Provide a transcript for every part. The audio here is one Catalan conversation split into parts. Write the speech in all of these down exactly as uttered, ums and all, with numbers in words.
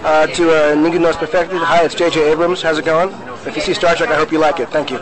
Uh, to uh, Ningún No Es Perfecto, hi, it's J J Abrams. How's it going? If you see Star Trek, I hope you like it. Thank you.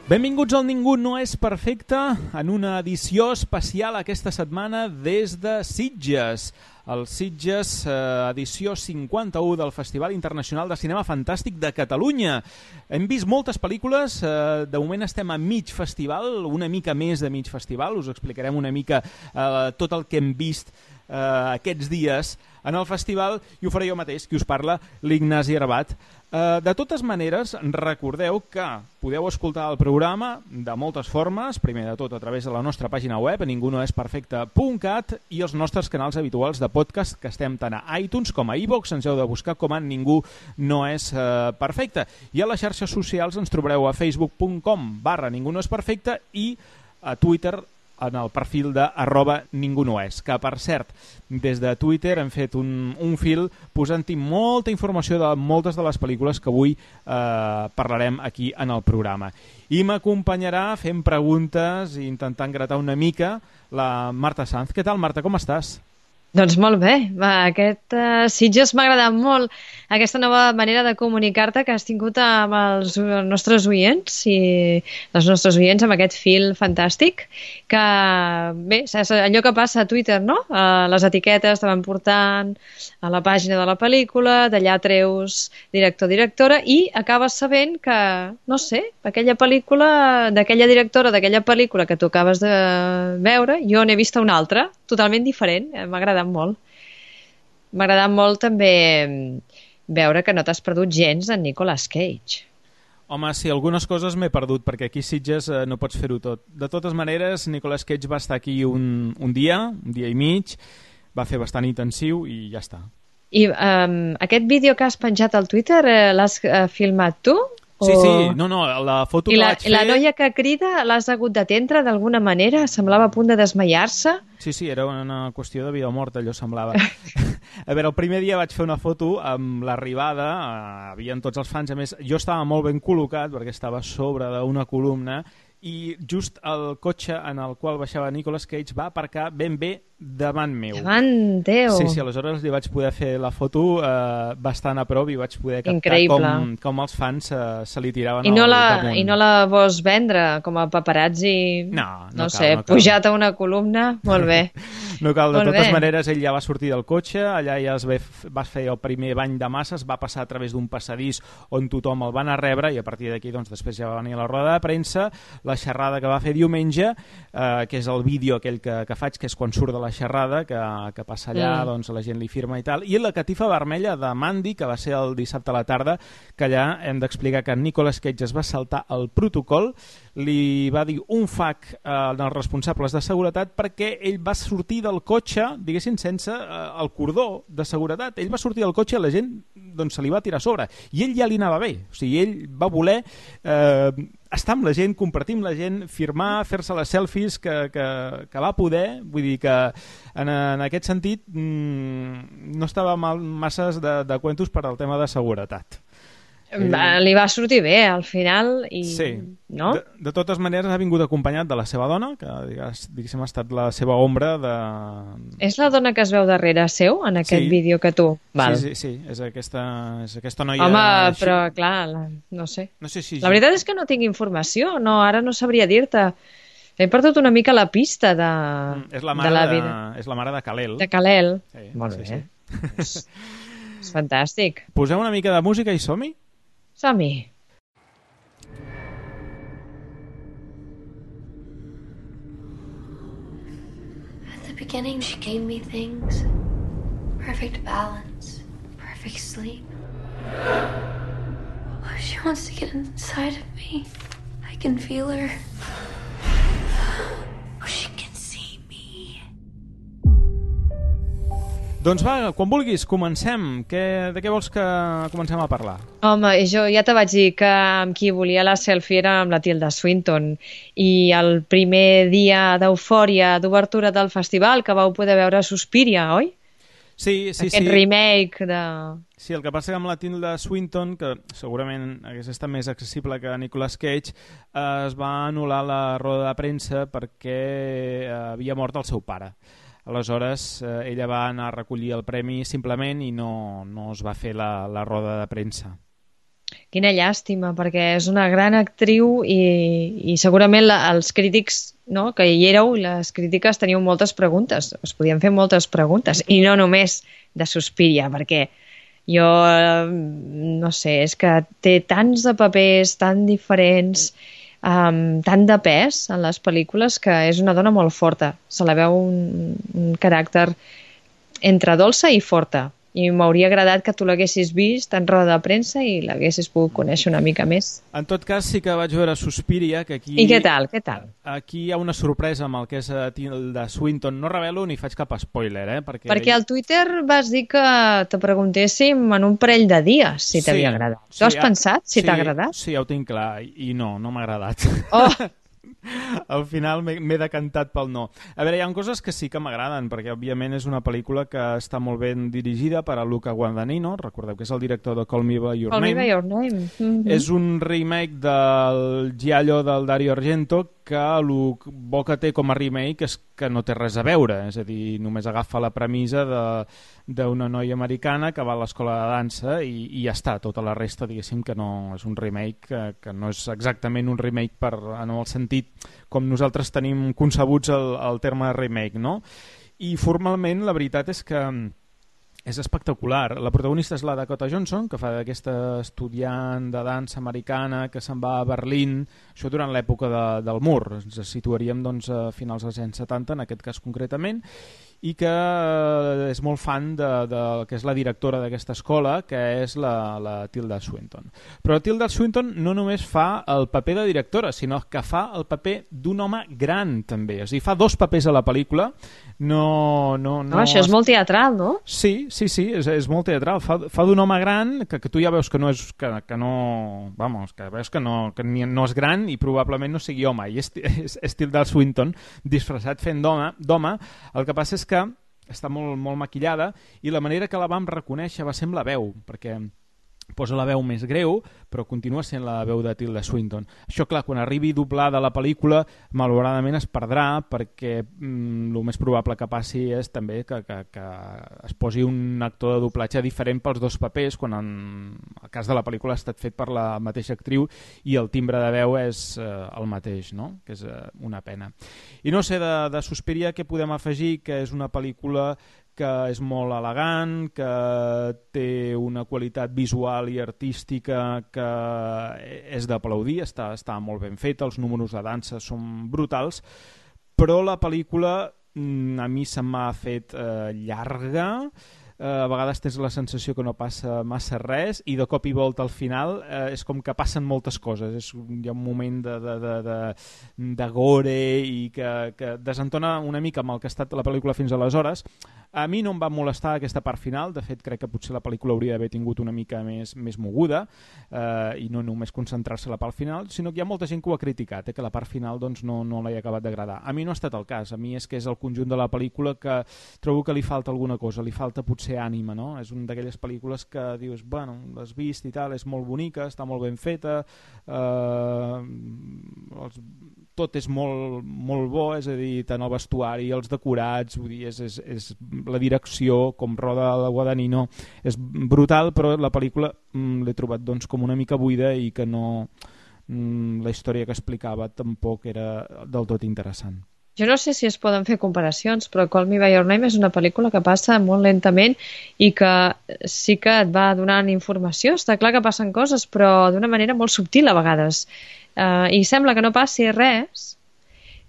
Benvinguts al Ningú No És Perfecte en una edició especial aquesta setmana des de Sitges. El Sitges, eh, edició cinquanta-u del Festival Internacional de Cinema Fantàstic de Catalunya. Hem vist moltes pel·lícules, eh, de moment estem a mig festival, una mica més de mig festival, us explicarem una mica eh, tot el que hem vist eh, aquests dies en el festival i ho faré jo mateix, qui us parla, l'Ignasi Arbat. Uh, de totes maneres, recordeu que podeu escoltar el programa de moltes formes, primer de tot a través de la nostra pàgina web, ningunoesperfecte punt cat, i els nostres canals habituals de podcast, que estem tant a iTunes com a iVoox, ens heu de buscar com a Ningú No És uh, Perfecte. I a les xarxes socials ens trobareu a facebook punt com barra Ningú No És Perfecte i a Twitter en el perfil de arroba Ningú No És, que per cert, des de Twitter hem fet un, un fil posant-hi molta informació de moltes de les pel·lícules que avui eh, parlarem aquí en el programa. I m'acompanyarà fent preguntes i intentant gratar una mica la Marta Sanz. Què tal, Marta, com estàs? Doncs molt bé, va, aquest uh, Sitges m'ha agradat molt, aquesta nova manera de comunicar-te que has tingut amb els nostres oients i els nostres oients amb aquest fil fantàstic, que bé, saps, allò que passa a Twitter, no? Uh, les etiquetes te van portant a la pàgina de la pel·lícula, d'allà treus director, directora i acabes sabent que, no sé, aquella pel·lícula, d'aquella directora, d'aquella pel·lícula que tu acabes de veure, jo n'he vista una altra, totalment diferent, m'ha agradat molt. M'ha agradat molt també veure que no t'has perdut gens en Nicolas Cage. Home, sí, algunes coses m'he perdut, perquè aquí a Sitges eh, no pots fer-ho tot. De totes maneres, Nicolas Cage va estar aquí un, un dia, un dia i mig, va fer bastant intensiu i ja està. I um, aquest vídeo que has penjat al Twitter eh, l'has eh, filmat tu? Sí, o... sí, no, no, la foto I que la, vaig fer... I la noia que crida l'has hagut d'atendre d'alguna manera? Semblava a punt de desmaiar-se? Sí, sí, era una qüestió de vida o mort, allò semblava. A veure, el primer dia vaig fer una foto amb l'arribada, eh, havien tots els fans, a més, jo estava molt ben col·locat perquè estava sobre d'una columna i just el cotxe en el qual baixava Nicolas Cage va aparcar ben bé davant meu. Davant teu. Sí, sí, aleshores li vaig poder fer la foto eh, bastant a prop i vaig poder captar Increïble. com, com els fans eh, se li tiraven I no al la, damunt. I no la vols vendre com a paparazzi, no, no, no cal, sé, no cal. pujat a una columna? Molt bé. No cal, de Molt totes bé. maneres ell ja va sortir del cotxe, allà ja es ve, va fer el primer bany de masses, va passar a través d'un passadís on tothom el va anar a rebre i a partir d'aquí doncs, després ja va venir la roda de premsa, la xerrada que va fer diumenge, eh, que és el vídeo aquell que, que faig, que és quan surt de la xerrada, que, que passa allà, mm. doncs la gent li firma i tal, i la catifa vermella de Mandy, que va ser el dissabte a la tarda, que allà hem d'explicar que Nicolas Cage es va saltar el protocol, li va dir un fac eh, als responsables de seguretat perquè ell va sortir del cotxe, diguéssim, sense eh, el cordó de seguretat. Ell va sortir del cotxe i la gent doncs, se li va tirar a sobre. I ell ja li anava bé. O sigui, ell va voler eh, estar amb la gent, compartir amb la gent, firmar, fer-se les selfies que, que, que va poder. Vull dir que en, en aquest sentit mmm, no estava mal, masses de, de cuentos per al tema de seguretat. Li va sortir bé al final i... Sí, no? de, de totes maneres ha vingut acompanyat de la seva dona, que diguéssim ha estat la seva ombra de... És la dona que es veu darrere seu en aquest sí. vídeo que tu? Val. Sí, sí, sí, és aquesta, és aquesta noia... Home, així. Però clar, la, no sé. No sé si... La veritat és que no tinc informació, no, ara no sabria dir-te. He perdut una mica la pista de, mm, és la mare de la de, vida. És la mare de Kal-El. De Kal-El. Sí, molt sí, bé. Sí. és, és fantàstic. Posem una mica de música i som-hi? Som-hi. At the beginning, she gave me things. Perfect balance, perfect sleep. Oh, she wants to get inside of me. I can feel her. Oh, she can see me. Doncs va, quan vulguis, comencem. Què, de què vols que comencem a parlar? Home, jo ja te vaig dir que amb qui volia la selfie era amb la Tilda Swinton, i el primer dia d'eufòria d'obertura del festival que vau poder veure Suspiria, oi? Sí, sí, Aquest sí. remake de... Sí, el que passa que amb la Tilda Swinton, que segurament hagués estat més accessible que Nicolas Cage, eh, es va anul·lar la roda de premsa perquè eh, havia mort el seu pare. Aleshores, eh, ella va anar a recollir el premi simplement i no, no es va fer la, la roda de premsa. Quina llàstima, perquè és una gran actriu i, i segurament la, els crítics, no, que hi éreu, les crítiques teniu moltes preguntes, es podien fer moltes preguntes, i no només de Suspiria, perquè jo, no sé, és que té tants de papers tan diferents, um, tant de pes en les pel·lícules, que és una dona molt forta, se la veu un, un caràcter entre dolça i forta. I m'hauria agradat que tu l'haguessis vist en roda de premsa i l'haguessis pogut conèixer una mica més. En tot cas, sí que vaig veure Suspiria, que aquí... I què tal, què tal? Aquí hi ha una sorpresa amb el que és Tilda Swinton. No revelo ni faig cap spoiler, eh? Perquè, Perquè al Twitter vas dir que te preguntéssim en un parell de dies si t'havia sí, agradat. Sí, Tu has pensat si sí, t'ha agradat? Sí, ja ho tinc clar, i no, no m'ha agradat. Oh! Al final m'he decantat pel no. A veure, hi ha coses que sí que m'agraden, perquè òbviament és una pel·lícula que està molt ben dirigida per a Luca Guadagnino, recordeu que és el director de Call Me By Your Call Name. Me By Your Name. Mm-hmm. És un remake del Giallo del Dario Argento, que el bo que té com a remake és que no té res a veure, és a dir, només agafa la premissa d'una noia americana que va a l'escola de dansa i, i ja està, tota la resta, diguéssim, que no és un remake, que, que no és exactament un remake per, en el sentit com nosaltres tenim concebuts el, el terme remake, no? I formalment la veritat és que és espectacular. La protagonista és la Dakota Johnson, que fa d'aquesta estudiant de dansa americana que se'n va a Berlín, això durant l'època de, del mur. Ens situaríem doncs, a finals dels anys setanta, en aquest cas concretament, i que és molt fan de, de que és la directora d'aquesta escola, que és la, la Tilda Swinton. Però la Tilda Swinton no només fa el paper de directora, sinó que fa el paper d'un home gran, també. És a dir, fa dos papers a la pel·lícula. No, no, no... no això és molt teatral, no? Sí, sí, sí, és, és molt teatral. Fa, fa d'un home gran que, que tu ja veus que no és... Que, que no, vamos, que veus que, no, que ni, no és gran i probablement no sigui home. I és, és, és Tilda Swinton disfressat fent d'home. El que passa és que està molt, molt maquillada i la manera que la vam reconèixer va ser amb la veu, perquè posa la veu més greu, però continua sent la veu de Tilda Swinton. Això, clar, quan arribi doblada la pel·lícula, malauradament es perdrà, perquè mm, el més probable que passi és també que, que, que es posi un actor de doblatge diferent pels dos papers, quan en el cas de la pel·lícula ha estat fet per la mateixa actriu i el timbre de veu és eh, el mateix, no? Que és eh, una pena. I no sé, de, de Suspiria què podem afegir? Que és una pel·lícula que és molt elegant, que té una qualitat visual i artística que és d'aplaudir, està, està molt ben feta, els números de dansa són brutals, però la pel·lícula a mi se m'ha fet eh, llarga, eh, a vegades tens la sensació que no passa massa res i de cop i volta al final eh, és com que passen moltes coses, és, hi ha un moment de, de, de, de, de gore i que, que desentona una mica amb el que ha estat la pel·lícula fins aleshores. A mi no em va molestar aquesta part final, de fet crec que potser la pel·lícula hauria d'haver tingut una mica més, més moguda eh, i no només concentrar-se a la part final, sinó que hi ha molta gent que ho ha criticat, eh, que la part final doncs, no, no l'he acabat d'agradar. A mi no ha estat el cas, a mi és que és el conjunt de la pel·lícula que trobo que li falta alguna cosa, li falta potser ànima, no? És una d'aquelles pel·lícules que dius, bueno, l'has vist i tal, és molt bonica, està molt ben feta, eh, els, tot és molt, molt bo, és a dir, tant el vestuari, els decorats, vull dir, és, és, és la direcció, com roda la Guadagnino, és brutal, però la pel·lícula mm, l'he trobat doncs, com una mica buida i que no, mm, la història que explicava tampoc era del tot interessant. Jo no sé si es poden fer comparacions, però Call Me By Your Name és una pel·lícula que passa molt lentament i que sí que et va donant informació. Està clar que passen coses, però d'una manera molt subtil a vegades. Uh, I sembla que no passi res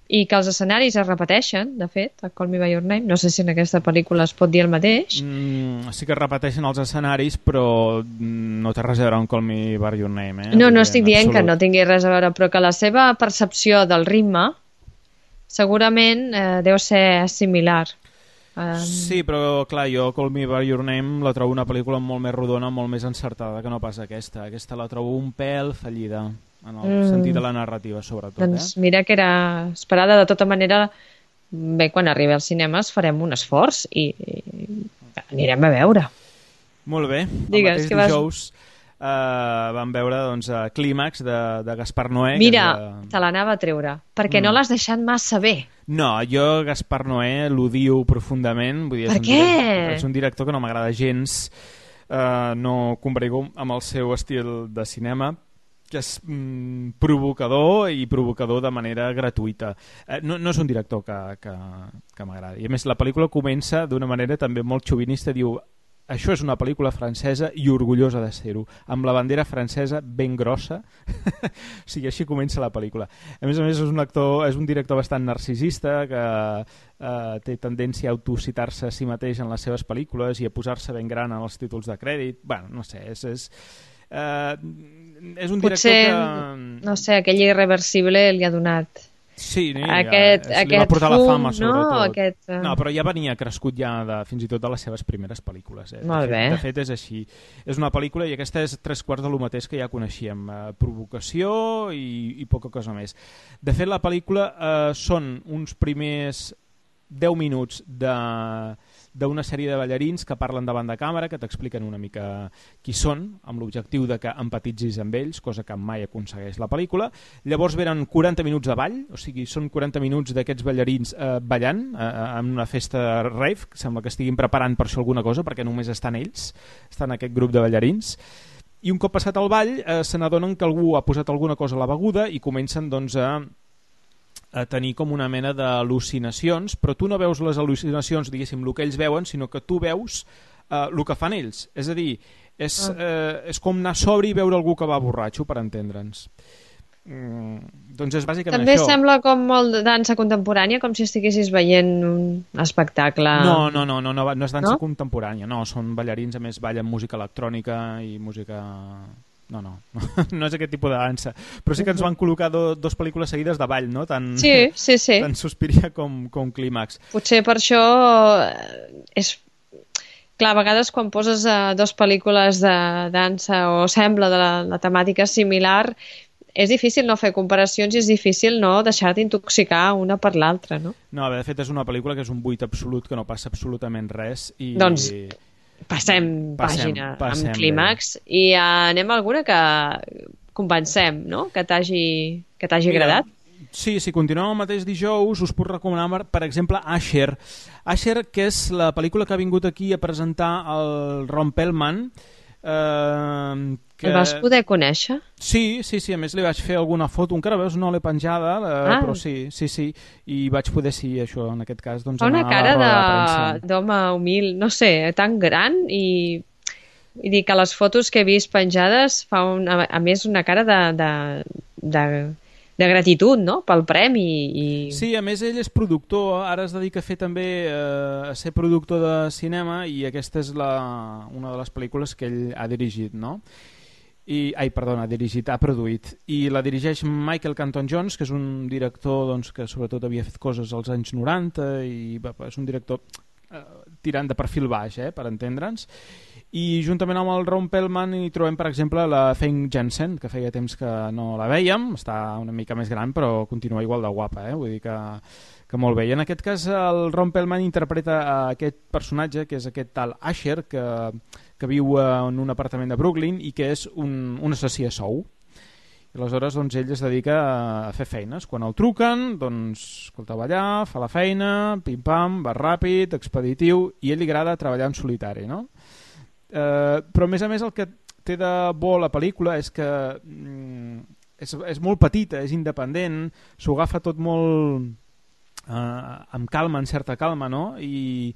i que els escenaris es repeteixen, de fet, a Call Me By Your Name. No sé si en aquesta pel·lícula es pot dir el mateix. Mm, sí que es repeteixen els escenaris, però no té res a veure amb Call Me By Your Name. Eh? No, no estic dient que no tingui res a veure, però que la seva percepció del ritme segurament eh, deu ser similar Um... Sí, però clar, jo Call Me By Your Name la trobo una pel·lícula molt més rodona, molt més encertada que no pas aquesta. Aquesta la trobo un pèl fallida, en el mm. sentit de la narrativa, sobretot. Doncs eh? mira que era esperada. De tota manera, bé, quan arribi als cinemes farem un esforç i, i anirem a veure. Molt bé. Digues, el mateix dijous vas... uh, vam veure doncs, uh, Clímax de, de Gaspar Noé. Mira, de... te l'anava a treure, perquè mm. no l'has deixat massa bé. No, jo Gaspar Noé l'odio profundament. Vull dir, per és què? Un director, és un director que no m'agrada gens. Uh, no combrego amb el seu estil de cinema, que és mm, provocador i provocador de manera gratuïta. Eh, no, no és un director que, que, que m'agradi. I a més, la pel·lícula comença d'una manera també molt xovinista. Diu, això és una pel·lícula francesa i orgullosa de ser-ho, amb la bandera francesa ben grossa. O sigui, així comença la pel·lícula. A més a més, és un actor, és un director bastant narcisista que eh, té tendència a autocitar-se a si mateix en les seves pel·lícules i a posar-se ben gran en els títols de crèdit. Bueno, no sé, és... és Uh, és un director Potser, que... no sé, aquell Irreversible li ha donat... Sí, sí aquest, ja, aquest li va portar fum, la fama, sobretot. No, aquest, uh... no, però ja venia crescut ja de, fins i tot de les seves primeres pel·lícules. Eh? Molt de, bé. fet, de fet, és així. És una pel·lícula i aquesta és tres quarts de lo mateix que ja coneixíem. Eh, provocació i, i poca cosa més. De fet, la pel·lícula eh, són uns primers deu minuts de... d'una sèrie de ballarins que parlen davant de càmera, que t'expliquen una mica qui són, amb l'objectiu de que empatitzis amb ells, cosa que mai aconsegueix la pel·lícula. Llavors venen quaranta minuts de ball, o sigui, són quaranta minuts d'aquests ballarins eh, ballant eh, en una festa rave, que sembla que estiguin preparant per això alguna cosa, perquè només estan ells, estan aquest grup de ballarins. I un cop passat el ball, eh, se n'adonen que algú ha posat alguna cosa a la beguda i comencen doncs a a tenir com una mena d'al·lucinacions, però tu no veus les al·lucinacions, diguéssim, el que ells veuen, sinó que tu veus eh, el que fan ells. És a dir, és, eh, és com anar sobri i veure algú que va borratxo, per entendre'ns. Mm, doncs és bàsicament També això. També sembla com molt de dansa contemporània, com si estiguessis veient un espectacle... No, no, no, no, no, no és dansa no? contemporània, no, són ballarins, a més ballen música electrònica i música... No, no, no és aquest tipus de dansa. Però sí que ens van col·locar do, dos pel·lícules seguides de ball, no? Tant, sí, sí, sí. Tant Suspiria com, com Clímax. Potser per això és... Clar, a vegades quan poses uh, dos pel·lícules de dansa o sembla de la, la temàtica similar, és difícil no fer comparacions i és difícil no deixar-te intoxicar una per l'altra, no? No, de fet és una pel·lícula que és un buit absolut, que no passa absolutament res. I... Doncs... Passem, passem pàgina passem amb Clímax bé. I uh, anem a alguna que convencem, no? Que t'hagi que t'hagi agradat. Sí, si continuem el mateix dijous us puc recomanar, per exemple, Asher. Asher, que és la pel·lícula que ha vingut aquí a presentar el Ron Perlman. Eh, que... El vas poder conèixer? Sí, sí, sí, a més li vaig fer alguna foto, encara veus, no l'he penjada, eh, ah. però sí, sí, sí, i vaig poder, sí, això, en aquest cas, doncs, fa una cara de d'home humil, no sé, tan gran i, i dir que les fotos que he vist penjades fa una, a més una cara de, de, de, de gratitud, no?, pel premi. I... Sí, a més ell és productor, ara es dedica a fer també eh, a ser productor de cinema i aquesta és la, una de les pel·lícules que ell ha dirigit, no?, I, ai, perdona, ha dirigit, ha produït, i la dirigeix Michael Canton Jones, que és un director doncs, que sobretot havia fet coses als anys noranta i va, és un director eh, tirant de perfil baix, eh, per entendre'ns. I juntament amb el Ron Perlman hi trobem, per exemple, la Famke Janssen, que feia temps que no la vèiem, està una mica més gran però continua igual de guapa, eh? Vull dir que, que molt bé. I en aquest cas el Ron Perlman interpreta aquest personatge, que és aquest tal Asher, que que viu en un apartament de Brooklyn i que és un, un assassí a sou. I aleshores doncs, ell es dedica a fer feines. Quan el truquen, doncs, escolta, va allà, fa la feina, pim-pam, va ràpid, expeditiu, i a ell li agrada treballar en solitari, no? Eh, però a més a més el que té de bo la pel·lícula és que mm, és, és molt petita, és independent, s'ho agafa tot molt eh, amb calma, en certa calma, no? I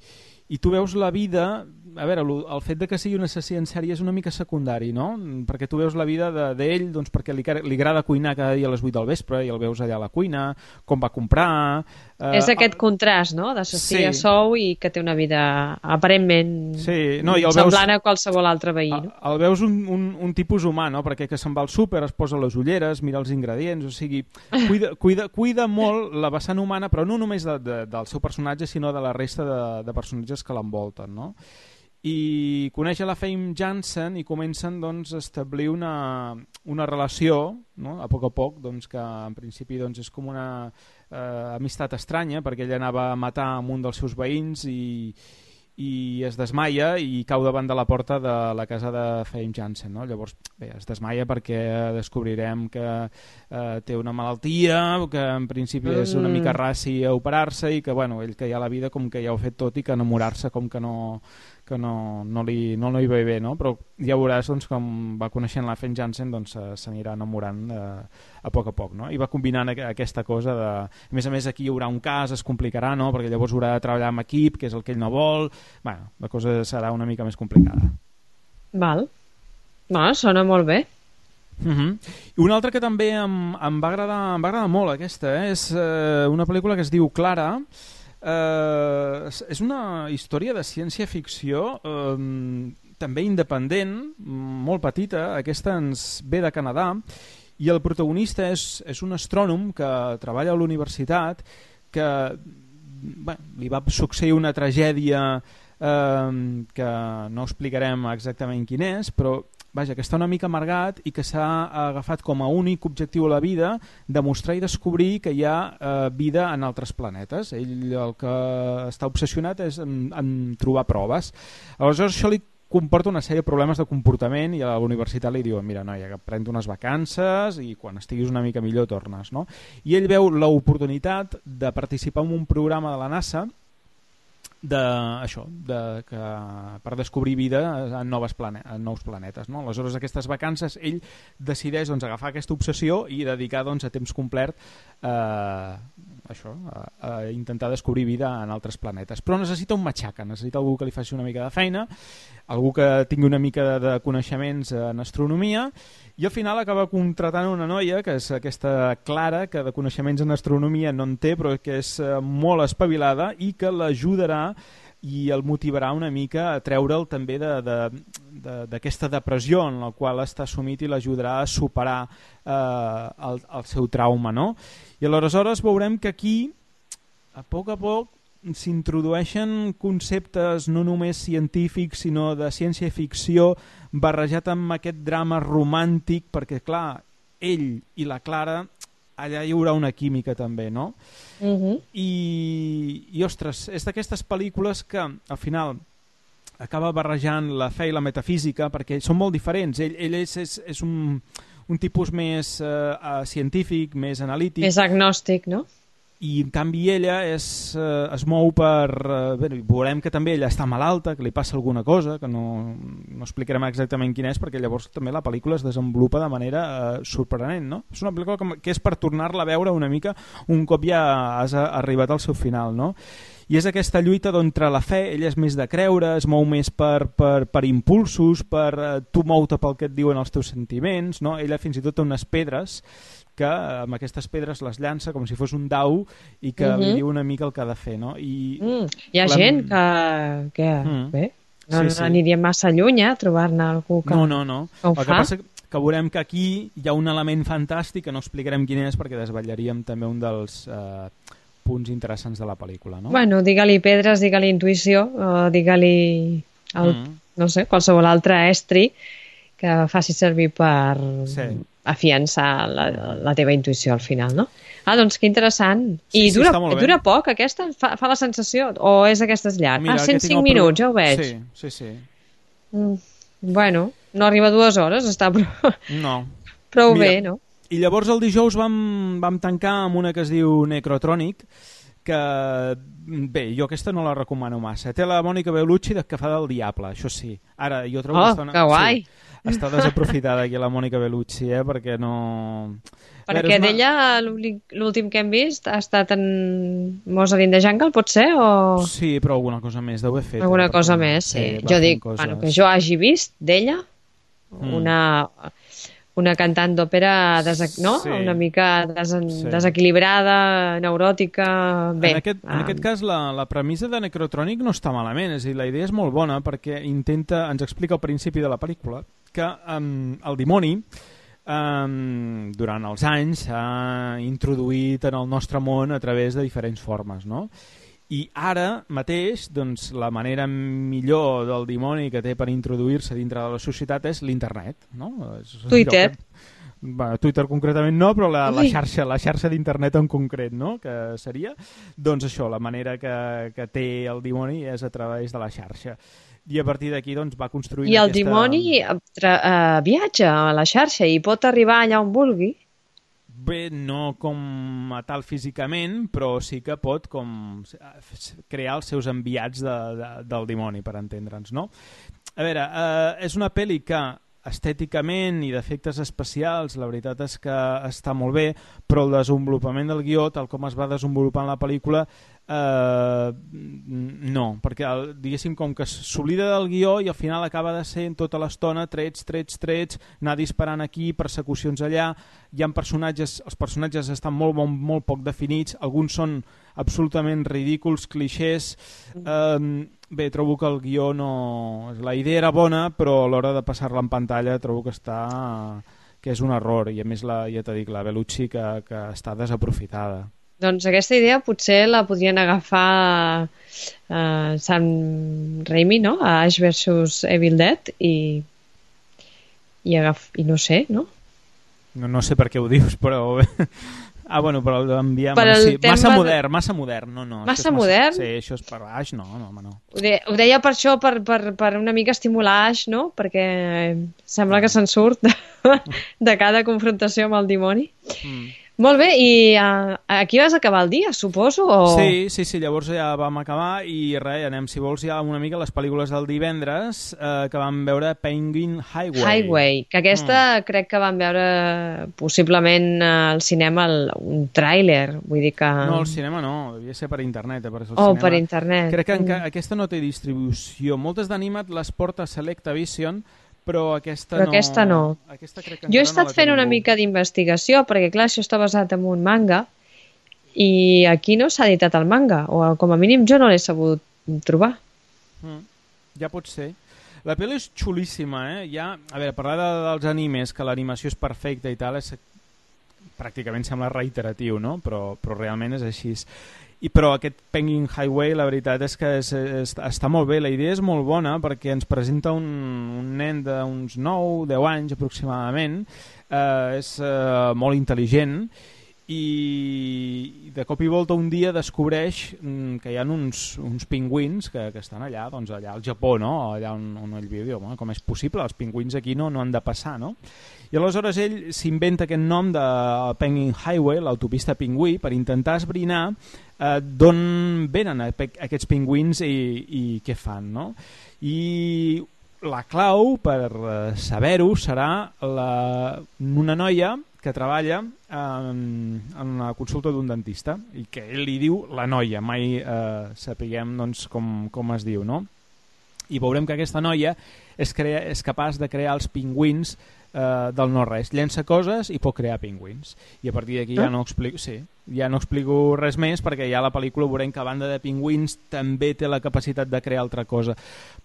i tu veus la vida... A veure, el fet de que sigui un assassí en sèrie és una mica secundari, no? Perquè tu veus la vida d'ell, doncs perquè li, li agrada cuinar cada dia a les vuit del vespre i el veus allà a la cuina, com va comprar... Eh, és aquest contrast, no?, d'assassí sí. a sou i que té una vida aparentment sí. no, i semblant veus, a qualsevol altre veí. No? El, el veus un, un, un tipus humà, no? Perquè que se'n va al súper, es posa les ulleres, mira els ingredients, o sigui, cuida, cuida, cuida molt la vessant humana, però no només de, de, del seu personatge, sinó de la resta de, de personatges que l'envolten, no? I coneix a la Famke Janssen i comencen doncs, a establir una, una relació, no? A poc a poc, doncs, que en principi doncs, és com una eh, amistat estranya, perquè ella anava a matar amb un dels seus veïns i, i es desmaia i cau davant de la porta de la casa de Famke Janssen, no? Llavors bé, es desmaia perquè descobrirem que eh, té una malaltia, que en principi és una mica raci a operar-se i que bueno, ell que ja la vida com que ja ho ha fet tot i que enamorar-se com que no... que no, no, li, no, no hi va bé, no? Però ja veuràs doncs, com va coneixent la Famke Janssen doncs, s'anirà enamorant eh, a poc a poc, no? I va combinant aquesta cosa de... A més a més aquí hi haurà un cas, es complicarà, no? Perquè llavors haurà de treballar amb equip, que és el que ell no vol... Bueno, la cosa serà una mica més complicada. Val. No, sona molt bé. Uh-huh. I una altra que també em, em va agradar, em va agradar molt aquesta, eh? És eh, una pel·lícula que es diu Clara. Uh, és una història de ciència-ficció uh, també independent, molt petita. Aquesta ens ve de Canadà i el protagonista és, és un astrònom que treballa a l'universitat que bé, li va succeir una tragèdia uh, que no explicarem exactament quin és, però vaja, que està una mica amargat i que s'ha agafat com a únic objectiu a la vida demostrar i descobrir que hi ha eh, vida en altres planetes. Ell el que està obsessionat és en, en trobar proves. Aleshores això li comporta una sèrie de problemes de comportament i a la universitat li diuen mira, noia, que pren unes vacances i quan estiguis una mica millor tornes, no? I ell veu l'oportunitat de participar en un programa de la NASA de, això, de, que, per descobrir vida en, noves plane en nous planetes, no? Aleshores aquestes vacances ell decideix doncs, agafar aquesta obsessió i dedicar doncs, a temps complet eh, això, a, a intentar descobrir vida en altres planetes, però necessita un matxaca, necessita algú que li faci una mica de feina, algú que tingui una mica de, de coneixements en astronomia, i al final acaba contratant una noia que és aquesta Clara, que de coneixements en astronomia no en té, però que és molt espavilada i que l'ajudarà i el motivarà una mica a treure'l també d'aquesta de, de, depressió en la qual està sumit i l'ajudarà a superar eh, el, el seu trauma, no? I aleshores veurem que aquí, a poc a poc, s'introdueixen conceptes no només científics sinó de ciència-ficció barrejat amb aquest drama romàntic, perquè clar, ell i la Clara allà hi haurà una química també, no? Uh-huh. I, i ostres, és d'aquestes pel·lícules que al final acaba barrejant la fe i la metafísica perquè són molt diferents. Ell, ell és, és, és un, un tipus més eh, científic, més analític. Més agnòstic, no? I en canvi ella és, eh, es mou per... Eh, bé, veurem que també ella està malalta, que li passa alguna cosa, que no, no explicarem exactament quina és, perquè llavors també la pel·lícula es desenvolupa de manera eh, sorprenent, no? És una pel·lícula que, que és per tornar-la a veure una mica un cop ja has arribat al seu final, no? I és aquesta lluita d'entre la fe, ella és més de creure, es mou més per, per, per impulsos, per eh, tu mou-te pel que et diuen els teus sentiments, no? Ella fins i tot té unes pedres que amb aquestes pedres les llança com si fos un dau i que uh-huh. li diu una mica el que ha de fer, no? I mm. Hi ha la... gent que, que mm. bé, no, sí, sí. no aniria massa lluny a trobar-ne algú que no, no, no. ho el fa. Que passa que veurem que aquí hi ha un element fantàstic que no explicarem quin és perquè desvetllaríem també un dels eh, punts interessants de la pel·lícula, no? Bueno, digue-li pedres, digue-li intuïció, o digue-li el, mm. no sé, qualsevol altre estri que faci servir per sí. afiançar la, la teva intuïció al final, no? Ah, doncs que interessant. I sí, dura, sí, dura poc aquesta? Fa, fa la sensació? O és aquestes llarg? Mira, ah, cent cinc minuts, ja ho veig. Sí, sí, sí. Mm, bueno, no arriba a dues hores, està prou, no. prou Mira, bé, no? I llavors el dijous vam, vam tancar amb una que es diu Necrotronic, que, bé, jo aquesta no la recomano massa. Té la Mònica Bellucci de que fa del diable, això sí. Ara, jo trobo oh, que està, una... que guai! Sí, està desaprofitada aquí la Mònica Bellucci, eh, perquè no... Perquè una... d'ella l'últim que hem vist ha estat en Mozart in the Jungle, pot ser? O... Sí, però alguna cosa més deu haver fet. Alguna eh, cosa més, sí. sí jo dic, coses... bueno, que jo hagi vist d'ella mm. una, una cantant d'òpera desac... no? sí. una mica des... sí. desequilibrada, neuròtica... Bé, en, aquest, en um... aquest cas la, la premissa de Necrotronic no està malament, és a dir, la idea és molt bona perquè intenta, ens explica al principi de la pel·lícula que um, el dimoni Um, durant els anys s'ha introduït en el nostre món a través de diferents formes, no? I ara mateix doncs, la manera millor del dimoni que té per introduir-se dintre de la societat és l'internet, no? Twitter. Bueno, Twitter concretament no, però la, la xarxa, la xarxa d'internet en concret, no? Que seria, doncs això, la manera que, que té el dimoni és a través de la xarxa. I a partir d'aquí doncs, va construint I el aquesta... dimoni tra... uh, viatja a la xarxa i pot arribar allà on vulgui? Bé, no com a tal físicament, però sí que pot com crear els seus enviats de, de, del dimoni, per entendre'ns, no? A veure, eh, és una pel·li que estèticament i d'efectes especials la veritat és que està molt bé, però el desenvolupament del guió, tal com es va desenvolupant la pel·lícula, eh, no, perquè el, diguéssim com que s'oblida del guió i al final acaba de ser tota l'estona trets, trets, trets, anar disparant aquí, persecucions allà, hi ha personatges, els personatges estan molt, molt, molt poc definits, alguns són absolutament ridículs, clixés, eh, bé, trobo que el guió no... La idea era bona, però a l'hora de passar-la en pantalla trobo que està... que és un error, i a més, la, ja t'he dit, la Bellucci que, que està desaprofitada. Doncs aquesta idea potser la podrien agafar uh, Sam Raimi, no? A Ash versus Evil Dead, i, i, agaf... i no sé, no? No, no sé per què ho dius, però... Ah, bueno, però enviar... Bueno, sí. Tema... Massa modern, massa modern. No, no, massa modern? Sí, això és per Ash, no, no, home, no. Ho, de... ho deia per això, per, per, per una mica estimular Ash, no? Perquè sembla no. que se'n surt de, de cada confrontació amb el dimoni. Mm. Molt bé, i uh, aquí vas acabar el dia, suposo? O... Sí, sí, sí, llavors ja vam acabar i res, anem, si vols, ja una mica les pel·lícules del divendres eh, que vam veure Penguin Highway. Highway, que aquesta mm. crec que vam veure possiblement al cinema el, un tràiler, vull dir que... No, al cinema no, devia ser per internet. Eh, per oh, cinema. Per internet. Crec que mm. aquesta no té distribució. Moltes d'Animat les porta Selecta Vision, però aquesta però no... Aquesta no. Aquesta crec que jo he estat no fent una mica d'investigació, perquè clar, això està basat en un manga, i aquí no s'ha editat el manga, o com a mínim jo no l'he sabut trobar. Mm, ja pot ser. La pel·li és xulíssima, eh? Ja, a veure, parlar de, dels animes, que l'animació és perfecta i tal, és, pràcticament sembla reiteratiu, no? Però, però realment és així. I, però aquest Penguin Highway, la veritat és que és, és, està molt bé, la idea és molt bona perquè ens presenta un, un nen d'uns nou deu anys aproximadament, eh, és eh, molt intel·ligent i de cop i volta un dia descobreix mm, que hi ha uns, uns pingüins que, que estan allà, doncs allà al Japó, no? Allà on, on ell viu, diu, com és possible? Els pingüins aquí no, no han de passar, no? I aleshores ell s'inventa aquest nom de Penguin Highway, l'autopista pingüí, per intentar esbrinar eh, d'on venen aquests pingüins i, i què fan, no? I la clau per saber-ho serà la, una noia que treballa en, en la consulta d'un dentista i que ell li diu la noia, mai eh, sapiguem doncs, com, com es diu, no? I veurem que aquesta noia és, crea, és capaç de crear els pingüins eh, del no-res, llença coses i pot crear pingüins, i a partir d'aquí ja no explico, sí, ja no explico res més perquè ja a la pel·lícula veurem que a banda de pingüins també té la capacitat de crear altra cosa,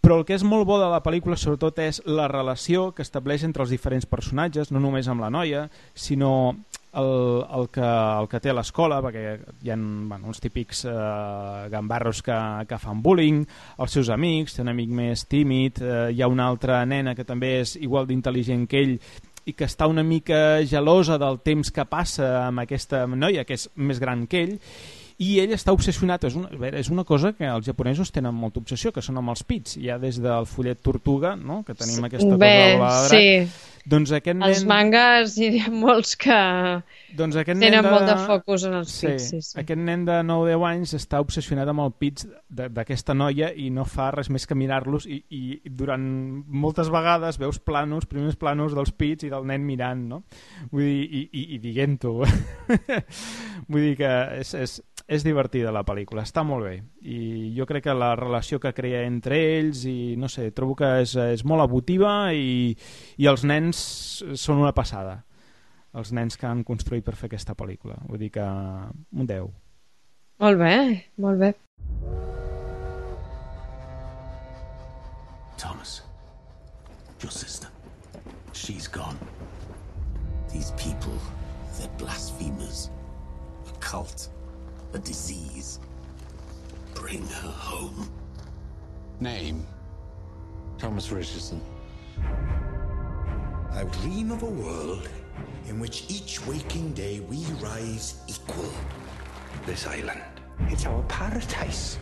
però el que és molt bo de la pel·lícula sobretot és la relació que estableix entre els diferents personatges, no només amb la noia, sinó el, el, que, el que té a l'escola, perquè hi ha bueno, uns típics eh, gambarros que, que fan bullying, els seus amics, té un amic més tímid, eh, hi ha una altra nena que també és igual d'intel·ligent que ell i que està una mica gelosa del temps que passa amb aquesta noia que és més gran que ell, i ell està obsessionat, és una, és una cosa que els japonesos tenen molta obsessió, que són amb els pits, ja des del fullet tortuga, no? Que tenim aquesta Bé, cosa de la sí. Doncs aquest nen... Els mangas hi ha molts que doncs aquest tenen nen de... molt de focus en els sí, pits. Sí, sí. Aquest nen de nou o deu anys està obsessionat amb el pits d'aquesta noia i no fa res més que mirar-los i, i durant moltes vegades veus planos, primers planos dels pits i del nen mirant, no? Vull dir, i, i, i dient-ho. Vull dir que és, és, és divertida la pel·lícula, està molt bé. I jo crec que la relació que crea entre ells, i no sé, trobo que és, és molt emotiva i, i els nens són una passada. Els nens que han construït per fer aquesta pel·lícula. Vull dir que un deu. Molt bé, molt bé. Thomas, your sister, she's gone. These people, they're blasphemers. A cult, a disease. Bring her home. Name? Thomas Richardson. I dream of a world in which each waking day we rise equal. This island, it's our paradise.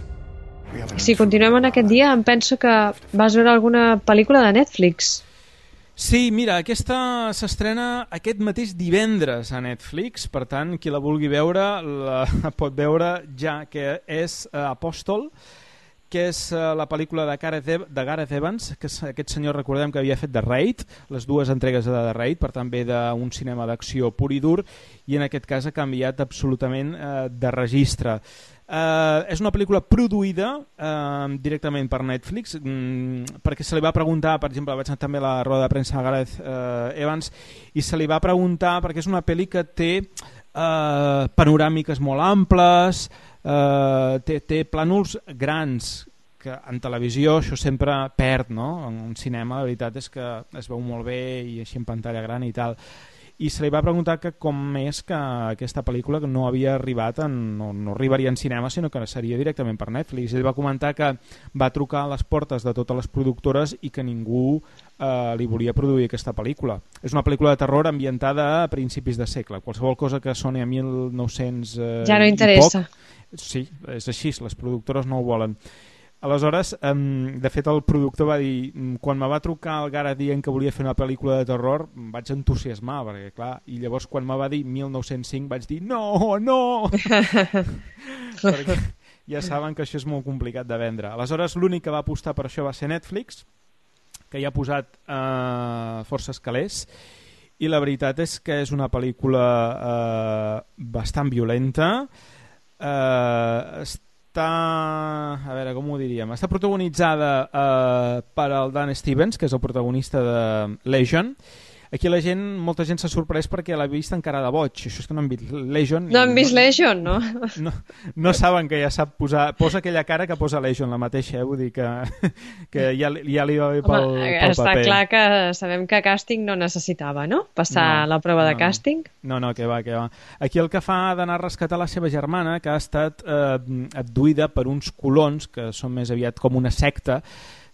Si continuem en aquest dia, em penso que vas veure alguna pel·lícula de Netflix. Sí, mira, aquesta s'estrena aquest mateix divendres a Netflix, per tant, qui la vulgui veure la pot veure ja, que és uh, Apòstol, que és uh, la pel·lícula de Gareth, Ev de Gareth Evans, que és aquest senyor, recordem que havia fet The Raid, les dues entregues de The Raid, per tant ve d'un cinema d'acció pur i dur, i en aquest cas ha canviat absolutament uh, de registre. Uh, és una pel·lícula produïda uh, directament per Netflix, mm, perquè se li va preguntar, per exemple, vaig anar també a la roda de premsa a Gareth uh, Evans, i se li va preguntar, perquè és una pel·li que té uh, panoràmiques molt amples, uh, té, té plànols grans, que en televisió això sempre perd, no? En un cinema la veritat és que es veu molt bé i així en pantalla gran i tal. I se li va preguntar que com és que aquesta pel·lícula no havia arribat, en, no, no arribaria en cinema, sinó que seria directament per Netflix. Ell va comentar que va trucar a les portes de totes les productores i que ningú eh, li volia produir aquesta pel·lícula. És una pel·lícula de terror ambientada a principis de segle. Qualsevol cosa que soni a mil nou-cents eh, ja no interessa. Poc, sí, és així, les productores no ho volen. Aleshores, um, de fet el productor va dir, quan me va trucar el Gareth dient que volia fer una pel·lícula de terror, em vaig entusiasmar, perquè clar, i llavors quan me va dir mil nou-cents cinc vaig dir no, no! Perquè ja saben que això és molt complicat de vendre. Aleshores l'únic que va apostar per això va ser Netflix, que hi ha posat uh, forces calés, i la veritat és que és una pel·lícula uh, bastant violenta, uh, està, a veure, com ho diríem, està protagonitzada eh, per el Dan Stevens, que és el protagonista de Legion. Aquí la gent, molta gent s'ha sorprès perquè l'ha vist encara de boig. Això és que no han vist Legion. No han vist no, Legion, no? no? No saben que ja sap posar... Posa aquella cara que posa Legion, la mateixa, eh? Vull dir que, que ja, ja li va bé pel, Home, pel està paper. Clar que sabem que càsting no necessitava, no? Passar no, la prova no, de càsting. No, no, que va, que va. Aquí el que fa d'anar a rescatar la seva germana, que ha estat eh, abduïda per uns colons, que són més aviat com una secta,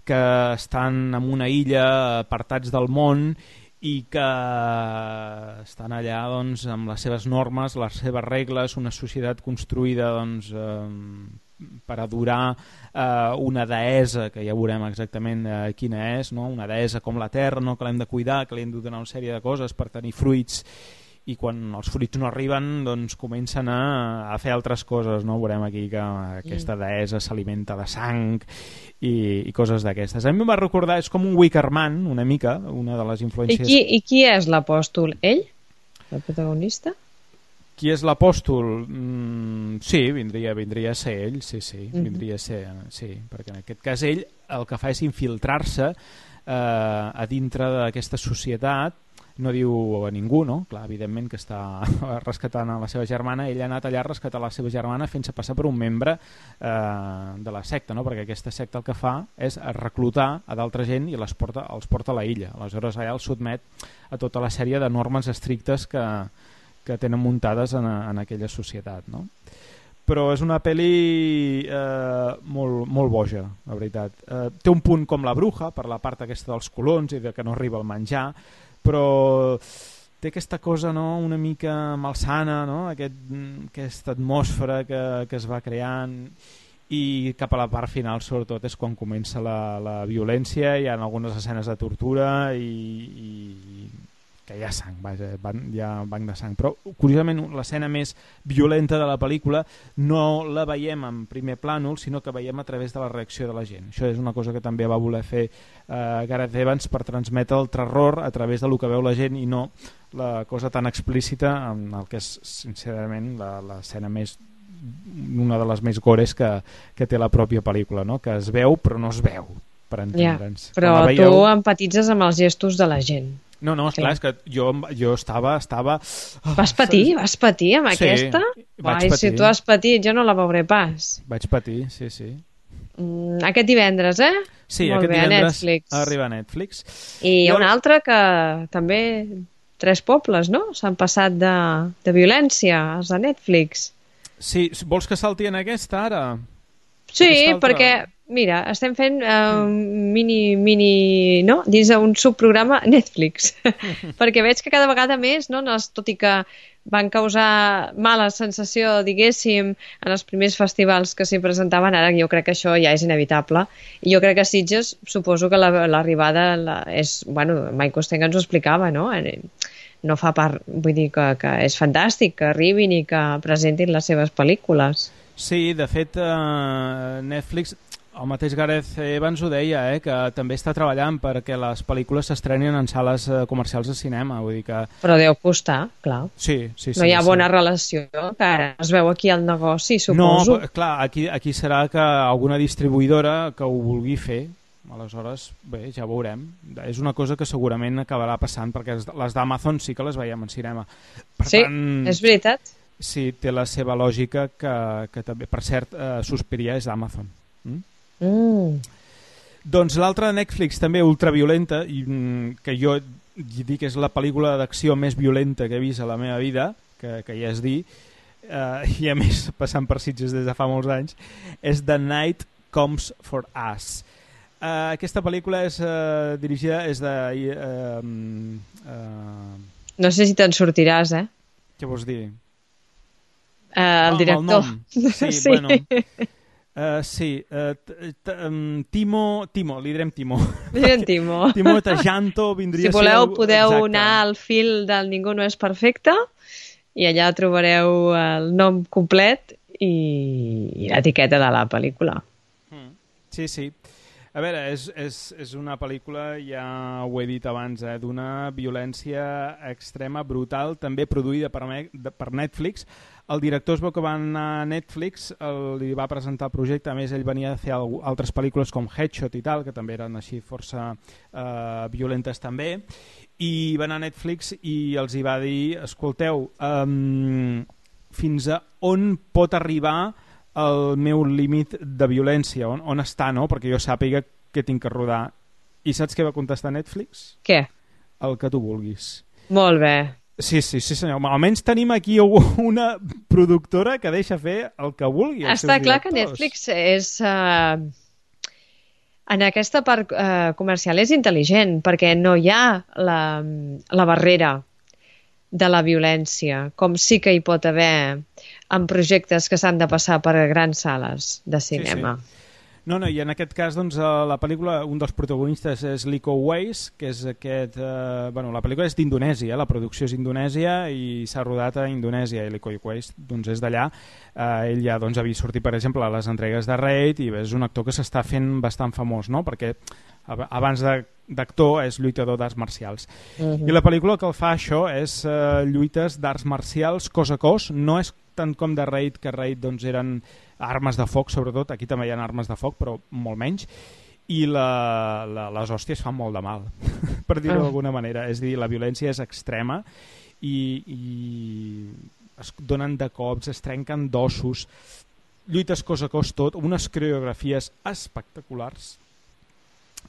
que estan en una illa apartats del món i que estan allà doncs, amb les seves normes, les seves regles, una societat construïda doncs, eh, per adorar eh, una deessa, que ja veurem exactament eh, quina és, no? Una deessa com la terra, no? Que l'hem de cuidar, que li hem de donar una sèrie de coses per tenir fruits, i quan els fruits no arriben doncs comencen a, a fer altres coses, no? Veurem aquí que aquesta deessa s'alimenta de sang i, i coses d'aquestes. A mi em va recordar, és com un Wickerman una mica, una de les influències. I qui, i qui és l'apòstol? Ell? El protagonista? Qui és l'apòstol? Mm, sí, vindria, vindria a ser ell, sí, sí, mm-hmm. vindria a ser, sí, perquè en aquest cas ell el que fa és infiltrar-se eh, a dintre d'aquesta societat. No diu a ningú, no? Clar, evidentment que està rescatant a la seva germana. Ell ha anat allà a rescatar la seva germana fent-se passar per un membre eh, de la secta, no? Perquè aquesta secta el que fa és reclutar a d'altra gent i les porta, els porta a la illa. Aleshores allà els sotmet a tota la sèrie de normes estrictes que, que tenen muntades en, en aquella societat, no? Però és una pel·li eh, molt, molt boja, la veritat. Eh, té un punt com La Bruja, per la part aquesta dels colons i de que no arriba el menjar, però té aquesta cosa, no?, una mica malsana, no?, Aquest, aquesta atmosfera que, que es va creant, i cap a la part final sobretot és quan comença la, la violència, hi ha algunes escenes de tortura i, i que hi ha sang, vaja, hi ha banc de sang, però curiosament l'escena més violenta de la pel·lícula no la veiem en primer plànol, sinó que veiem a través de la reacció de la gent. Això és una cosa que també va voler fer eh, Gareth Evans per transmetre el terror a través del que veu la gent i no la cosa tan explícita en el que és sincerament l'escena més, una de les més gores que, que té la pròpia pel·lícula, no? Que es veu però no es veu, per entendre'ns. Ja, però veieu... tu empatitzes amb els gestos de la gent. No, no, esclar, és que jo, jo estava... estava... Vas patir? Vas patir amb sí, aquesta? vaig Ai, patir. si tu has patit, jo no la veuré pas. Vaig patir, sí, sí. Mm, aquest divendres, eh? Sí, Molt aquest bé, divendres a Netflix. arriba a Netflix. I hi ha Jo... una altra que també... Tres pobles, no? S'han passat de, de violència als de Netflix. Sí, vols que salti en aquesta ara? Sí, Aquesta altra... perquè, mira, estem fent uh, mini, mini, no? Dins d'un subprograma Netflix. Perquè veig que cada vegada més, no? Tot i que van causar mala sensació, diguéssim, en els primers festivals que s'hi presentaven, ara jo crec que això ja és inevitable. I jo crec que Sitges, suposo que l'arribada la, és, bueno, Mike Costenga ens ho explicava, no? No fa part, vull dir que, que és fantàstic que arribin i que presentin les seves pel·lícules. Sí, de fet, eh, Netflix, el mateix Gareth Evans ho deia, eh, que també està treballant perquè les pel·lícules s'estrenin en sales eh, comercials de cinema. Vull dir que... Però deu costar, clar. Sí, sí, sí. No hi ha sí. bona relació, que ara es veu aquí al negoci, suposo. No, clar, aquí, aquí serà que alguna distribuïdora que ho vulgui fer. Aleshores, bé, ja veurem. És una cosa que segurament acabarà passant, perquè les d'Amazon sí que les veiem en cinema. Per sí, tant, és veritat. Sí, té la seva lògica que, que també, per cert, eh, Suspiria és d'Amazon. Mm? Mm. Doncs l'altra de Netflix, també ultraviolenta, i que jo dic que és la pel·lícula d'acció més violenta que he vist a la meva vida, que, que ja és dir, eh, i a més passant per Sitges des de fa molts anys, és The Night Comes for Us. Uh, aquesta pel·lícula és uh, dirigida és de... Uh, uh, no sé si te'n sortiràs, eh? Què vols dir? Uh, el director. El sí, sí, bueno... Uh, sí, uh, t t um, Timo, Timo, li direm Timo. Li direm Timo. Timo Tjanto vindria si voleu, a ser... podeu Exacte. anar al fil del Ningú no és perfecte i allà trobareu el nom complet i, i l'etiqueta de la pel·lícula. Mm. Sí, sí. A veure, és, és, és una pel·lícula, ja ho he dit abans, eh, d'una violència extrema, brutal, també produïda per, per Netflix. El director es veu que va anar a Netflix, el, li va presentar el projecte, a més ell venia a fer altres pel·lícules com Headshot i tal, que també eren així força eh, violentes també, i va anar a Netflix i els hi va dir, escolteu, um, fins a on pot arribar el meu límit de violència, on, on està, no? Perquè jo sàpiga que tinc que rodar. I saps què va contestar Netflix? Què? El que tu vulguis. Molt bé. Sí, sí, sí, senyor. Almenys tenim aquí una productora que deixa fer el que vulgui. Està clar que Netflix és... Uh, en aquesta part uh, comercial és intel·ligent, perquè no hi ha la, la barrera de la violència, com sí que hi pot haver en projectes que s'han de passar per grans sales de cinema. Sí, sí. No, no, i en aquest cas, doncs, la pel·lícula, un dels protagonistes és Liko Uwais, que és aquest... Eh, bueno, la pel·lícula és d'Indonèsia, la producció és d'Indonèsia i s'ha rodat a Indonèsia, i Liko Uwais doncs, és d'allà. Eh, ell ja doncs, havia sortit, per exemple, a les entregues de Raid, i és un actor que s'està fent bastant famós, no? Perquè abans d'actor és lluitador d'arts marcials. Uh-huh. I la pel·lícula que el fa això és eh, lluites d'arts marcials cos a cos, no és tant com de Raid, que Raid doncs, eren armes de foc, sobretot, aquí també hi ha armes de foc, però molt menys, i la, la, les hòsties fan molt de mal, per dir-ho uh. d'alguna manera. És a dir, la violència és extrema i, i es donen de cops, es trenquen d'ossos, lluites cos a cos tot, unes coreografies espectaculars,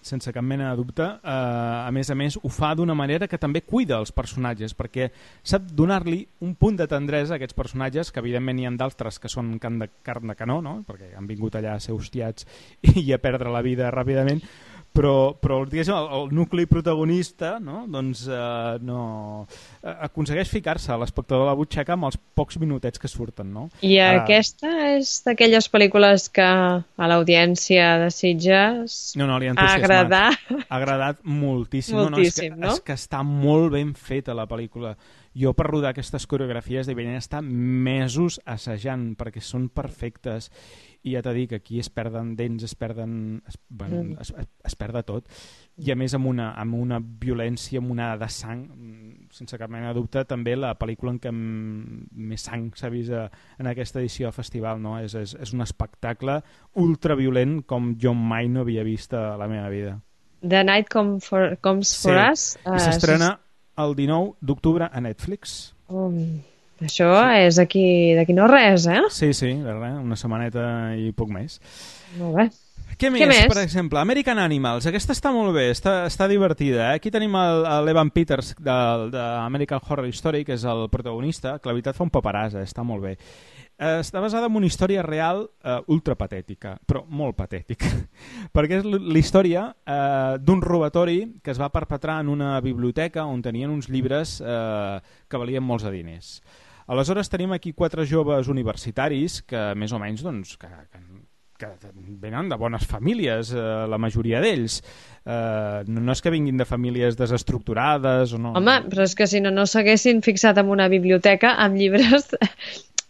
sense cap mena de dubte. Uh, a més a més, ho fa d'una manera que també cuida els personatges, perquè sap donar-li un punt de tendresa a aquests personatges, que evidentment hi ha d'altres que són carn de, carn de canó, no? Perquè han vingut allà a ser hostiats i a perdre la vida ràpidament, però, però diguéssim, el, el nucli protagonista, no? Doncs eh, no aconsegueix ficar-se a l'espectador de la butxaca amb els pocs minutets que surten, no? I Ara, aquesta és d'aquelles pel·lícules que a l'audiència de Sitges no, no, li ha ha agradat. Ha agradat moltíssim. Moltíssim, no? No, és, que, no? és que està molt ben feta la pel·lícula. Jo per rodar aquestes coreografies devien estar mesos assajant perquè són perfectes i ja t'he dit que aquí es perden dents, es perden es, bueno, mm. es, es perda tot i a més amb una, amb una violència, amb una de sang, sense cap mena de dubte, també la pel·lícula en què més sang s'ha vist a, en aquesta edició del festival, no? És, és, és un espectacle ultraviolent com jo mai no havia vist a la meva vida. The Night Come for, Comes sí. for Us. I s'estrena el dinou d'octubre a Netflix. Um, això sí. És d'aquí d'aquí no res, eh? Sí, sí, res, una setmaneta i poc més. Molt bé. Què més, Què més? Per exemple, American Animals. Aquesta està molt bé, està, està divertida. Eh? Aquí tenim l'Evan Peters d'American Horror Story, que és el protagonista, que la veritat fa un paperàs, eh? Està molt bé. Eh, està basada en una història real eh, ultrapatètica, però molt patètica, perquè és la història eh, d'un robatori que es va perpetrar en una biblioteca on tenien uns llibres eh, que valien molts de diners. Aleshores tenim aquí quatre joves universitaris que més o menys doncs, que, que, que venen de bones famílies, eh, la majoria d'ells. Eh, no, no és que vinguin de famílies desestructurades o no. Home, però és que si no, no s'haguessin fixat en una biblioteca amb llibres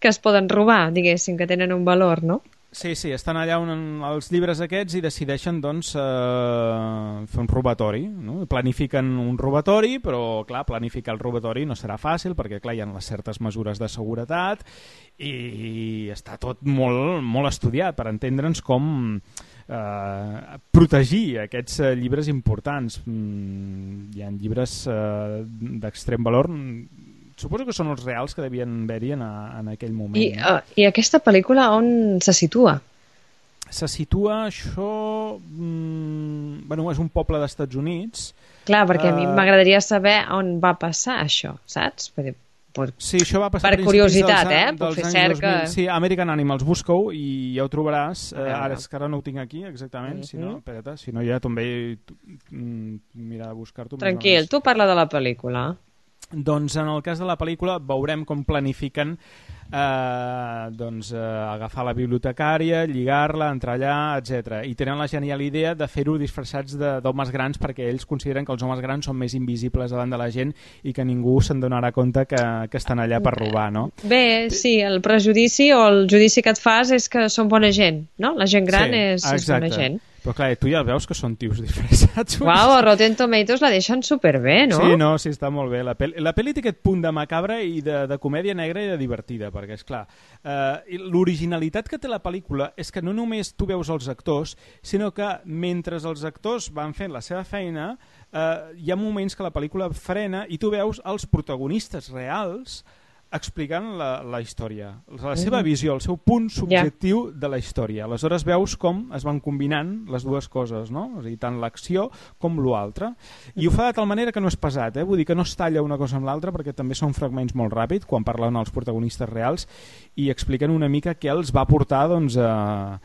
que es poden robar, diguéssim, que tenen un valor, no? Sí, sí, estan allà un, els llibres aquests i decideixen doncs, eh, fer un robatori, no? Planifiquen un robatori, però clar, planificar el robatori no serà fàcil perquè clar, hi ha les certes mesures de seguretat i està tot molt, molt estudiat per entendre'ns com eh, protegir aquests eh, llibres importants. Mm, hi ha llibres eh, d'extrem valor. Suposo que són els reals que devien haver-hi en, en aquell moment. I, uh, I aquesta pel·lícula on se situa? Se situa això... Mm, bueno, és un poble dels Estats Units. Clar, perquè uh, a mi uh, m'agradaria saber on va passar això, saps? Per, per, sí, això va passar per curiositat, dels, eh? Per fer cerca... Sí, American Animals, busca-ho i ja ho trobaràs. Uh, ara, és que ara no ho tinc aquí, exactament. Mm-hmm. Si no, espera't, si no ja també mira de buscar-t'ho. Tranquil, tu parla de la pel·lícula. Doncs en el cas de la pel·lícula veurem com planifiquen eh, doncs, eh, agafar la bibliotecària, lligar-la, entrar allà, etcètera. I tenen la genial idea de fer-ho disfressats d'homes grans perquè ells consideren que els homes grans són més invisibles davant de la gent i que ningú se'n donarà compte que, que estan allà per robar, no? Bé, sí, el prejudici o el judici que et fas és que són bona gent, no? La gent gran sí, és, és bona gent. Però clar, tu ja veus que són tios disfressats. Uau, a Rotten Tomatoes la deixen superbé, no? Sí, no, sí, està molt bé. La pel·li, la pel·li té aquest punt de macabra i de, de comèdia negra i de divertida, perquè, és clar, eh, l'originalitat que té la pel·lícula és que no només tu veus els actors, sinó que mentre els actors van fent la seva feina, eh, hi ha moments que la pel·lícula frena i tu veus els protagonistes reals explicant la, la història, la seva visió, el seu punt subjectiu yeah. de la història. Aleshores veus com es van combinant les dues coses, no? És a dir, tant l'acció com l'altra. I ho fa de tal manera que no és pesat, eh? Vull dir que no es talla una cosa amb l'altra perquè també són fragments molt ràpids quan parlen els protagonistes reals i expliquen una mica què els va portar doncs, a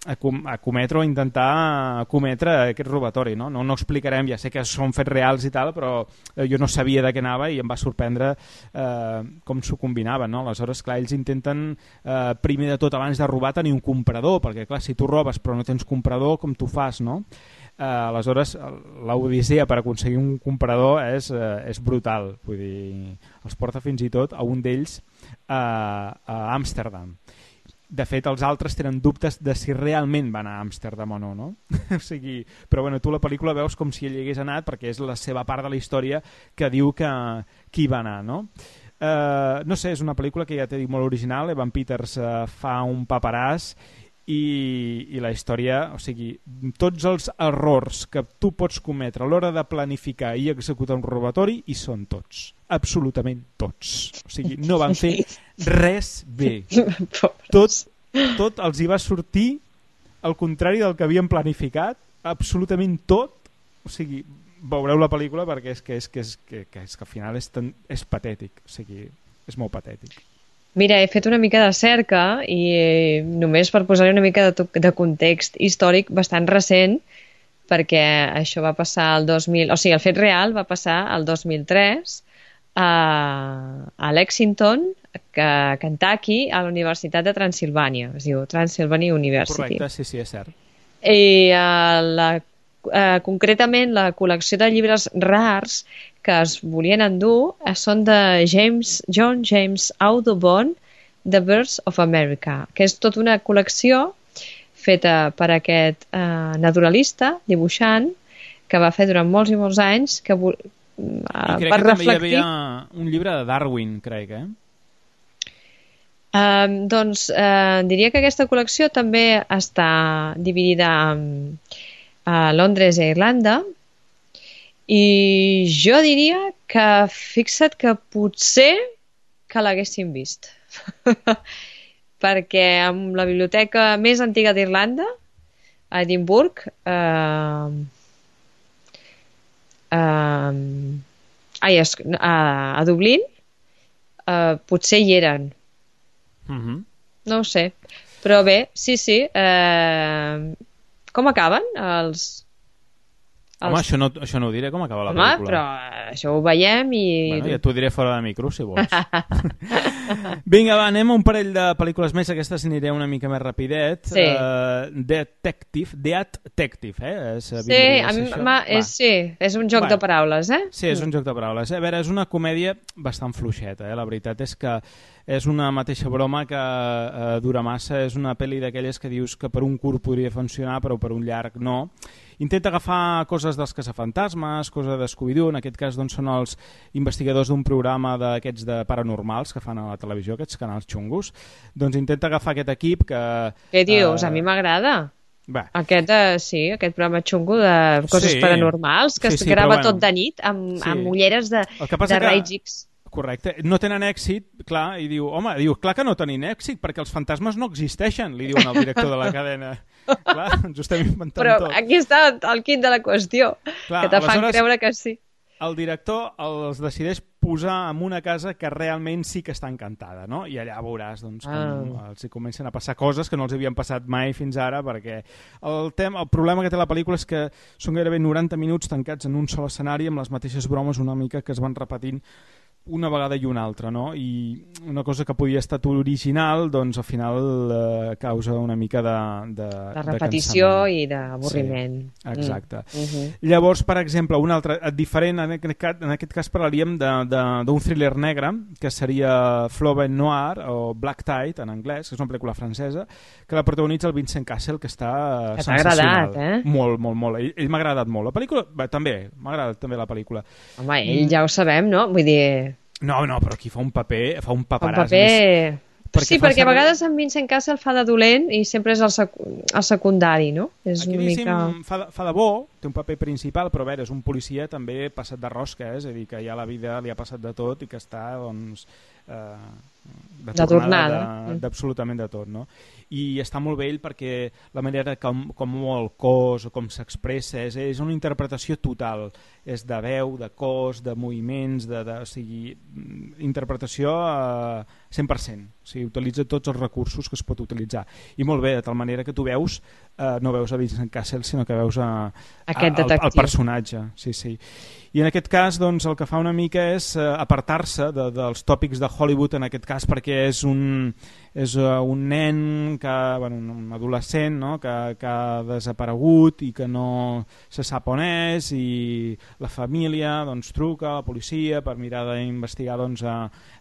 a, com, a cometre o intentar cometre aquest robatori, no? No, no explicarem, ja sé que són fets reals i tal, però jo no sabia de què anava i em va sorprendre eh, com s'ho combinaven, no? Aleshores, clar, ells intenten eh, primer de tot, abans de robar, tenir un comprador, perquè clar, si tu robes però no tens comprador, com tu fas, no? Eh, aleshores, l'odissea per aconseguir un comprador és, eh, és brutal, vull dir, els porta fins i tot a un d'ells eh, a Amsterdam. De fet, els altres tenen dubtes de si realment van a Amsterdam o no, no? O sigui, però bueno, tu la pel·lícula veus com si ell hi hagués anat perquè és la seva part de la història que diu que, que hi va anar, no? Uh, no sé, és una pel·lícula que ja t'he dit molt original, Evan Peters uh, fa un paperàs i, i la història, o sigui, tots els errors que tu pots cometre a l'hora de planificar i executar un robatori hi són tots, absolutament tots. O sigui, no van fer res bé. Tot, tot els hi va sortir al contrari del que havien planificat, absolutament tot. O sigui, veureu la pel·lícula perquè és que, és que, és que, que, és que al final és, tan, és patètic, o sigui, és molt patètic. Mira, he fet una mica de cerca i eh, només per posar-hi una mica de, de context històric bastant recent, perquè això va passar el dos mil... O sigui, el fet real va passar el dos mil tres a, a Lexington, que, Kentucky, a la Universitat de Transsilvània. Es diu Transylvania University. Correcte, sí, sí, és cert. I uh, la, uh, concretament la col·lecció de llibres rars que es volien endur uh, són de James, John James Audubon, The Birds of America, que és tota una col·lecció feta per aquest uh, naturalista, dibuixant, que va fer durant molts i molts anys, que uh, I crec per que reflectir... també hi havia un llibre de Darwin, crec, eh? Uh, doncs uh, diria que aquesta col·lecció també està dividida um, a Londres i a Irlanda, i jo diria que fixa't que potser que l'haguéssim vist perquè amb la biblioteca més antiga d'Irlanda, a Edimburg, uh, uh, ai, a, a Dublín, uh, potser hi eren. Uh-huh. No ho sé, però bé, sí, sí. Eh, com acaben els... els... Home, això no, això no ho diré, com acaba la Home, pel·lícula. però això ho veiem i... Bueno, ja t'ho diré fora de micro, si vols. Vinga, va, anem a un parell de pel·lícules més, aquestes aniré una mica més rapidet. Sí. Uh, Detective, Detective, eh? És, sí, a mi ma, és, sí, és un joc bueno, de paraules, eh? Sí, és un joc de paraules. A veure, és una comèdia bastant fluixeta, eh? La veritat és que és una mateixa broma que eh, dura massa, és una pel·li d'aquelles que dius que per un curt podria funcionar, però per un llarg no. Intenta agafar coses dels caçafantasmes, coses de Scooby-Doo, en aquest cas doncs, són els investigadors d'un programa d'aquests de paranormals que fan a la televisió, aquests canals xungos. Doncs intenta agafar aquest equip que... Què dius? Eh... A mi m'agrada. Bé. Aquest, eh, sí, aquest programa xungo de coses Sí. paranormals, que Sí, es sí, grava però bueno. tot de nit amb, Sí. amb ulleres de, El que passa de que- raigs X. Correcte. No tenen èxit, clar, i diu, home, diu, clar que no tenen èxit, perquè els fantasmes no existeixen, li diuen al director de la cadena. Clar, ens ho estem inventant Però tot. aquí està el quid de la qüestió, Clar, que te fan aleshores- creure que sí. El director els decideix posar en una casa que realment sí que està encantada, no? I allà veuràs doncs, com Ah. els hi comencen a passar coses que no els havien passat mai fins ara, perquè el, tema, el problema que té la pel·lícula és que són gairebé noranta minuts tancats en un sol escenari amb les mateixes bromes una mica que es van repetint una vegada i una altra, no? I una cosa que podia estar original, doncs al final eh, causa una mica de, de, De repetició cansament. i d'avorriment. Sí, exacte. Mm. Uh-huh. Llavors, per exemple, un altre diferent, en aquest cas, en aquest cas parlaríem d'un thriller negre, que seria Flaubert Noir, o Black Tide, en anglès, que és una pel·lícula francesa, que la protagonitza el Vincent Cassel, que està Que t'ha sensacional. agradat, eh? Molt, molt, molt. Ell, ell m'ha agradat molt. La pel·lícula, bé, també, m'ha agradat també la pel·lícula. Home, ell ja ho sabem, no? Vull dir... No, no, però aquí fa un paper, fa un Un paperàs. paper... perquè sí, fa perquè a servir- vegades en Vincent Cassel fa de dolent i sempre és el, sec el secundari, no? És Aquí, una diguéssim, mica... fa, de, fa de bo, té un paper principal, però a veure, és un policia també passat de rosca, eh? És a dir, que ja la vida li ha passat de tot i que està, doncs, eh, de, De tornada. de- d'absolutament de tot, no? I està molt bé ell perquè la manera com, com mou el cos o com s'expressa és, és una interpretació total, és de veu, de cos, de moviments, de, de, o sigui, interpretació a cent per cent, o sigui, utilitza tots els recursos que es pot utilitzar, i molt bé, de tal manera que tu veus, eh, no veus a Vincent Cassel, sinó que veus a, a, Aquest al, detectiu. al personatge, sí, sí. I en aquest cas, doncs, el que fa una mica és eh, apartar-se de, dels tòpics de Hollywood, en aquest cas perquè és un, és uh, un nen, que, bueno, un adolescent, no? que, que ha desaparegut i que no se sap on és, i la família doncs, truca a la policia per mirar d'investigar doncs, a,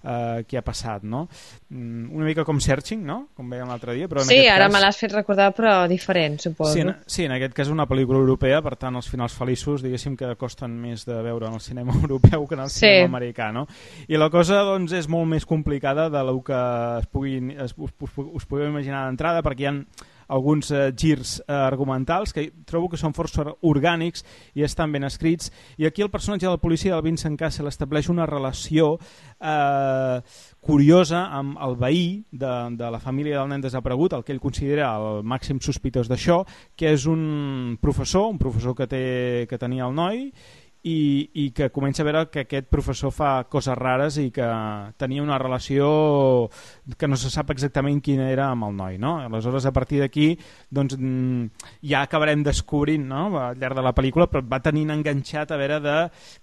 a què ha passat. No? Una mica com Searching, no? Com veiem l'altre dia. Però en Sí, aquest ara cas... me l'has fet recordar, però diferent, suposo. Sí, en, sí, en aquest cas és una pel·lícula europea, per tant els finals feliços diguéssim que costen més de veure en el cinema europeu que en el Sí. cinema americà, no? I la cosa doncs, és molt més complicada de lo que es pugui, es, us, us, us podeu imaginar d'entrada, perquè hi ha alguns eh, girs eh, argumentals que trobo que són força orgànics i estan ben escrits, i aquí el personatge del policia del Vincent Cassel estableix una relació eh, curiosa amb el veí de, de la família del nen desaparegut, el que ell considera el màxim sospitós d'això, que és un professor, un professor que, té, que tenia el noi, i, i que comença a veure que aquest professor fa coses rares i que tenia una relació que no se sap exactament quina era amb el noi, no? Aleshores, a partir d'aquí, doncs, ja acabarem descobrint, no?, al llarg de la pel·lícula, però va tenint enganxat a veure de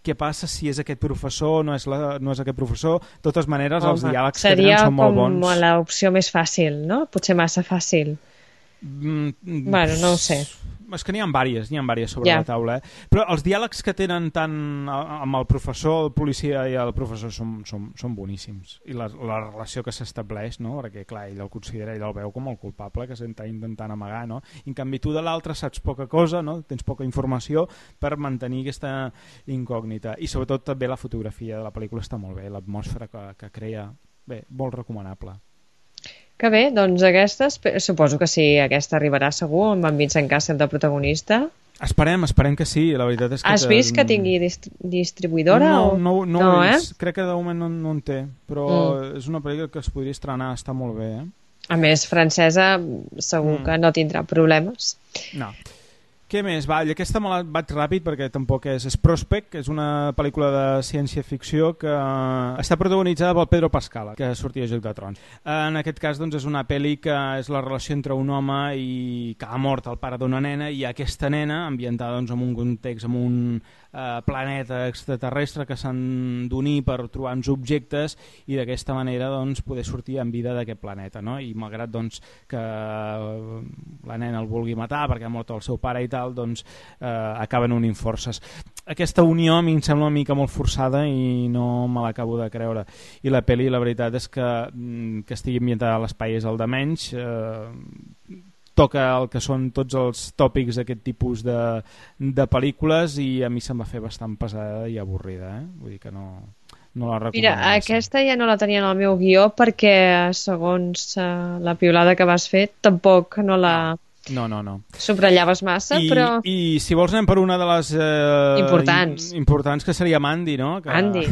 què passa si és aquest professor o no és, la, no és aquest professor. De totes maneres, Home, els diàlegs que tenen són molt bons. Seria com l'opció més fàcil, no? Potser massa fàcil. Mm, bueno, no ho sé. És que n'hi ha vàries, n'hi ha vàries sobre yeah. la taula, eh? Però els diàlegs que tenen tant amb el professor, el policia i el professor són, són, són boníssims. I la, la relació que s'estableix, no? Perquè, clar, ell el considera, ell el veu com el culpable que s'està intentant amagar, no? I en canvi tu de l'altre saps poca cosa, no? Tens poca informació per mantenir aquesta incògnita. I sobretot també la fotografia de la pel·lícula està molt bé, l'atmosfera que, que crea, bé, molt recomanable. Que bé, doncs aquesta, suposo que sí, aquesta arribarà segur, amb en Vincent Cassel de protagonista. Esperem, esperem que sí, la veritat és que... Has vist que tingui dist distribuïdora? No, o... no, no, no ho he eh? vist, crec que de moment no, no en té, però mm. és una pel·lícula que es podria estrenar, està molt bé, eh? A més, francesa segur mm. que no tindrà problemes. No. Què més? Va, aquesta me la vaig ràpid perquè tampoc és... És Prospect, que és una pel·lícula de ciència-ficció que està protagonitzada pel Pedro Pascal, que sortia a Joc de Trons. En aquest cas, doncs, és una pel·li que és la relació entre un home i que ha mort el pare d'una nena i aquesta nena, ambientada doncs, en un context, en un eh, planeta extraterrestre que s'han d'unir per trobar uns objectes i d'aquesta manera doncs, poder sortir en vida d'aquest planeta, no? I malgrat doncs, que la nena el vulgui matar perquè ha mort el seu pare i tal, doncs eh, acaben unint forces. Aquesta unió a mi em sembla una mica molt forçada i no me l'acabo de creure. I la pel·li, la veritat és que, que estigui ambientada a l'espai és el de menys. Eh, toca el que són tots els tòpics d'aquest tipus de, de pel·lícules i a mi se'm va fer bastant pesada i avorrida. Eh? Vull dir que no... No la recomano. Mira, aquesta ja no la tenia en el meu guió perquè, segons uh, la piulada que vas fer, tampoc no la... No, no, no. Subratllaves massa, I, però... I si vols anem per una de les... Eh, importants. In, importants, que seria Mandy, no? Que... Andy.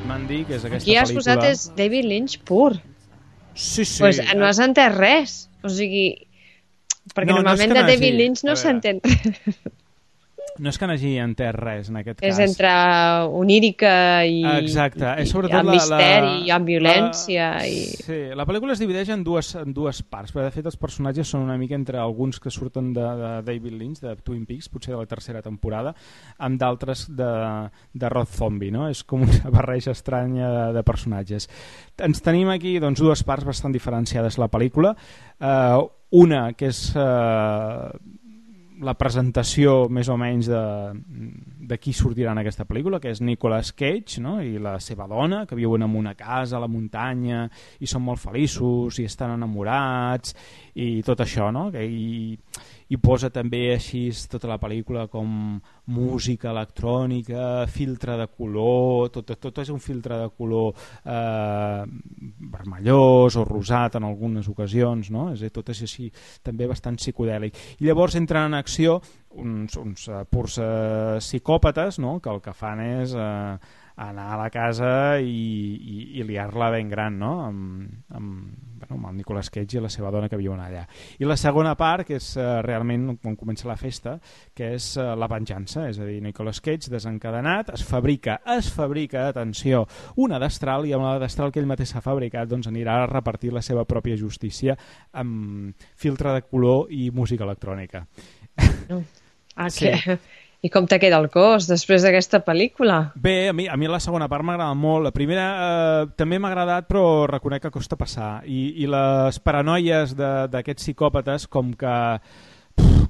Mandy, que és aquesta Aquí has pel·lícula... posat és David Lynch pur. Sí, sí. Pues no has entès res. O sigui, perquè no, normalment no de David Lynch no s'entén res. No és que n'hagi entès res, en aquest cas. És entre onírica i, Exacte. i, és i amb la, misteri la, i amb violència. La, i... Sí, la pel·lícula es divideix en dues, en dues parts, perquè de fet els personatges són una mica entre alguns que surten de, de David Lynch, de Twin Peaks, potser de la tercera temporada, amb d'altres de, de Rob Zombie, no? És com una barreja estranya de, de personatges. Ens tenim aquí doncs, dues parts bastant diferenciades la pel·lícula. Uh, una que és... Uh, la presentació més o menys de, de qui sortirà en aquesta pel·lícula, que és Nicolas Cage, no? I la seva dona, que viuen en una casa a la muntanya i són molt feliços i estan enamorats i tot això, no? I, i posa també així tota la pel·lícula com música electrònica, filtre de color, tot, tot és un filtre de color eh, vermellós o rosat en algunes ocasions, no? És a dir, tot és així també bastant psicodèlic. I llavors entren en acció uns, uns uh, purs uh, psicòpates, no? Que el que fan és uh, anar a la casa i, i, i liar-la ben gran, no? Amb, amb, bueno, amb el Nicolas Cage i la seva dona que viuen allà. I la segona part, que és uh, realment quan comença la festa, que és uh, la venjança, és a dir, Nicolas Cage desencadenat, es fabrica, es fabrica, atenció, una destral, i amb la destral que ell mateix s'ha fabricat doncs anirà a repartir la seva pròpia justícia amb filtre de color i música electrònica. Ah, sí. Que... I com te queda el cos després d'aquesta pel·lícula? Bé, a mi, a mi la segona part m'agrada molt. La primera eh, també m'ha agradat, però reconec que costa passar. I, i les paranoies d'aquests psicòpates com que,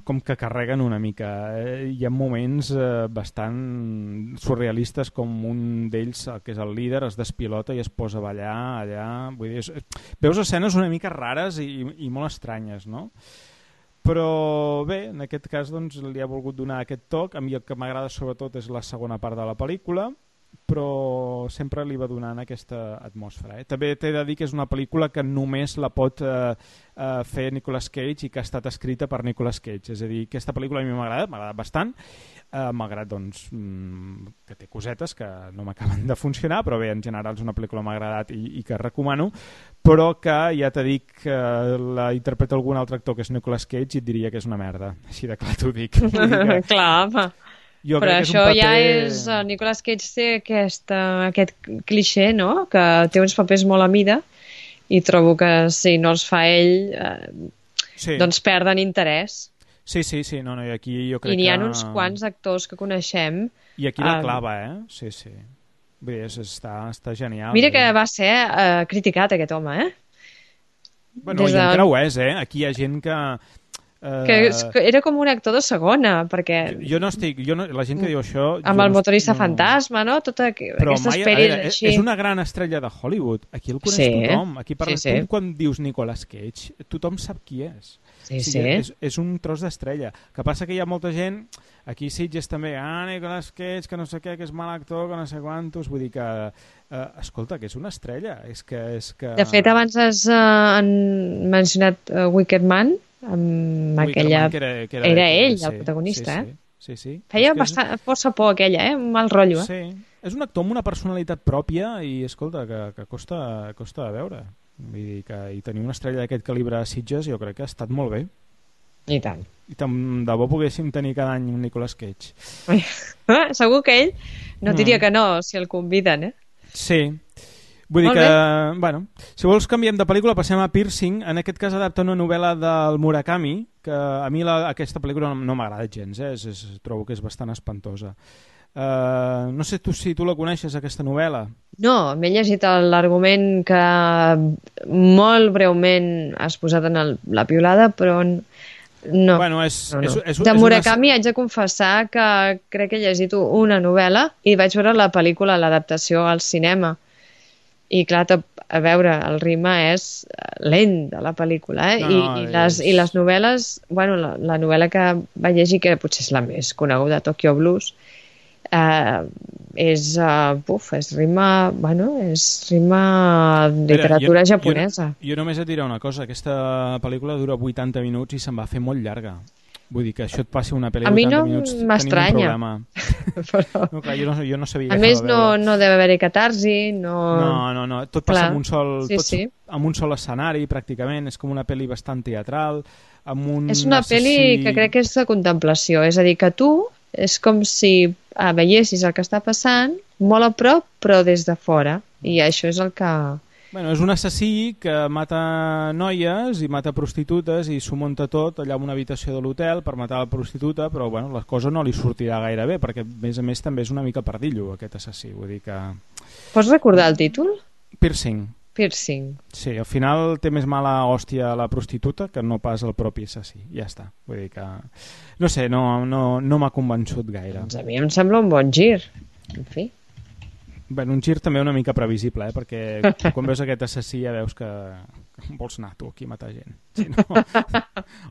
com que carreguen una mica. Eh, hi ha moments eh, bastant surrealistes, com un d'ells, que és el líder, es despilota i es posa a ballar allà. Vull dir, és, veus escenes una mica rares i, i molt estranyes, no? Però bé, en aquest cas doncs, li ha volgut donar aquest toc. A mi el que m'agrada sobretot és la segona part de la pel·lícula però sempre li va donant aquesta atmosfera. Eh? També t'he de dir que és una pel·lícula que només la pot eh, eh, fer Nicolas Cage i que ha estat escrita per Nicolas Cage. És a dir, aquesta pel·lícula a mi m'ha agradat, m'ha agradat bastant, eh, malgrat doncs, mm, que té cosetes que no m'acaben de funcionar, però bé, en general és una pel·lícula que m'ha agradat i, i que recomano, però que ja t'he dit que la interpreta algun altre actor que és Nicolas Cage i et diria que és una merda. Així de clar t'ho dic. Que... Clar, home. Jo però crec això que és un paper... ja és... El Nicolas Cage té aquesta, aquest clixé, no?, que té uns papers molt a mida i trobo que si no els fa ell eh, sí. doncs perden interès. Sí, sí, sí, no, no, i aquí jo crec que... I n'hi ha uns quants actors que coneixem. I aquí la clava, eh? Sí, sí. Vull dir, està, està genial. Mira eh? que va ser eh, criticat aquest home, eh? Bueno, Des i encara ho és, eh? Aquí hi ha gent que... Uh, que era com un actor de segona, perquè... Jo, jo no estic... Jo no, la gent que diu això... Amb el no motorista no... fantasma, no? Tota Però aquestes mai, peris veure, així. És una gran estrella de Hollywood. Aquí el coneix sí. tothom. Aquí parla, sí, sí. Tu, quan dius Nicolas Cage, tothom sap qui és. Sí, o sigui, sí. És, és un tros d'estrella. Que passa que hi ha molta gent... Aquí Sitges també, ah, Nicolas Cage, que no sé què, que és mal actor, que no sé quantos... Vull dir que... Uh, escolta, que és una estrella. És que, és que... De fet, abans has uh, mencionat uh, Wicker Man, amb aquella... Que era, que era, era que ell, sí, el protagonista, sí, eh? Sí, sí, sí. Feia és bastant, és... força por aquella, eh? Un mal rotllo, eh? Sí, és un actor amb una personalitat pròpia i, escolta, que, que costa, costa de veure. Vull dir que i tenir una estrella d'aquest calibre a Sitges jo crec que ha estat molt bé. I tant. I tant de bo poguéssim tenir cada any un Nicolas Cage. Segur que ell no diria mm. que no si el conviden, eh? Sí. Vull dir que, bueno, si vols canviem de pel·lícula, passem a Piercing. En aquest cas adapta una novel·la del Murakami, que a mi la, aquesta pel·lícula no, no m'agrada gens, eh? és, és, trobo que és bastant espantosa. Uh, no sé tu, si tu la coneixes, aquesta novel·la. No, m'he llegit l'argument que molt breument has posat en el, la piulada, però no. Bueno, és, no, no. És, és, de és Murakami una... haig de confessar que crec que he llegit una novel·la i vaig veure la pel·lícula, l'adaptació al cinema. I clar, a veure, el ritme és lent de la pel·lícula, eh? No, I, no, i, les, és... i les novel·les, bueno, la, la novel·la que vaig llegir, que potser és la més coneguda, Tokyo Blues, eh, és, uh, buf, és ritme, bueno, és ritme literatura Mira, jo, japonesa. Jo, jo només et diré una cosa, aquesta pel·lícula dura vuitanta minuts i se'n va fer molt llarga. Vull dir que això et passi una pel·li de vuitanta minuts, tenim un problema. Però... No, clar, jo, no, jo no sabia a més, no, no deve haver-hi catarsi, no... No, no, no, tot passa clar. amb un sol, sí, tot sí. amb un sol escenari, pràcticament, és com una pel·li bastant teatral, amb un És una assassí... pel·li que crec que és de contemplació, és a dir, que tu és com si ah, veiessis el que està passant molt a prop, però des de fora, i això és el que... Bueno, és un assassí que mata noies i mata prostitutes i s'ho munta tot allà en una habitació de l'hotel per matar la prostituta, però bueno, la cosa no li sortirà gaire bé, perquè a més a més també és una mica pardillo aquest assassí, vull dir que... Pots recordar el títol? Piercing. Piercing. Sí, al final té més mala hòstia la prostituta que no pas el propi assassí, ja està. Vull dir que... No sé, no, no, no m'ha convençut gaire. Doncs a mi em sembla un bon gir, en fi. Bueno, un gir també una mica previsible, eh? Perquè quan veus aquest assassí ja veus que vols anar tu aquí a matar gent. Si no,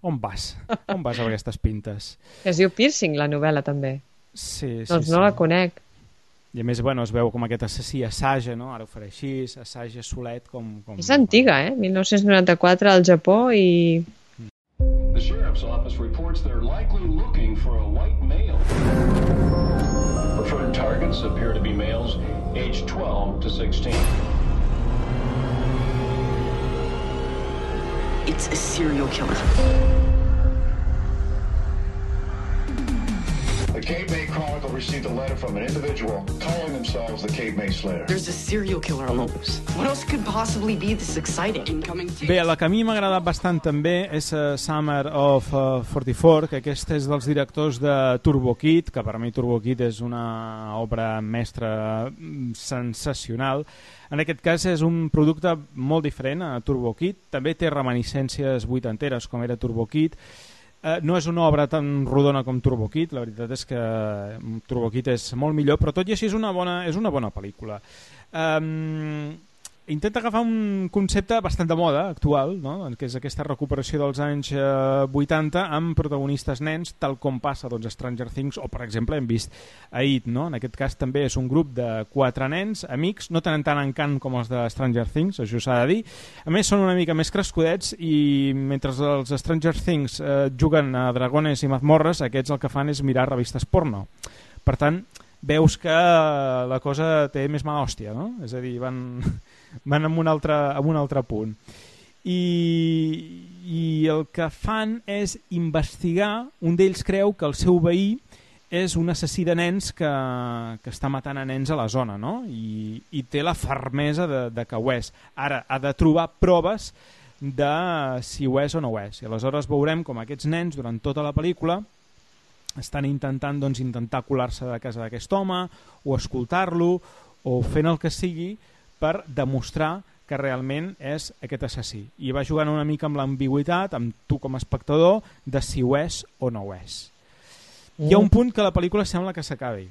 on vas? On vas amb aquestes pintes? Es diu Piercing, la novel·la, també. Sí, sí, doncs sí. no la conec. I a més, bueno, es veu com aquest assassí assaja, no? Ara ho faré així, assaja solet com... com... És antiga, eh? mil nou-cents noranta-quatre al Japó i... The sheriff's office reports they're likely looking for a white male. Preferred targets appear to be males aged twelve to sixteen. It's a serial killer. The Cape May Chronicle received a letter from an individual calling themselves the Cape May Slayer. There's a serial killer on the loose. What else could possibly be this exciting? Incoming Bé, la que a mi m'ha agradat bastant també és uh, Summer of uh, quaranta-quatre, que aquest és dels directors de Turbo Kid, que per mi Turbo Kid és una obra mestra sensacional. En aquest cas és un producte molt diferent a Turbo Kid, també té reminiscències vuitanteres com era Turbo Kid. Uh, no és una obra tan rodona com Turbo Kid, la veritat és que Turbo Kid és molt millor, però tot i així és una bona, és una bona pel·lícula. Um, intenta agafar un concepte bastant de moda actual, no? Que és aquesta recuperació dels anys eh, vuitanta amb protagonistes nens, tal com passa doncs, a Stranger Things, o per exemple hem vist a It, no? En aquest cas també és un grup de quatre nens, amics, no tenen tant encant com els de Stranger Things, això s'ha de dir. A més són una mica més crescudets i mentre els Stranger Things eh, juguen a dragones i mazmorres, aquests el que fan és mirar revistes porno. Per tant, veus que la cosa té més mala hòstia, no? És a dir, van, van amb un altre, amb un altre punt. I, I el que fan és investigar, un d'ells creu que el seu veí és un assassí de nens que, que està matant a nens a la zona, no? I, i té la fermesa de, de que ho és. Ara ha de trobar proves de si ho és o no ho és. I aleshores veurem com aquests nens, durant tota la pel·lícula, estan intentant doncs, intentar colar-se de casa d'aquest home o escoltar-lo o fent el que sigui per demostrar que realment és aquest assassí. I va jugant una mica amb l'ambigüitat, amb tu com a espectador, de si ho és o no ho és. Mm. Hi ha un punt que la pel·lícula sembla que s'acabi.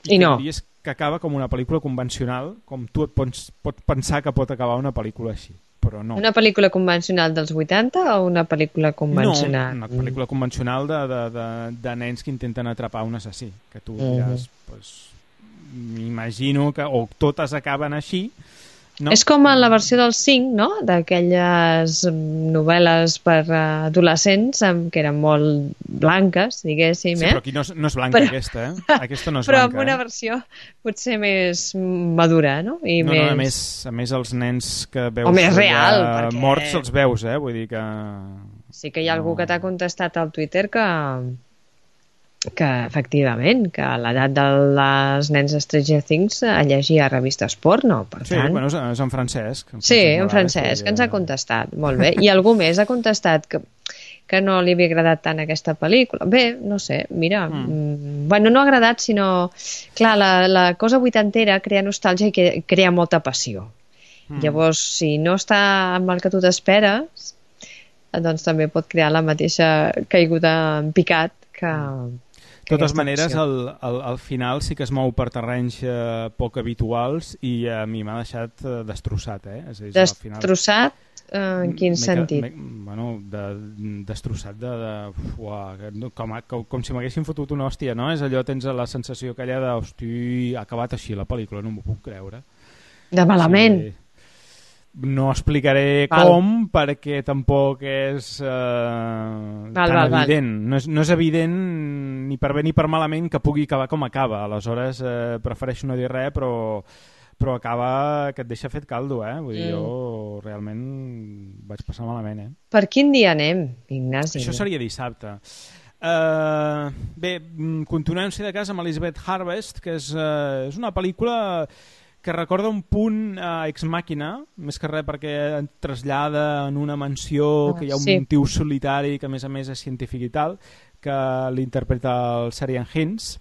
I, I no. I és que acaba com una pel·lícula convencional, com tu et pots, pots pensar que pot acabar una pel·lícula així. Però no. Una pel·lícula convencional dels vuitanta o una pel·lícula convencional? No, una pel·lícula convencional de, de, de, de nens que intenten atrapar un assassí. Que tu diràs, uh-huh. pues, m'imagino que o totes acaben així. No? És com en la versió del cinc, no? D'aquelles novel·les per adolescents que eren molt blanques, diguéssim. Sí, eh? però aquí no és, no és blanca però... aquesta, eh? Aquesta no és però blanca. Però amb una eh? versió potser més madura, no? I no, més... no, a més, a més els nens que veus... O més real, perquè... morts els veus, eh? Vull dir que... Sí que hi ha algú que t'ha contestat al Twitter que... que efectivament, que a l'edat de les nens de Stranger Things llegia revistes porno, per sí, tant... bueno, és en Francesc. En sí, en Francesc, que ens ha contestat, molt bé. I algú més ha contestat que, que no li havia agradat tant aquesta pel·lícula. Bé, no sé, mira, mm. bueno, no ha agradat, sinó... Clar, la, la cosa vuitantera crea nostàlgia i que, crea molta passió. Mm. Llavors, si no està amb el que tu t'esperes, doncs també pot crear la mateixa caiguda en picat que... De totes maneres, al, al, al final sí que es mou per terrenys eh, poc habituals i a mi m'ha deixat eh, destrossat. Eh? És a dir, destrossat? Eh, en quin sentit? Me, bueno, de, destrossat de... de uah, com, com, com si m'haguessin fotut una hòstia, no? És allò, tens la sensació aquella de hosti, ha acabat així la pel·lícula, no m'ho puc creure. De malament? Sí. No explicaré val. com, perquè tampoc és eh, val, tan val, evident. Val. No, és, no és evident ni per bé ni per malament que pugui acabar com acaba. Aleshores, eh, prefereixo no dir res, però, però acaba que et deixa fet caldo, eh? Vull dir, mm. jo realment vaig passar malament, eh? Per quin dia anem, Ignasi? Això seria dissabte. Uh, bé, continuem-se de casa amb Elizabeth Harvest, que és, uh, és una pel·lícula... que recorda un punt uh, ex màquina, més que res perquè et trasllada en una mansió oh, que hi ha un sí. tio solitari que a més a més és científic i tal, que l'interpreta el Sarian Hinds,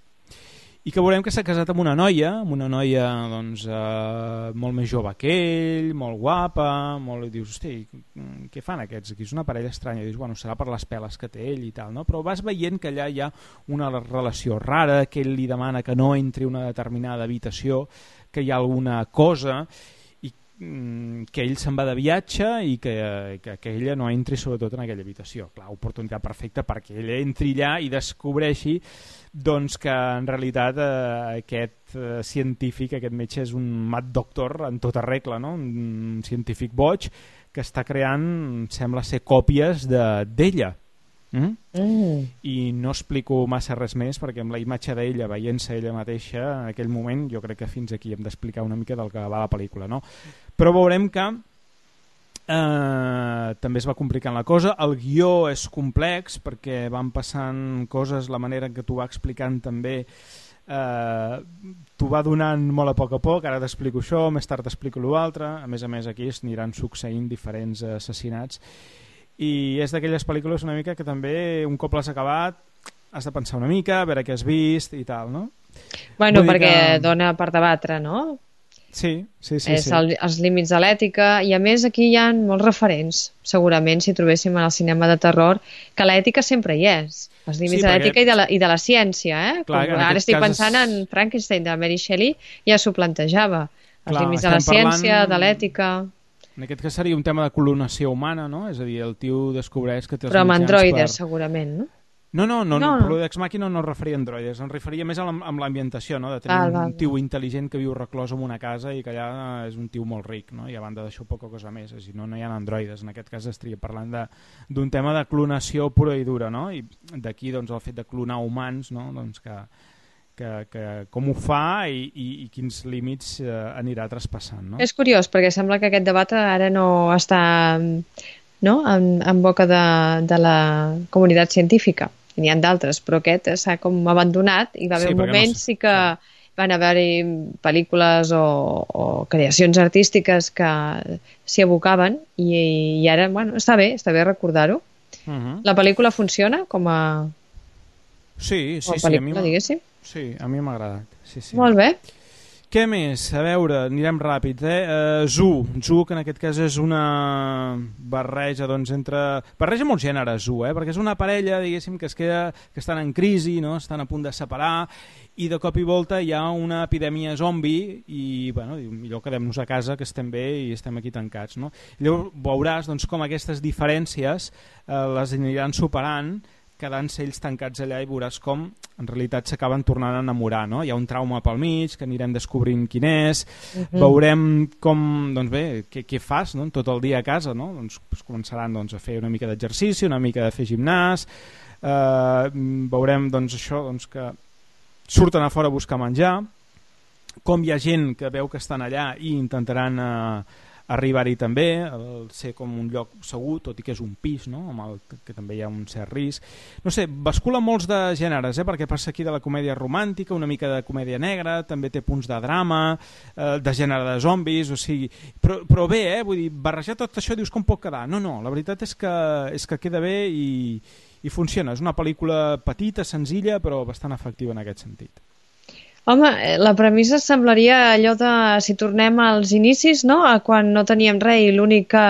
i que veurem que s'ha casat amb una noia, amb una noia doncs, uh, molt més jove que ell, molt guapa, molt... i dius, hosti, què fan aquests? Aquí és una parella estranya. I dius, bueno, serà per les peles que té ell i tal, no? Però vas veient que allà hi ha una relació rara, que ell li demana que no entri a una determinada habitació, que hi ha alguna cosa i mm, que ell se'n va de viatge i que, que, que ella no entri sobretot en aquella habitació. Clar, oportunitat perfecta perquè ell entri allà i descobreixi doncs, que en realitat eh, aquest eh, científic, aquest metge és un mad doctor en tota regla, no? Un científic boig que està creant, sembla ser, còpies d'ella. De, Mm? Mm. I no explico massa res més perquè amb la imatge d'ella veient-se ella mateixa en aquell moment jo crec que fins aquí hem d'explicar una mica del que va la pel·lícula, no? Però veurem que eh, també es va complicant la cosa, el guió és complex perquè van passant coses, la manera en què t'ho va explicant també eh, t'ho va donant molt a poc a poc, ara t'explico això, més tard t'explico l'altre, a més a més aquí es aniran succeint diferents assassinats i és d'aquelles pel·lícules una mica que també un cop l'has acabat has de pensar una mica, a veure què has vist i tal, no? Bueno, Vull perquè que... dona per debatre, no? Sí, sí, sí. És sí. El, els límits de l'ètica i a més aquí hi ha molts referents, segurament si trobéssim en el cinema de terror, que l'ètica sempre hi és. Els límits sí, de l'ètica perquè... i, de la, i de la ciència, eh? Clar, ara estic pensant és... en Frankenstein de Mary Shelley, ja s'ho plantejava. Els límits de la ciència, de l'ètica... En aquest cas seria un tema de clonació humana, no? És a dir, el tio descobreix que té els Però amb mitjans androides, per... segurament, no? No, no, no, no, no. no. Però d'Ex Machina no es referia a androides, em referia més a l'ambientació, no? De tenir val, un val. tio intel·ligent que viu reclòs en una casa i que allà és un tio molt ric, no? I a banda d'això poca cosa més, si no, no hi ha androides. En aquest cas estaria parlant d'un tema de clonació pura i dura, no? I d'aquí doncs, el fet de clonar humans, no? Doncs que, que, que com ho fa i, i, i quins límits eh, anirà traspassant, no? És curiós, perquè sembla que aquest debat ara no està, no? en, en boca de, de la comunitat científica. N'hi ha d'altres, però aquest s'ha com abandonat i va haver Sí, un perquè moment no sé. sí que van haver-hi pel·lícules o, o creacions artístiques que s'hi abocaven i, i ara, bueno, està bé, està bé recordar-ho. Uh -huh. La pel·lícula funciona com a, Sí, sí, com a sí, a mi pel·lícula, m'ha diguéssim. sí, a mi m'ha agradat. Sí, sí. Molt bé. Què més? A veure, anirem ràpids, eh? Uh, Zoo, Zoo, que en aquest cas és una barreja, doncs, entre... Barreja molts gèneres, Zoo, eh? Perquè és una parella, diguéssim, que es queda... que estan en crisi, no? Estan a punt de separar, i de cop i volta hi ha una epidèmia zombi, i, bueno, millor quedem-nos a casa, que estem bé i estem aquí tancats, no? Llavors veuràs, doncs, com aquestes diferències eh, les aniran superant, quedant-se ells tancats allà i veuràs com en realitat s'acaben tornant a enamorar, no? Hi ha un trauma pel mig que anirem descobrint quin és, uh-huh. Veurem com, doncs bé, què, què fas, no? Tot el dia a casa, no? Doncs, doncs començaran doncs, a fer una mica d'exercici, una mica de fer gimnàs, eh, veurem doncs això, doncs que surten a fora a buscar menjar, com hi ha gent que veu que estan allà i intentaran eh, arribar-hi també, el ser com un lloc segur, tot i que és un pis, no? Amb el que, que també hi ha un cert risc. No sé, bascula molts de gèneres, eh? Perquè passa aquí de la comèdia romàntica, una mica de comèdia negra, també té punts de drama, eh, de gènere de zombis, o sigui... Però, però bé, eh? Vull dir, barrejar tot això dius com pot quedar? No, no, la veritat és que, és que queda bé i, i funciona. És una pel·lícula petita, senzilla, però bastant efectiva en aquest sentit. Home, la premissa semblaria allò de, si tornem als inicis, no? A quan no teníem res i l'únic que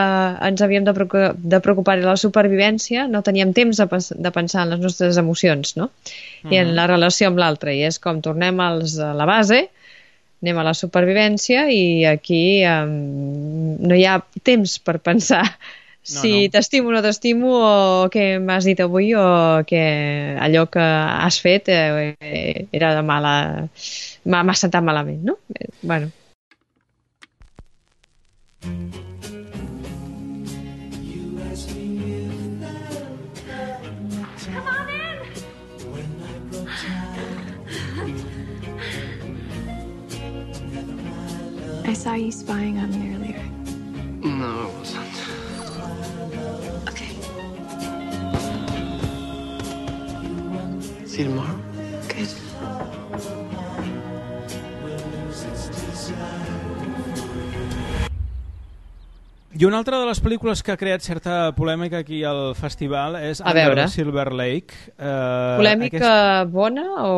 ens havíem de preocupar, de preocupar era la supervivència, no teníem temps de, de pensar en les nostres emocions, no? Uh-huh. I en la relació amb l'altre, i és com tornem als, a la base, anem a la supervivència i aquí um, no hi ha temps per pensar no, si no. t'estimo o no t'estimo o què m'has dit avui o que allò que has fet eh, era de mala... m'ha sentat malament, no? Eh, bueno. Come on in! I saw you spying on me earlier. No, it wasn't. Okay. See you tomorrow. Good. I una altra de les pel·lícules que ha creat certa polèmica aquí al festival és A Under veure. the Silver Lake. Eh, Polèmica aquest... bona o...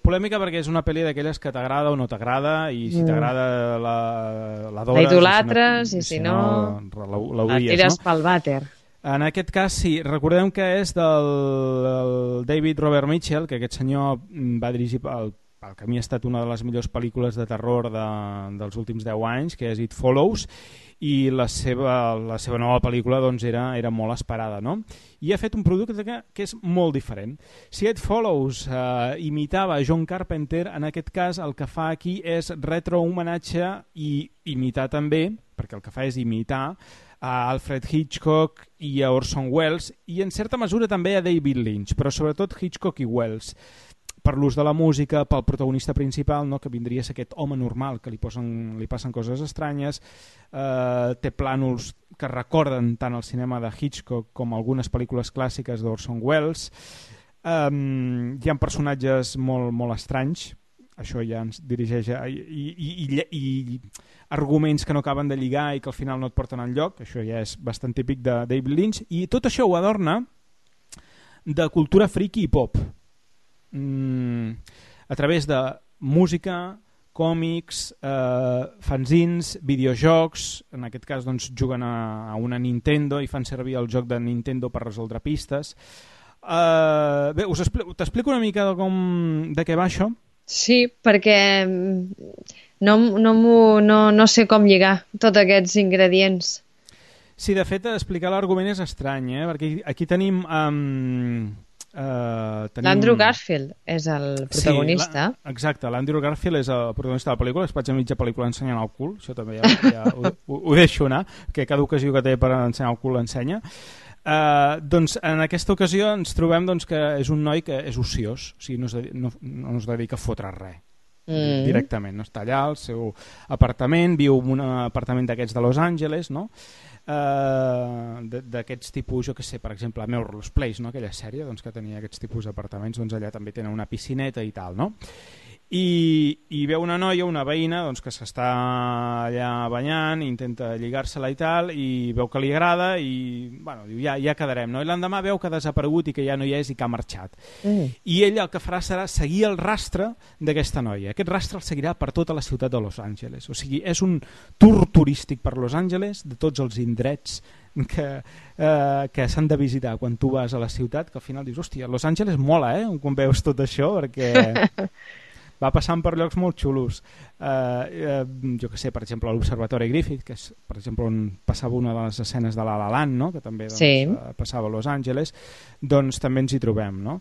Polèmica perquè és una pel·li d'aquelles que t'agrada o no t'agrada, i si Mm. t'agrada la, la dores, La idolatres, i si no, la, la l'odies, tires no? pel vàter. En aquest cas, sí, recordem que és del el David Robert Mitchell, que aquest senyor va dirigir el, el que a mi ha estat una de les millors pel·lícules de terror de, dels últims deu anys, que és It Follows, i la seva, la seva nova pel·lícula doncs, era, era molt esperada, no? I ha fet un producte que, que és molt diferent. Si It Follows eh, imitava John Carpenter, en aquest cas el que fa aquí és retrohomenatge i imitar també, perquè el que fa és imitar a Alfred Hitchcock i a Orson Welles, i en certa mesura també a David Lynch, però sobretot Hitchcock i Welles, per l'ús de la música, pel protagonista principal, no? Que vindria a ser aquest home normal, que li, posen, li passen coses estranyes, eh, té plànols que recorden tant el cinema de Hitchcock com algunes pel·lícules clàssiques d'Orson Welles, eh, hi ha personatges molt, molt estranys, això ja ens dirigeix a... I, i, i, i arguments que no acaben de lligar i que al final no et porten enlloc, això ja és bastant típic de David Lynch, i tot això ho adorna de cultura friki i pop, mm, a través de música, còmics, eh, fanzins, videojocs, en aquest cas doncs, juguen a, a una Nintendo i fan servir el joc de Nintendo per resoldre pistes. Eh, bé, us t'explico una mica de, com, de què va això. Sí, perquè no, no, no, no sé com lligar tots aquests ingredients. Sí, de fet, explicar l'argument és estrany, eh? Perquè aquí tenim... Um, uh, tenim... L'Andrew Garfield és el protagonista. Sí, la, exacte, l'Andrew Garfield és el protagonista de la pel·lícula, es vaig a mitja pel·lícula ensenyant el cul, això també ja, ja ho, ho, ho deixo anar, que cada ocasió que té per ensenyar el cul l'ensenya. Uh, doncs en aquesta ocasió ens trobem doncs, que és un noi que és ociós, o sigui, no, es dedica, no, no es dedica a fotre res mm. directament, no està allà al seu apartament, viu en un apartament d'aquests de Los Angeles, no? Uh, d'aquests tipus, jo que sé, per exemple a Melrose Place, no? Aquella sèrie doncs, que tenia aquests tipus d'apartaments, doncs allà també tenen una piscineta i tal, no? I, i veu una noia, una veïna doncs, que s'està allà banyant, intenta lligar-se-la i tal, i veu que li agrada i bueno, diu, ja, ja quedarem, no? I l'endemà veu que ha desaparegut i que ja no hi és i que ha marxat. Mm. I ell el que farà serà seguir el rastre d'aquesta noia. Aquest rastre el seguirà per tota la ciutat de Los Angeles. O sigui, és un tour turístic per Los Angeles de tots els indrets que, eh, que s'han de visitar quan tu vas a la ciutat, que al final dius, hòstia, Los Angeles mola, eh? Quan veus tot això, perquè... va passant per llocs molt xulos. Uh, uh, jo que sé, per exemple, l'Observatori Griffith, que és, per exemple, on passava una de les escenes de La La Land, no? Que també doncs, sí. uh, passava a Los Angeles, doncs també ens hi trobem, no?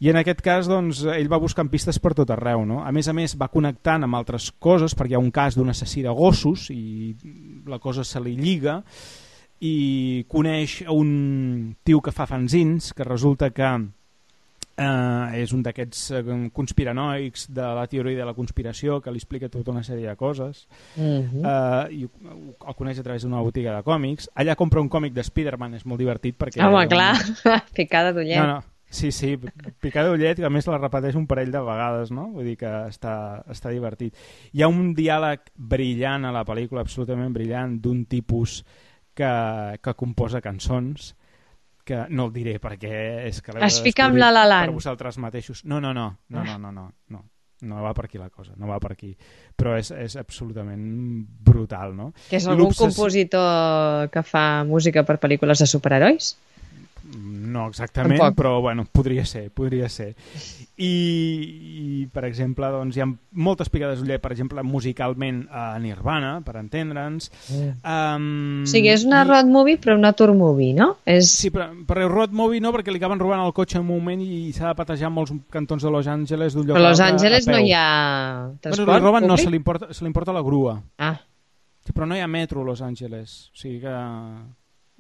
I en aquest cas, doncs, ell va buscant pistes per tot arreu, no? A més a més, va connectant amb altres coses, perquè hi ha un cas d'un assassí de gossos i la cosa se li lliga, i coneix un tio que fa fanzins, que resulta que Uh, és un d'aquests uh, conspiranoics de la teoria de la conspiració que li explica tota una sèrie de coses. Mm-hmm. uh, i el coneix a través d'una botiga de còmics. Allà compra un còmic de Spider-Man, és molt divertit perquè... Home, un... clar, picada d'ullet. No, no. Sí, sí, picada d'ullet, que a més la repeteix un parell de vegades, no? Vull dir que està, està divertit. Hi ha un diàleg brillant a la pel·lícula, absolutament brillant, d'un tipus que, que composa cançons, que no el diré perquè és que es fica amb La La Land per vosaltres mateixos. No, no, no, no, no, no, no, no, no va per aquí la cosa, no va per aquí. Però és, és absolutament brutal, no? Que és algun compositor que fa música per pel·lícules de superherois? No exactament, Tampoc. Però bueno, podria ser, podria ser. I, i per exemple, doncs, hi ha moltes picades d'ullet, per exemple, musicalment a Nirvana, per entendre'ns. Mm. Um, o sigui, és una i... road movie, però una tour movie, no? És... Sí, però, però road movie no, perquè li acaben robant el cotxe en un moment i s'ha de patejar molts cantons de Los Angeles d'un lloc però a Los Angeles no hi ha transport bueno, li roben, no, se li importa, se li importa la grua. Ah. Sí, però no hi ha metro a Los Angeles. O sigui que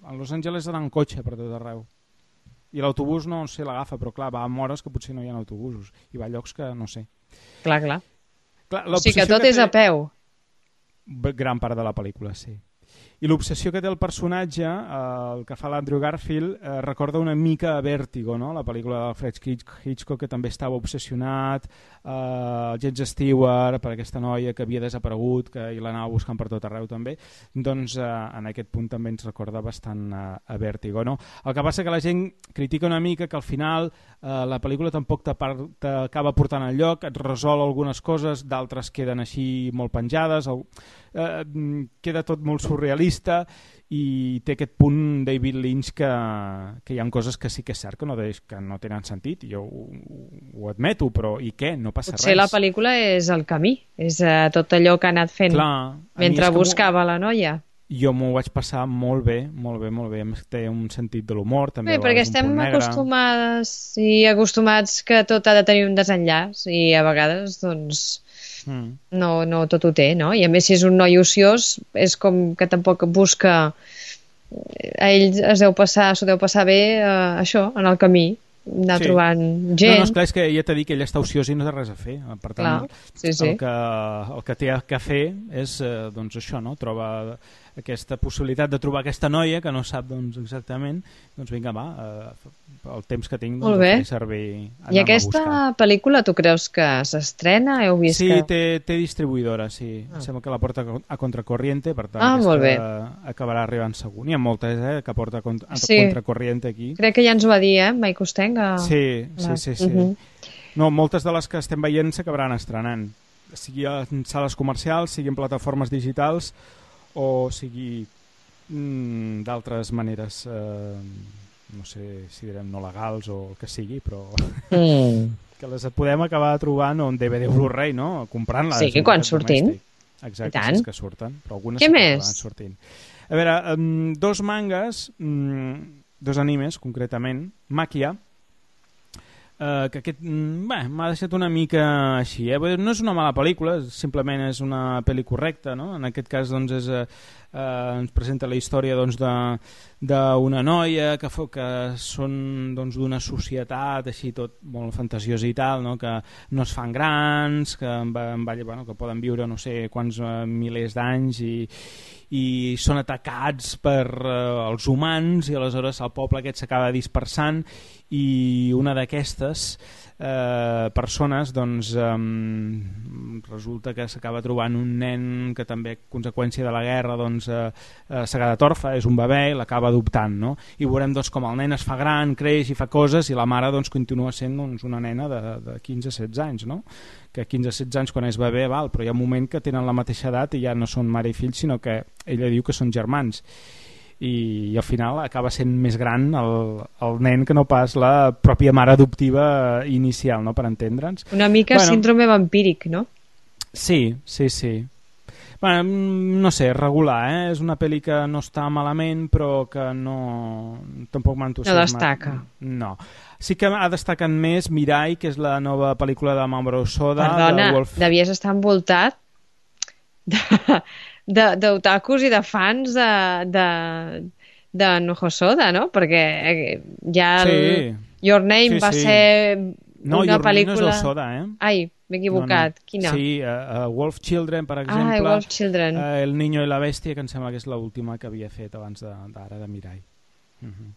a Los Angeles han cotxe per tot arreu. I l'autobús no sé, l'agafa, però clar, va a hores que potser no hi ha autobusos i va a llocs que no sé. Clar, clar. clar o sigui que tot que és té... a peu. Gran part de la pel·lícula, sí. I l'obsessió que té el personatge, eh, el que fa l'Andrew Garfield, eh, recorda una mica a Vértigo, no? La pel·lícula d'Alfred Hitchcock, que també estava obsessionat, eh, James Stewart, per aquesta noia que havia desaparegut, que i l'anava buscant per tot arreu també, doncs eh, en aquest punt també ens recorda bastant a, a Vértigo, no? El que passa que la gent critica una mica que al final eh, la pel·lícula tampoc t'acaba portant al lloc, et resol algunes coses, d'altres queden així molt penjades, el, eh, queda tot molt surrealista i té aquest punt David Lynch que, que hi ha coses que sí que és cert que no, deix, que no tenen sentit, jo ho, ho admeto, però i què? No passa Potser res. Potser la pel·lícula és el camí, és uh, tot allò que ha anat fent Clar, mentre buscava la noia. Jo m'ho vaig passar molt bé, molt bé, molt bé. Té un sentit de l'humor, també. Bé, perquè estem acostumades i acostumats que tot ha de tenir un desenllaç i a vegades, doncs... Mm. No, no tot ho té, no? I a més si és un noi ociós és com que tampoc busca a ell es deu passar, s'ho deu passar bé eh, això, en el camí anar sí. trobant gent. No, no, esclar, és que ja t'he dit que ell està ociós i no té res a fer, per tant clar, sí, sí. El, que, el que té que fer és eh, doncs això, no? Troba aquesta possibilitat de trobar aquesta noia que no sap doncs, exactament, doncs vinga va, eh, el temps que tinc doncs, el servir I aquesta pel·lícula tu creus que s'estrena? Heu vist sí, que... té, té distribuïdora, sí. Ah. Sembla que la porta a Contracorriente, per tant ah, aquesta acabarà arribant segur. N'hi ha moltes eh, que porta a, a sí. Contracorriente aquí. Crec que ja ens ho va dir, eh, Mike Costenga. Sí, sí, sí. sí. Uh -huh. No, moltes de les que estem veient s'acabaran estrenant, sigui en sales comercials, sigui en plataformes digitals o sigui mm, d'altres maneres, eh, no sé si direm no legals o el que sigui, però... Mm. que les podem acabar trobant en D V D Blu-ray, no? Comprant-les. Sí, quan surtin. Exacte, si és que surten. Però algunes Què sí més? que sortint. A veure, um, dos mangas, um, dos animes, concretament, Maquia, Uh, que aquest bé, m'ha deixat una mica així, eh? No és una mala pel·lícula, simplement és una pel·li correcta, no? En aquest cas doncs, és, uh, uh, ens presenta la història doncs, d'una noia que, que són doncs, d'una societat així tot molt fantasiosa i tal, no? Que no es fan grans, que, va, va, bueno, que poden viure no sé quants uh, milers d'anys i, i són atacats per uh, els humans i aleshores el poble aquest s'acaba dispersant i una d'aquestes eh, persones doncs, eh, resulta que s'acaba trobant un nen que també a conseqüència de la guerra doncs, eh, eh, s'ha quedat orfe, és un bebè i l'acaba adoptant, no? I veurem doncs, com el nen es fa gran, creix i fa coses i la mare doncs, continua sent doncs, una nena de, de quinze a setze anys, no? Que quinze a setze anys quan és bebè val, però hi ha un moment que tenen la mateixa edat i ja no són mare i fill sinó que ella diu que són germans i, i al final acaba sent més gran el, el nen que no pas la pròpia mare adoptiva inicial, no? Per entendre'ns. Una mica bueno, síndrome vampíric, no? Sí, sí, sí. Bueno, no sé, regular, eh? És una pel·li que no està malament però que no... tampoc m'ha entusiasmat. No destaca. No. Sí que ha destacat més Mirai, que és la nova pel·lícula de Mamoru Hosoda. Perdona, de Wolf... devies estar envoltat d'otakus i de fans de, de, de Hosoda, no? Perquè ja el sí. Your Name sí, va sí. ser no, una Your pel·lícula... No, és Hosoda, eh? Ai, m'he equivocat. No, no. Quina? Sí, uh, uh, Wolf Children, per exemple. Ah, Wolf Children. Uh, El Niño i la Bèstia, que em sembla que és l'última que havia fet abans d'ara, de, de Mirai. Uh -huh.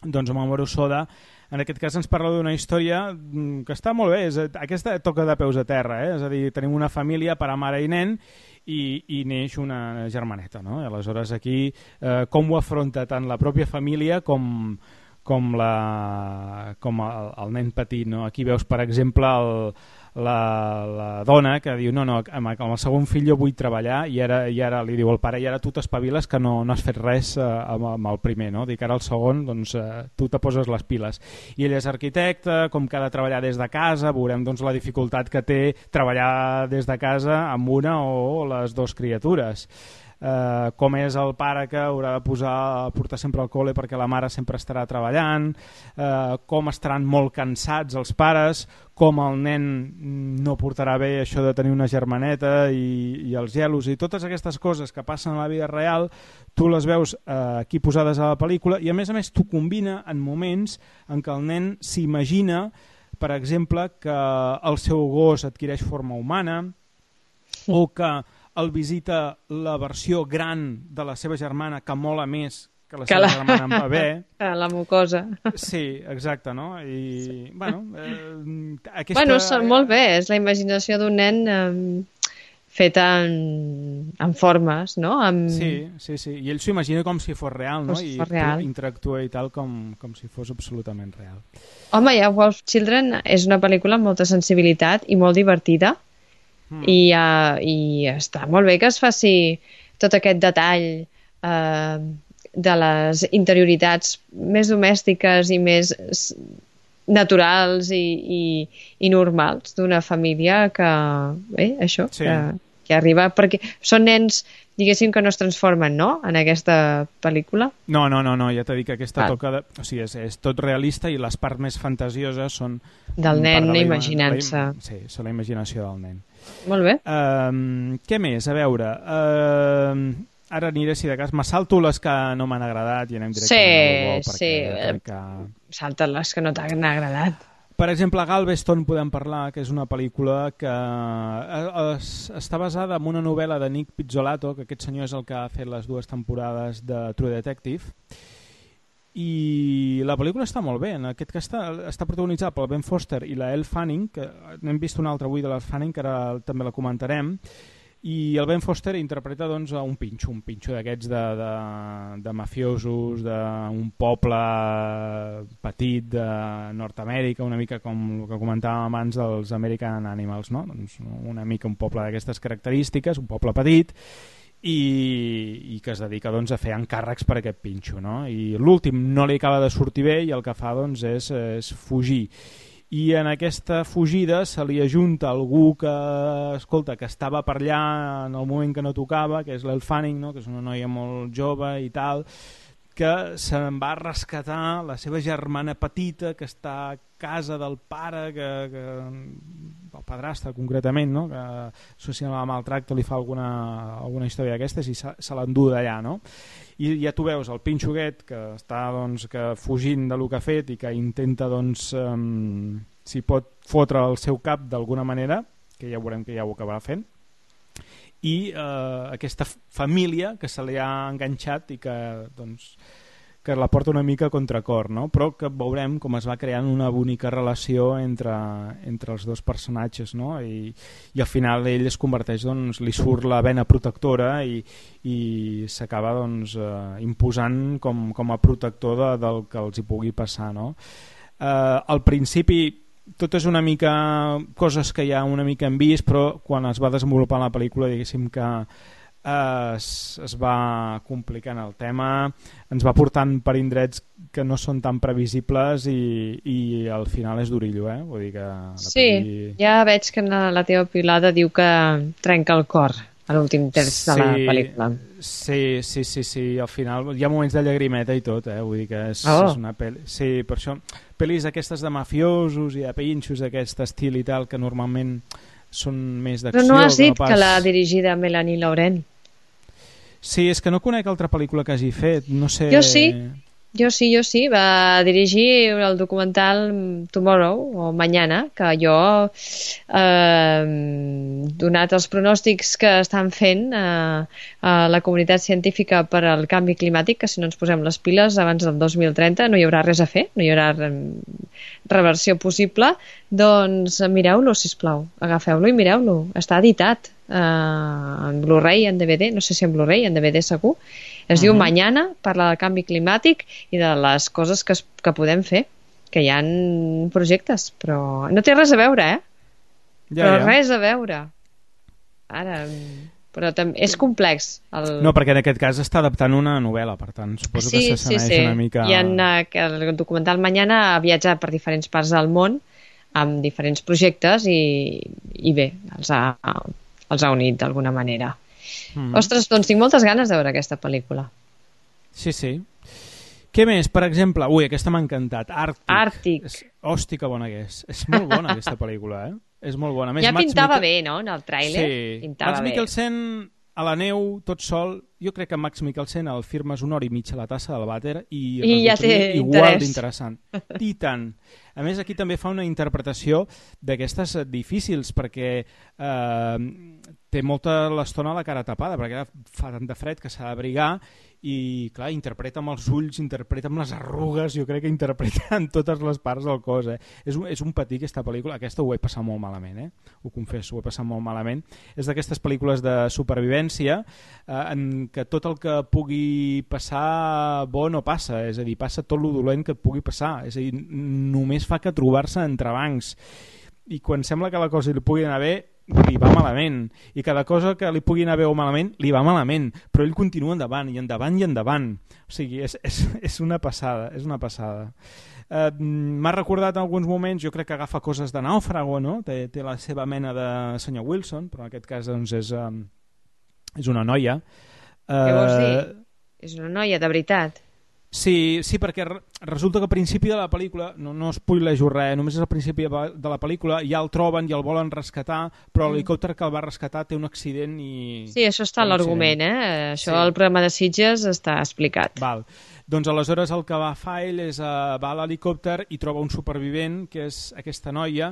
Doncs Mamoru Hosoda en aquest cas ens parla d'una història que està molt bé, és, aquesta toca de peus a terra, eh? És a dir, tenim una família, pare, mare i nen i, i neix una germaneta, no? I aleshores aquí eh, com ho afronta tant la pròpia família com, com, la, com el, el nen petit, no? Aquí veus per exemple el La, la dona que diu no, no, amb el segon fill jo vull treballar i ara, i ara li diu al pare i ara tu t'espaviles que no, no has fet res eh, amb, amb el primer, no? Dic ara el segon doncs, eh, tu te poses les piles i ell és arquitecte, com que ha de treballar des de casa veurem doncs, la dificultat que té treballar des de casa amb una o les dues criatures. Uh, com és el pare que haurà de posar, portar sempre al col·le perquè la mare sempre estarà treballant, uh, com estaran molt cansats els pares, com el nen no portarà bé això de tenir una germaneta i, i els gelos i totes aquestes coses que passen a la vida real tu les veus uh, aquí posades a la pel·lícula i a més a més tu combina en moments en què el nen s'imagina per exemple que el seu gos adquireix forma humana o que el visita la versió gran de la seva germana que mola més que la que seva la... germana en bebè. La mucosa. Sí, exacte, no? I, bueno, eh, aquesta... Bueno, són molt bé, és la imaginació d'un nen eh, feta en, en formes, no? Amb... Sí, sí, sí, i ell s'ho imagina com si fos real, no? Si I fos real. interactua i tal com, com si fos absolutament real. Home, ja Wolf Children és una pel·lícula amb molta sensibilitat i molt divertida. Mm. I, uh, i està molt bé que es faci tot aquest detall uh, de les interioritats més domèstiques i més naturals i, i, i normals d'una família que, bé, això, sí. que, que arriba, perquè són nens, diguéssim, que no es transformen, no?, en aquesta pel·lícula. No, no, no, no ja t'he dit que aquesta ah. toca de... O sigui, és, és tot realista i les parts més fantasioses són... Del nen de imaginant-se. Sí, són la imaginació del nen. Molt bé. Uh, què més? A veure... Uh, ara aniré, si de cas, me salto les que no m'han agradat i anem directament sí, sí. que... Salta les que no t'han agradat. Per exemple, Galveston podem parlar, que és una pel·lícula que es, està basada en una novel·la de Nick Pizzolatto, que aquest senyor és el que ha fet les dues temporades de True Detective, i la pel·lícula està molt bé. En aquest cas està, està protagonitzada pel Ben Foster i la Elle Fanning, que n'hem vist una altra avui de la Fanning, que ara també la comentarem, i el Ben Foster interpreta doncs, un pinxo, un pinxo d'aquests de, de, de mafiosos, d'un poble petit de Nord-Amèrica, una mica com el que comentàvem abans dels American Animals, no? Doncs una mica un poble d'aquestes característiques, un poble petit, i, i que es dedica doncs, a fer encàrrecs per aquest pinxo, no? I l'últim no li acaba de sortir bé i el que fa doncs, és, és fugir. i en aquesta fugida se li ajunta algú que, escolta, que estava per allà en el moment que no tocava, que és l'Elle Fanning, no? Que és una noia molt jove i tal, que se'n va rescatar la seva germana petita que està a casa del pare, que, que el padrastre concretament, no? Que associant amb el maltracte li fa alguna, alguna història d'aquestes i se, se l'endú d'allà, no? I ja tu veus el pinxoguet que està doncs, que fugint de lo que ha fet i que intenta doncs, um, si pot fotre el seu cap d'alguna manera, que ja veurem que ja ho acabarà fent, i eh, aquesta família que se li ha enganxat i que, doncs, que la porta una mica a contracor, no? Però que veurem com es va creant una bonica relació entre, entre els dos personatges, no? I, i al final ell es converteix, doncs, li surt la vena protectora i, i s'acaba doncs, eh, imposant com, com a protector de, del que els hi pugui passar, no? Eh, al principi tot és una mica coses que ja una mica hem vist, però quan es va desenvolupar la pel·lícula diguéssim que eh, es, es va complicant el tema, ens va portant per indrets que no són tan previsibles i, i al final és d'orillo, eh? Vull dir que la sí, pel·li... ja veig que la teva pilada diu que trenca el cor a l'últim terç de la pel·lícula. Sí, sí, sí, sí, al final hi ha moments de llagrimeta i tot, eh? Vull dir que és, oh. és una pel·li... Sí, per això, pel·lis aquestes de mafiosos i de pinxos d'aquest estil i tal, que normalment són més d'acció... Però no has dit no pas... que l'ha dirigida Melanie Laurent. Sí, és que no conec altra pel·lícula que hagi fet, no sé... Jo sí, jo sí, jo sí, va dirigir el documental Tomorrow, o Mañana, que jo, eh, donat els pronòstics que estan fent eh, a la comunitat científica per al canvi climàtic, que si no ens posem les piles abans del dos mil trenta no hi haurà res a fer, no hi haurà reversió possible, doncs mireu-lo, sisplau, agafeu-lo i mireu-lo, està editat eh, en Blu-ray, en D V D, no sé si en Blu-ray, en D V D segur. Es uh-huh. diu Mañana, parla del canvi climàtic i de les coses que, es, que podem fer, que hi ha projectes, però no té res a veure, eh? Ja, però ja. res a veure. Ara, però també és complex. El... No, perquè en aquest cas està adaptant una novel·la, per tant, suposo sí, que s'assenyeix sí, sí. una mica... I en uh, el documental Mañana ha viatjat per diferents parts del món amb diferents projectes i, i bé, els ha, els ha unit d'alguna manera. Mm. Ostres, doncs tinc moltes ganes de veure aquesta pel·lícula. Sí, sí. Què més? Per exemple, ui, aquesta m'ha encantat. Àrtic. Àrtic. És... Hosti, que bona que és. És molt bona aquesta pel·lícula, eh? És molt bona. Més, ja Mads pintava Mikkel... bé, no?, en el tràiler. Sí. Pintava Mads bé. Mikkelsen a la neu, tot sol. Jo crec que Mads Mikkelsen el firmes una hora i mitja a la tassa del vàter i, I ja té igual d'interessant. I tant. A més, aquí també fa una interpretació d'aquestes difícils, perquè eh, té molta l'estona la cara tapada, perquè fa tant de fred que s'ha d'abrigar i, clar, interpreta amb els ulls, interpreta amb les arrugues, jo crec que interpreta en totes les parts del cos. Eh? És, un, és un patí, aquesta pel·lícula. Aquesta ho he passat molt malament, eh? Ho confesso, ho he passat molt malament. És d'aquestes pel·lícules de supervivència eh, en què tot el que pugui passar bo no passa, és a dir, passa tot lo dolent que et pugui passar, és a dir, només fa que trobar-se entrebancs i quan sembla que la cosa li pugui anar bé li va malament, i cada cosa que li pugui anar bé o malament, li va malament, però ell continua endavant, i endavant, i endavant. O sigui, és, és, és una passada, és una passada. Eh, m'ha recordat en alguns moments, jo crec que agafa coses de Nàufrago, no? Té, té la seva mena de senyor Wilson, però en aquest cas doncs, és, um, és una noia. Eh, Què vols dir? És una noia, de veritat. Sí, sí, perquè resulta que al principi de la pel·lícula, no, no spoilejo res, només és al principi de la pel·lícula, ja el troben i el volen rescatar, però l'helicòpter que el va rescatar té un accident i... Sí, això està a l'argument, eh? Això sí. Al programa de Sitges està explicat. Val. Doncs aleshores el que va fer ell és uh, va a l'helicòpter i troba un supervivent, que és aquesta noia,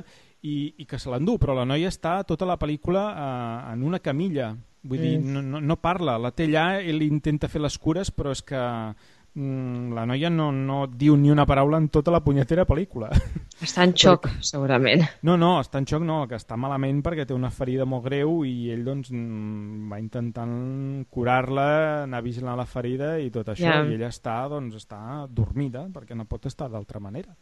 i, i que se l'endú, però la noia està tota la pel·lícula uh, en una camilla. Vull mm. dir, no, no, no parla, la té allà, ell intenta fer les cures, però és que... la noia no, no diu ni una paraula en tota la punyetera pel·lícula. Està en xoc, perquè... segurament. No, no, està en xoc no, que està malament perquè té una ferida molt greu i ell doncs va intentant curar-la, anar vigilant la ferida i tot això, yeah. I ella està, doncs, està dormida perquè no pot estar d'altra manera.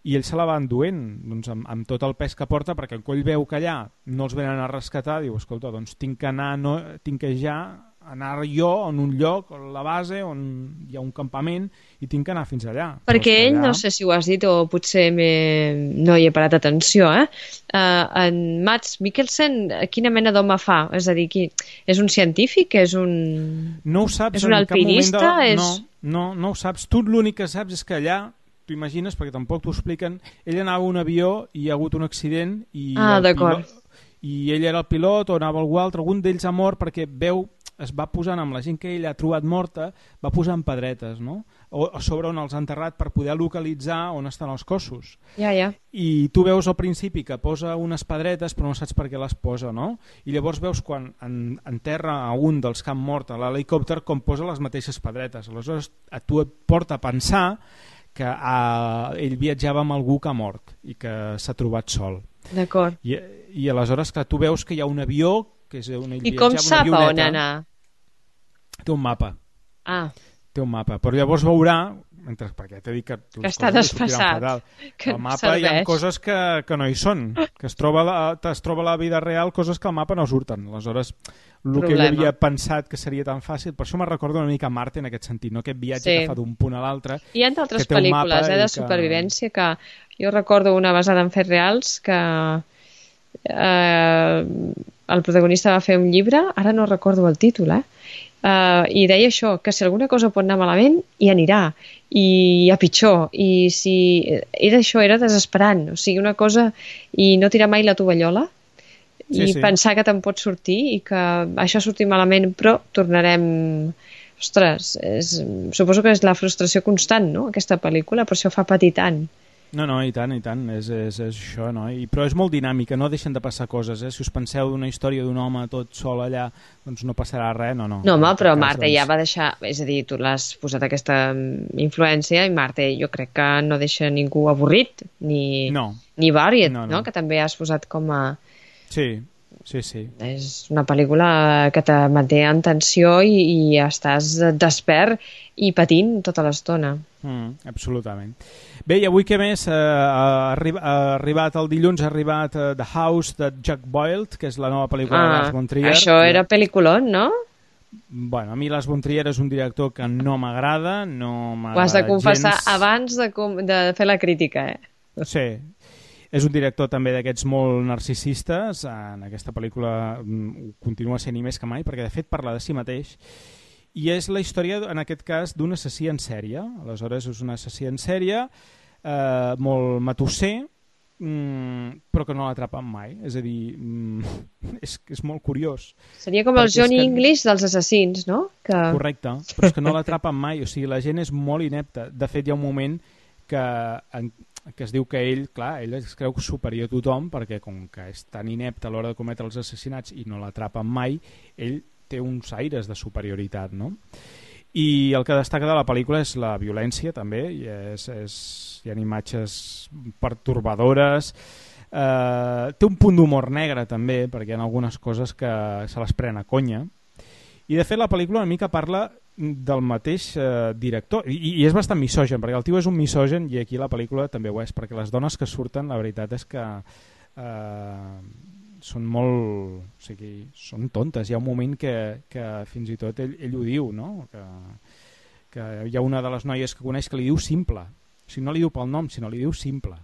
I ell se la va enduent doncs, amb, amb tot el pes que porta, perquè quan ell veu que allà no els venen a rescatar, diu, escolta, doncs tinc que anar, no, tinc que ja anar jo en un lloc, a la base, on hi ha un campament, i tinc que anar fins allà. Perquè ell, allà... no sé si ho has dit o potser no hi he parat atenció, eh? Uh, en Mads Mikkelsen, quina mena d'home fa? És a dir, qui... és un científic? És un, no ho saps, és un alpinista? De... És... No, no, no ho saps. Tu l'únic que saps és que allà, t'ho imagines, perquè tampoc t'ho expliquen, ell anava a un avió i hi ha hagut un accident i, ah, d'acord. Pilot... i ell era el pilot o anava algú altre, algun d'ells ha mort perquè veu... es va posant amb la gent que ell ha trobat morta, va posant pedretes, no? O, o sobre on els ha enterrat per poder localitzar on estan els cossos. Ja, ja. I tu veus al principi que posa unes pedretes però no saps per què les posa, no? I llavors veus quan en, enterra a un dels que han mort a l'helicòpter com posa les mateixes pedretes. Aleshores a tu et porta a pensar que a, ell viatjava amb algú que ha mort i que s'ha trobat sol. D'acord. I, I aleshores que tu veus que hi ha un avió que és on ell I com sap a on anar? Té un mapa. Ah. Té un mapa, però llavors veurà, mentre, perquè t'he dit que... Que està desfassat. Que el mapa no hi ha coses que, que no hi són, que es troba, la, es troba a la vida real coses que al mapa no surten. Aleshores, el Problema. que ell havia pensat que seria tan fàcil, per això me recordo una mica Marte en aquest sentit, no? Aquest viatge sí. que fa d'un punt a l'altre. Hi ha altres pel·lícules eh, de supervivència que... que jo recordo una basada en fets reals que eh, el protagonista va fer un llibre, ara no recordo el títol, eh? Uh, i deia això, que si alguna cosa pot anar malament, hi anirà, i a pitjor, i si era això, era desesperant, o sigui, una cosa, i no tirar mai la tovallola, sí, i sí. pensar que te'n pot sortir, i que això surti malament, però tornarem... Ostres, és, suposo que és la frustració constant, no?, aquesta pel·lícula, per això fa patir tant. No, no, i tant, i tant, és, és, és això, no? I, però és molt dinàmica, no deixen de passar coses, eh? Si us penseu d'una història d'un home tot sol allà, doncs no passarà res, no, no. No, home, però cas, Marte doncs... ja va deixar, és a dir, tu l'has posat aquesta influència i Marte jo crec que no deixa ningú avorrit, ni, no. ni variet, no, no. no? Que també has posat com a... Sí, sí, sí. És una pel·lícula que te manté en tensió i, i estàs despert i patint tota l'estona. Mm, absolutament. Bé, i avui què més? Uh, ha, arri ha arribat el dilluns, ha arribat uh, The House de Jack Boyd, que és la nova pel·lícula ah, de Lars von Trier. Això era pel·lículon, no? Bueno, a mi Lars von Trier és un director que no m'agrada, no m'agrada gens. Ho has de confessar gens... abans de, de fer la crítica, eh? Sí. És un director també d'aquests molt narcisistes. En aquesta pel·lícula continua sent i més que mai, perquè de fet parla de si mateix. I és la història, en aquest cas, d'un assassí en sèrie. Aleshores, és un assassí en sèrie, eh, molt matusser, mm, però que no l'atrapen mai. És a dir, mm, és, és molt curiós. Seria com el Johnny que... English dels assassins, no? Que... Correcte, però és que no l'atrapen mai. O sigui, la gent és molt inepta. De fet, hi ha un moment que... En que es diu que ell, clar, ell es creu superior a tothom perquè com que és tan inepte a l'hora de cometre els assassinats i no l'atrapen mai, ell té uns aires de superioritat, no? I el que destaca de la pel·lícula és la violència també, i és, és, hi ha imatges pertorbadores, eh, té un punt d'humor negre també, perquè hi ha algunes coses que se les pren a conya, i de fet la pel·lícula una mica parla del mateix eh, director, I, i és bastant misogen, perquè el tio és un misogen i aquí la pel·lícula també ho és, perquè les dones que surten la veritat és que eh, són molt, o sigui, són tontes. Hi ha un moment que, que fins i tot ell, ell ho diu, no? Que, que hi ha una de les noies que coneix que li diu Simple, o sigui, no li diu pel nom, sinó li diu Simple.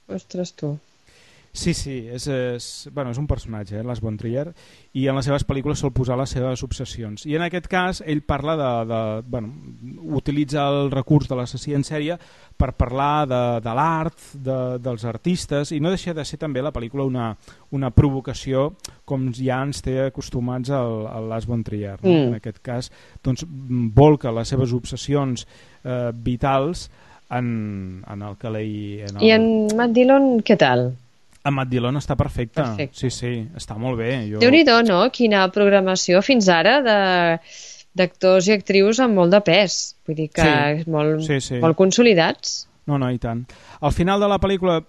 Ostres, tu. Sí, sí, és, és, bueno, és un personatge, eh, Lars von Trier, i en les seves pel·lícules sol posar les seves obsessions. I en aquest cas ell parla de, de bueno, utilitza el recurs de l'assassí en sèrie per parlar de, de l'art, de, dels artistes, i no deixa de ser també la pel·lícula una, una provocació com ja ens té acostumats al, al Lars von Trier. No? Mm. En aquest cas doncs, volca les seves obsessions eh, vitals en, en el que l'hi... El... I en Matt Dillon, què tal? En Matt Dillon està perfecte. Perfecte. Sí, sí, està molt bé. Jo... Déu-n'hi-do, no? Quina programació fins ara de d'actors i actrius amb molt de pes. Vull dir que sí, molt, sí, sí. molt consolidats. No, no, i tant. Al final de la pel·lícula,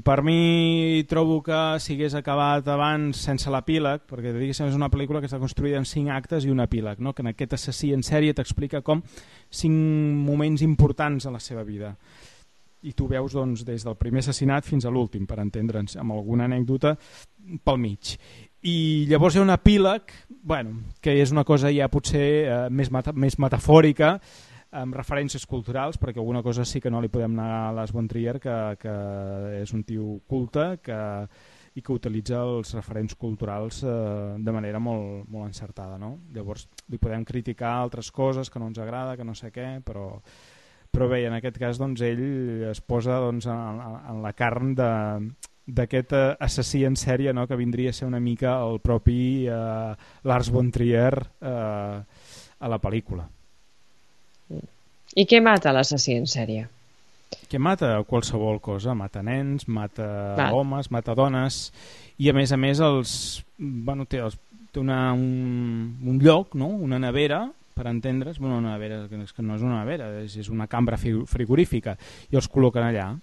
per mi trobo que si hagués acabat abans sense l'epíleg, perquè diguéssim és una pel·lícula que està construïda en cinc actes i un epíleg, no? Que en aquest assassí en sèrie t'explica com cinc moments importants a la seva vida. I tu veus doncs, des del primer assassinat fins a l'últim, per entendre'ns, amb alguna anècdota pel mig. I llavors hi ha un epíleg, bueno, que és una cosa ja potser eh, més, meta, més metafòrica, amb referències culturals, perquè alguna cosa sí que no li podem negar a Lars von Trier, que, que és un tio culte que, i que utilitza els referents culturals eh, de manera molt, molt encertada, no? Llavors li podem criticar altres coses que no ens agrada, que no sé què, però, però bé, en aquest cas doncs, ell es posa doncs, en, en la carn de... d'aquest uh, assassí en sèrie, no? Que vindria a ser una mica el propi uh, Lars von Trier uh, a la pel·lícula. I què mata l'assassí en sèrie? Què mata? Qualsevol cosa. Mata nens, mata Va. homes, mata dones, i a més a més els, bueno, té, els, té una, un, un lloc, no? Una nevera, per entendre's, bueno, una nevera, que no és una nevera, és, és una cambra frigorífica, i els col·loquen allà.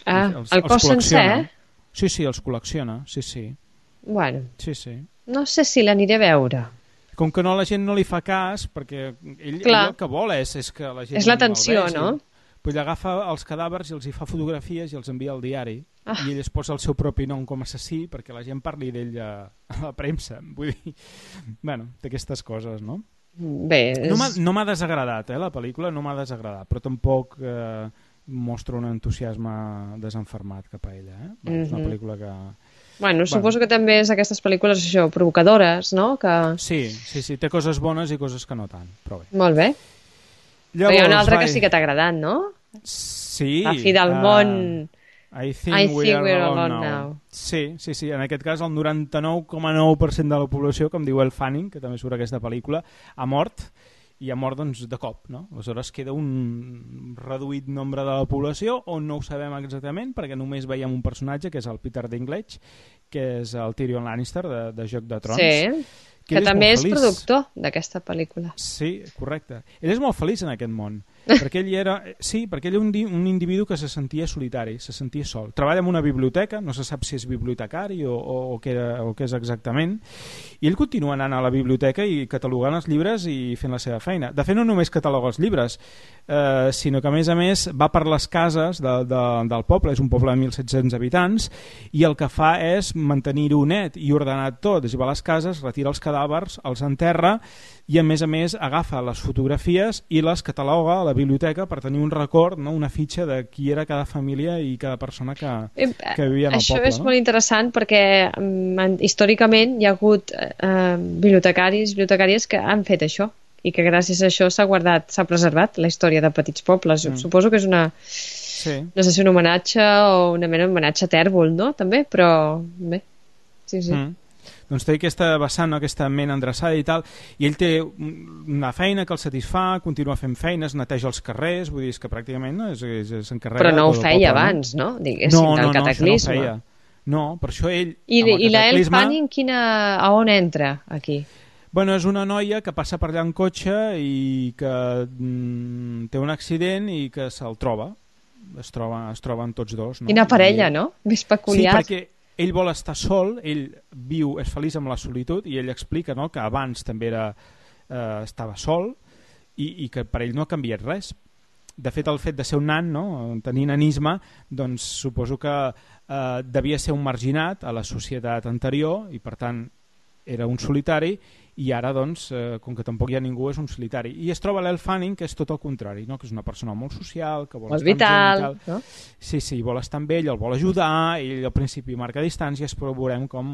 Ah, els, el cos sencer? Sí, sí, els col·lecciona, sí, sí. Bueno, sí, sí. No sé si l'aniré a veure. Com que no la gent no li fa cas, perquè ell, ell el que vol és, és que la gent... És l'atenció, no? Pues ell agafa els cadàvers i els hi fa fotografies i els envia al diari, ah. i ell es posa el seu propi nom com a assassí perquè la gent parli d'ell a, a la premsa. Vull dir, bueno, d'aquestes coses, no? Bé, és... No m'ha no desagradat, eh, la pel·lícula, no m'ha desagradat, però tampoc... Eh, mostra un entusiasme desenfermat cap a ella. Eh? Bueno, mm-hmm. És una pel·lícula que... Bueno, suposo bueno. que també és aquestes pel·lícules això, provocadores, no? Que... Sí, sí, sí, té coses bones i coses que no tant, però bé. Molt bé. Llavors, però hi ha una altra vai... que sí que t'ha agradat, no? Sí. La fi del uh, món... I think, I we think are alone, alone now. now. Sí, sí, sí, en aquest cas el noranta-nou coma nou per cent de la població, com diu el Fanning, que també surt aquesta pel·lícula, ha mort, i ha mort doncs, de cop, no? Aleshores queda un reduït nombre de la població on no ho sabem exactament perquè només veiem un personatge que és el Peter Dinklage, que és el Tyrion Lannister de, de Joc de Trons. Sí, que, que també és feliç. Productor d'aquesta pel·lícula. Sí, correcte. Ell és molt feliç en aquest món, perquè ell era, sí, perquè ell era un, un individu que se sentia solitari, se sentia sol. Treballa en una biblioteca, no se sap si és bibliotecari o, o, o, què, era, o què és exactament, i ell continua anant a la biblioteca i catalogant els llibres i fent la seva feina. De fet, no només cataloga els llibres, eh, sinó que a més a més va per les cases de, de, del poble, és un poble de mil set-cents habitants, i el que fa és mantenir-ho net i ordenat tot, és a dir, va a les cases, retira els cadàvers, els enterra, i a més a més agafa les fotografies i les cataloga a la biblioteca per tenir un record, no? Una fitxa de qui era cada família i cada persona que, que vivia en el Això poble. Això és no? molt interessant perquè um, històricament hi ha hagut uh, bibliotecaris, bibliotecàries que han fet això i que gràcies a això s'ha guardat, s'ha preservat la història de petits pobles. Mm. Suposo que és una, sí. no sé si un homenatge o una mena d'homenatge a tèrbol, no? També, però bé, sí, sí. Mm. Doncs té aquesta vessant, no? Aquesta ment endreçada i tal, i ell té una feina que el satisfà, continua fent feines, neteja els carrers, vull dir, és que pràcticament no, s'encarrega... Però no ho feia poble, abans, no? Diguéssim, no, del no, cataclisme. No, no, no, per això ell... I, i la Elle Fanning, quina... a on entra, aquí? Bueno, és una noia que passa per allà en cotxe i que mm, té un accident i que se'l troba. Es, troba, es troben tots dos. No? Quina parella, I... no? Més peculiar. Sí, perquè ell vol estar sol, ell viu, és feliç amb la solitud i ell explica, no?, que abans també era, eh, estava sol i, i que per ell no ha canviat res. De fet, el fet de ser un nan, no?, tenir nanisme, doncs suposo que eh, devia ser un marginat a la societat anterior i per tant era un solitari i ara, doncs, eh, com que tampoc hi ha ningú, és un solitari. I es troba l'Elle Fanning, que és tot el contrari, no? Que és una persona molt social, que vol molt estar vital, amb gent i tal. No? Sí, sí, vol estar amb ell, el vol ajudar, ell al principi marca distàncies, però veurem com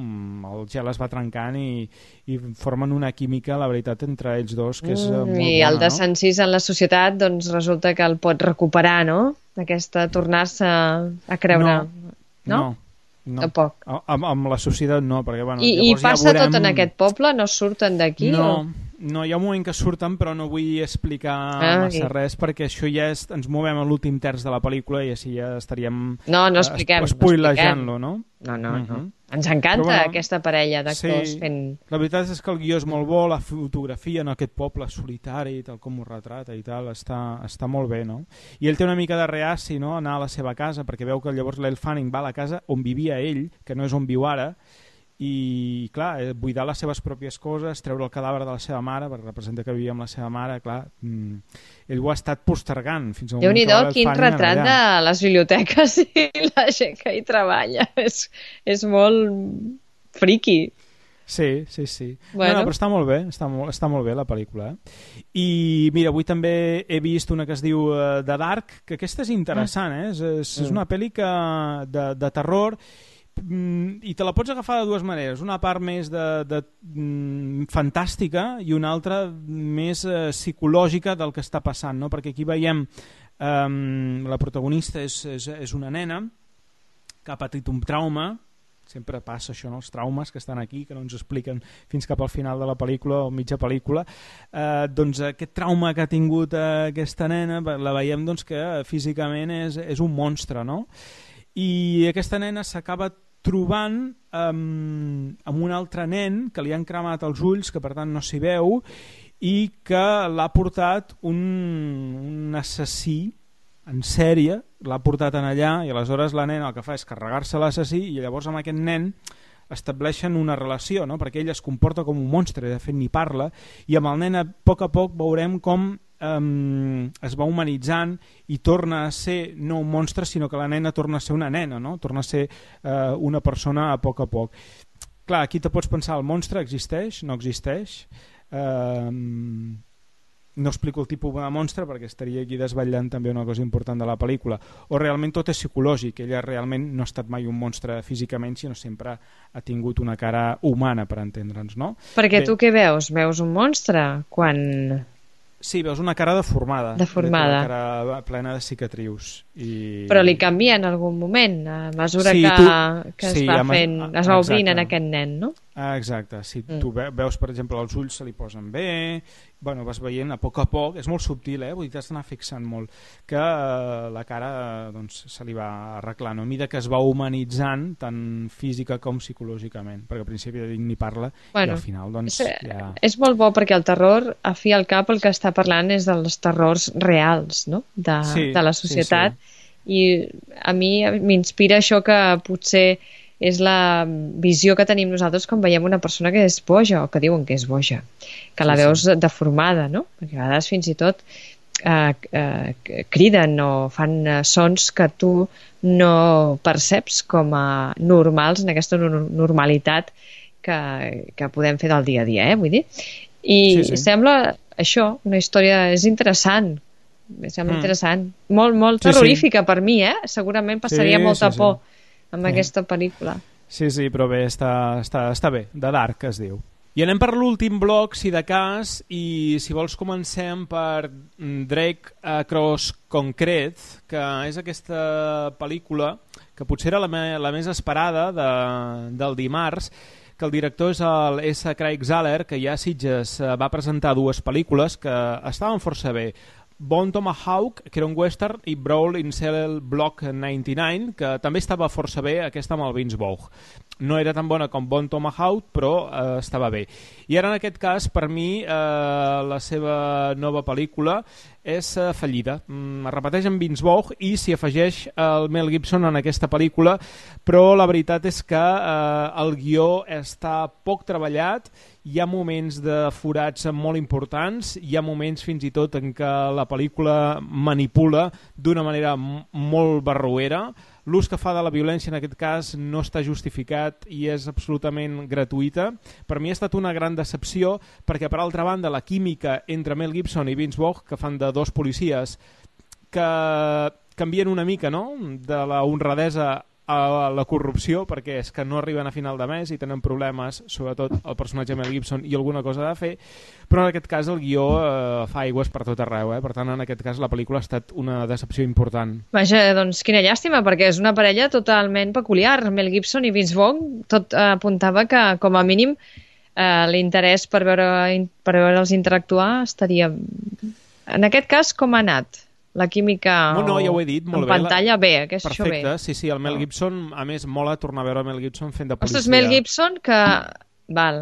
el gel es va trencant i, i formen una química, la veritat, entre ells dos, que és mm, molt I bona, el desencís no? en la societat, doncs resulta que el pot recuperar, no? Aquesta, tornar-se a creure. No, no? no. No, tampoc. Amb, amb la societat no, perquè bueno, I, i passa ja veurem... tot en aquest poble? No surten d'aquí? No, o... no, hi ha un moment que surten però no vull explicar ah, massa i... res perquè això ja és, ens movem a l'últim terç de la pel·lícula i així ja estaríem no, no expliquem, espoilejant-lo, no? No, no, uh-huh. no. Ens encanta bueno, aquesta parella d'actors sí, fent... La veritat és que el guió és molt bo, la fotografia en aquest poble solitari, tal com ho retrata i tal, està, està molt bé, no? I ell té una mica de reaci, no?, anar a la seva casa, perquè veu que llavors l'Elle Fanning va a la casa on vivia ell, que no és on viu ara, i clar, buidar les seves pròpies coses, treure el cadàver de la seva mare, perquè representa que vivia amb la seva mare, clar, mmm, ell ho ha estat postergant fins al moment Déu-n'hi-do, quin retrat de les biblioteques i la gent que hi treballa, és, és molt friqui. Sí, sí, sí. Bueno. No, no, però està molt bé, està molt, està molt bé la pel·lícula. Eh? I mira, avui també he vist una que es diu uh, The Dark, que aquesta és interessant, eh? És, és, és una pel·li que, de, de terror, i te la pots agafar de dues maneres. Una part més de, de, mm, fantàstica i una altra més uh, psicològica del que està passant, no? Perquè aquí veiem um, la protagonista és, és, és una nena que ha patit un trauma. Sempre passa això, no? Els traumes que estan aquí, que no ens expliquen fins cap al final de la pel·lícula o mitja pel·lícula. Eh, doncs aquest trauma que ha tingut eh, aquesta nena, la veiem doncs, que físicament és, és un monstre, no? I aquesta nena s'acaba trobant eh, amb un altre nen que li han cremat els ulls, que per tant no s'hi veu, i que l'ha portat un, un assassí en sèrie, l'ha portat en allà, i aleshores la nena el que fa és carregar-se l'assassí, i llavors amb aquest nen estableixen una relació, no? Perquè ell es comporta com un monstre, de fet ni parla, i amb el nen a poc a poc veurem com um, es va humanitzant i torna a ser no un monstre, sinó que la nena torna a ser una nena, no? Torna a ser uh, una persona a poc a poc. Clar, aquí te pots pensar, el monstre existeix? No existeix? Uh, no explico el tipus de monstre perquè estaria aquí desvetllant també una cosa important de la pel·lícula, o realment tot és psicològic, ella realment no ha estat mai un monstre físicament, sinó sempre ha tingut una cara humana, per entendre'ns, no? Perquè Bé, tu què veus? Veus un monstre quan... Sí, veus una cara deformada, deformada. Una cara plena de cicatrius. I... Però li canvia en algun moment, a mesura sí, que, tu... que es sí, va amb... fent, es va obrint en aquest nen, no? Ah, exacte, si mm. tu veus, per exemple, els ulls se li posen bé, bueno, vas veient a poc a poc, és molt subtil, eh? Vull dir, t'has d'anar fixant molt, que eh, la cara doncs, se li va arreglant, no? A mesura que es va humanitzant, tant física com psicològicament, perquè al principi ni parla, bueno, i al final doncs és, ja... És molt bo perquè el terror, a fi al cap, el que està parlant és dels terrors reals, no? De, sí, de la societat, sí, sí. I a mi m'inspira això que potser és la visió que tenim nosaltres quan veiem una persona que és boja o que diuen que és boja, que la sí, veus sí. deformada, no? Perquè a vegades fins i tot eh, eh, criden o fan eh, sons que tu no perceps com a normals en aquesta normalitat que, que podem fer del dia a dia, eh? Vull dir. I sí, sí. Sembla això, una història, és interessant, sembla mm. interessant, molt, molt terrorífica sí, sí. per mi, eh? Segurament passaria sí, molta sí, por sí. amb sí. aquesta pel·lícula. Sí, sí, però bé, està, està, està bé, The Dark es diu. I anem per l'últim bloc, si de cas, i si vols comencem per Drake Across Concrete, que és aquesta pel·lícula que potser era la, me, la més esperada de, del dimarts, que el director és el S. Craig Zahler, que ja a Sitges va presentar dues pel·lícules que estaven força bé. Bone Tomahawk, que era un western, i Brawl in Cell Block noranta-nou, que també estava força bé, aquesta amb el Vince Vaughn. No era tan bona com Bone Tomahawk, però eh, estava bé. I ara, en aquest cas, per mi, eh, la seva nova pel·lícula és eh, fallida. Mm, es repeteix amb Vince Vaughn i s'hi afegeix el Mel Gibson en aquesta pel·lícula, però la veritat és que eh, el guió està poc treballat, hi ha moments de forats molt importants, hi ha moments fins i tot en què la pel·lícula manipula d'una manera molt barroera. L'ús que fa de la violència en aquest cas no està justificat i és absolutament gratuïta. Per mi ha estat una gran decepció perquè, per altra banda, la química entre Mel Gibson i Vince Vaughn, que fan de dos policies que canvien una mica, no?, de la honradesa a la corrupció, perquè és que no arriben a final de mes i tenen problemes, sobretot el personatge Mel Gibson, i alguna cosa de fer, però en aquest cas el guió eh, fa aigües per tot arreu, eh? Per tant, en aquest cas la pel·lícula ha estat una decepció important. Vaja, doncs quina llàstima, perquè és una parella totalment peculiar. Mel Gibson i Vince Vaughn, tot eh, apuntava que, com a mínim, eh, l'interès per veure per veure'ls interactuar estaria... En aquest cas, com ha anat? La química no, no, ja ho he dit, molt en pantalla bé. bé, que és perfecte, això bé. Sí, sí, el Mel Gibson, a més, mola tornar a veure Mel Gibson fent de policia. Ostres, Mel Gibson, que, val,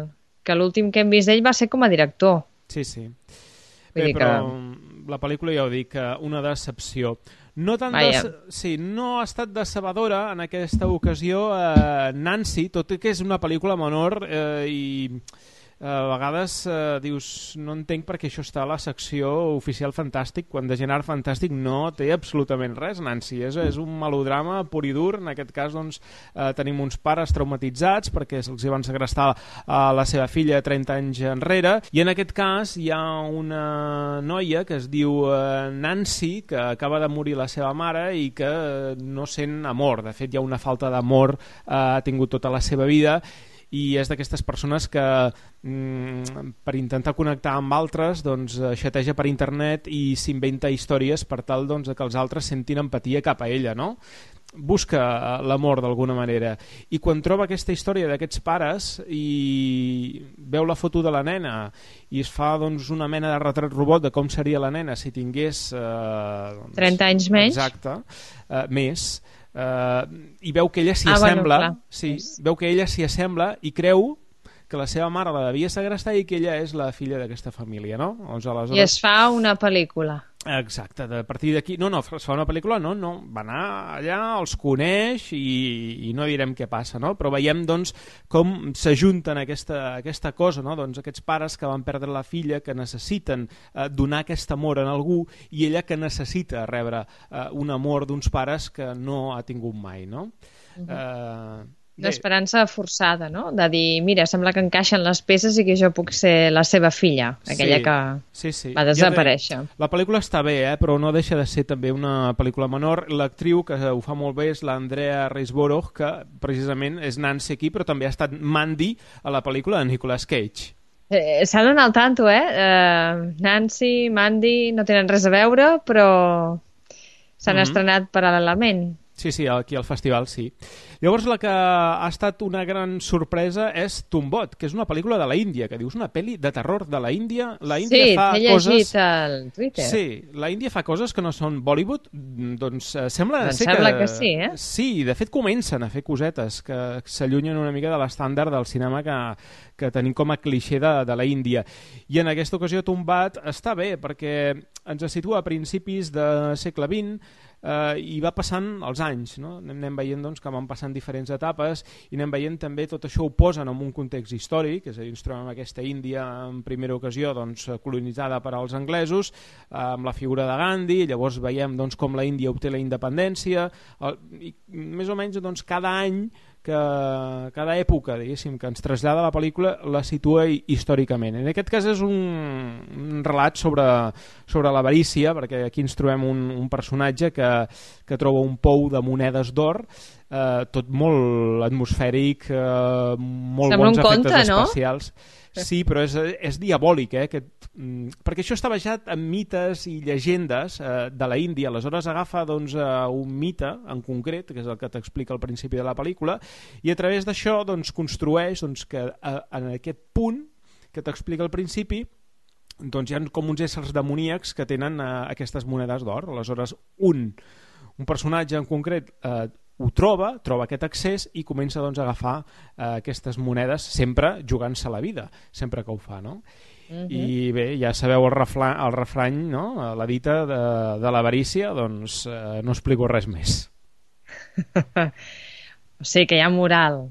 que l'últim que hem vist d'ell va ser com a director. Sí, sí. Vull Bé, dir però que... la pel·lícula, ja ho dic, una decepció. No, tant de... sí, no ha estat decebedora en aquesta ocasió eh, Nancy, tot i que és una pel·lícula menor eh, i... a vegades eh, dius, no entenc perquè això està a la secció oficial Fantàstic, quan de gènere fantàstic no té absolutament res, Nancy. És, és un melodrama pur i dur. En aquest cas doncs, eh, tenim uns pares traumatitzats perquè se'ls van segrestar a la seva filla trenta anys enrere, i en aquest cas hi ha una noia que es diu eh, Nancy, que acaba de morir la seva mare i que no sent amor. De fet, hi ha una falta d'amor, eh, ha tingut tota la seva vida, i és d'aquestes persones que mm, per intentar connectar amb altres doncs, xateja per internet i s'inventa històries per tal doncs, que els altres sentin empatia cap a ella, no? Busca l'amor d'alguna manera, i quan troba aquesta història d'aquests pares i veu la foto de la nena i es fa doncs, una mena de retrat robot de com seria la nena si tingués eh, doncs, trenta anys menys, exacte, eh, més Uh, i veu que ella s'hi ah, assembla, bueno, sí, veu que ella s'hi assembla i creu que la seva mare la devia segrestar i que ella és la filla d'aquesta família, no? Doncs, aleshores... I es fa una pel·lícula. Exacte, a partir d'aquí... No, no, es fa una pel·lícula, no, no, va anar allà, els coneix i, i no direm què passa, no? Però veiem, doncs, com s'ajunten aquesta, aquesta cosa, no? Doncs aquests pares que van perdre la filla, que necessiten eh, donar aquest amor en algú, i ella que necessita rebre eh, un amor d'uns pares que no ha tingut mai, no? Uh-huh. Eh... L'esperança forçada, no? De dir, mira, sembla que encaixen les peces i que jo puc ser la seva filla, aquella sí, que sí, sí. va desaparèixer. Ja la pel·lícula està bé, eh? Però no deixa de ser també una pel·lícula menor. L'actriu que ho fa molt bé és l'Andrea Riseborough, que precisament és Nancy aquí, però també ha estat Mandy a la pel·lícula de Nicolas Cage. Eh, S'ha d'anar al tanto, eh? Uh, Nancy, Mandy, no tenen res a veure, però s'han mm-hmm. estrenat paral·lelament. Sí, sí, aquí al festival sí. Llavors la que ha estat una gran sorpresa és Tombot, que és una pel·lícula de la Índia, que dius una pel·li de terror de la Índia. La Índia sí, fa t'he llegit coses... al Twitter. Sí, la Índia fa coses que no són Bollywood, doncs eh, sembla doncs ser sembla que... que sí, eh? Sí, de fet comencen a fer cosetes que s'allunyen una mica de l'estàndard del cinema que, que tenim com a clixé de, de la Índia. I en aquesta ocasió Tombat està bé, perquè ens situa a principis del segle vint, Uh, i va passant els anys, no? Anem veient doncs, que van passant diferents etapes i anem veient també tot això ho posen en un context històric, és a dir, ens trobem aquesta Índia en primera ocasió doncs, colonitzada per als anglesos, uh, amb la figura de Gandhi, llavors veiem doncs, com la Índia obté la independència, uh, i més o menys doncs, cada any que cada època, diguéssim, que ens trasllada la pel·lícula la situa històricament. En aquest cas és un, un relat sobre, sobre l'avarícia, perquè aquí ens trobem un, un personatge que, que troba un pou de monedes d'or, eh, tot molt atmosfèric, eh, molt Sembla bons un efectes conte, no? especials. Sí, però és, és diabòlic, eh? Que, perquè això està basat en mites i llegendes eh, de la Índia. Aleshores agafa doncs, eh, un mite en concret, que és el que t'explica al principi de la pel·lícula, i a través d'això doncs, construeix doncs, que eh, en aquest punt que t'explica al principi doncs, hi ha com uns éssers demoníacs que tenen eh, aquestes monedes d'or. Aleshores un, un personatge en concret eh, ho troba, troba aquest accés i comença doncs, a agafar eh, aquestes monedes, sempre jugant-se la vida, sempre que ho fa, no? Uh-huh. I bé, ja sabeu el, refla, el refrany, no? La dita de, de l'avarícia, doncs eh, no explico res més. O sigui que hi ha moral.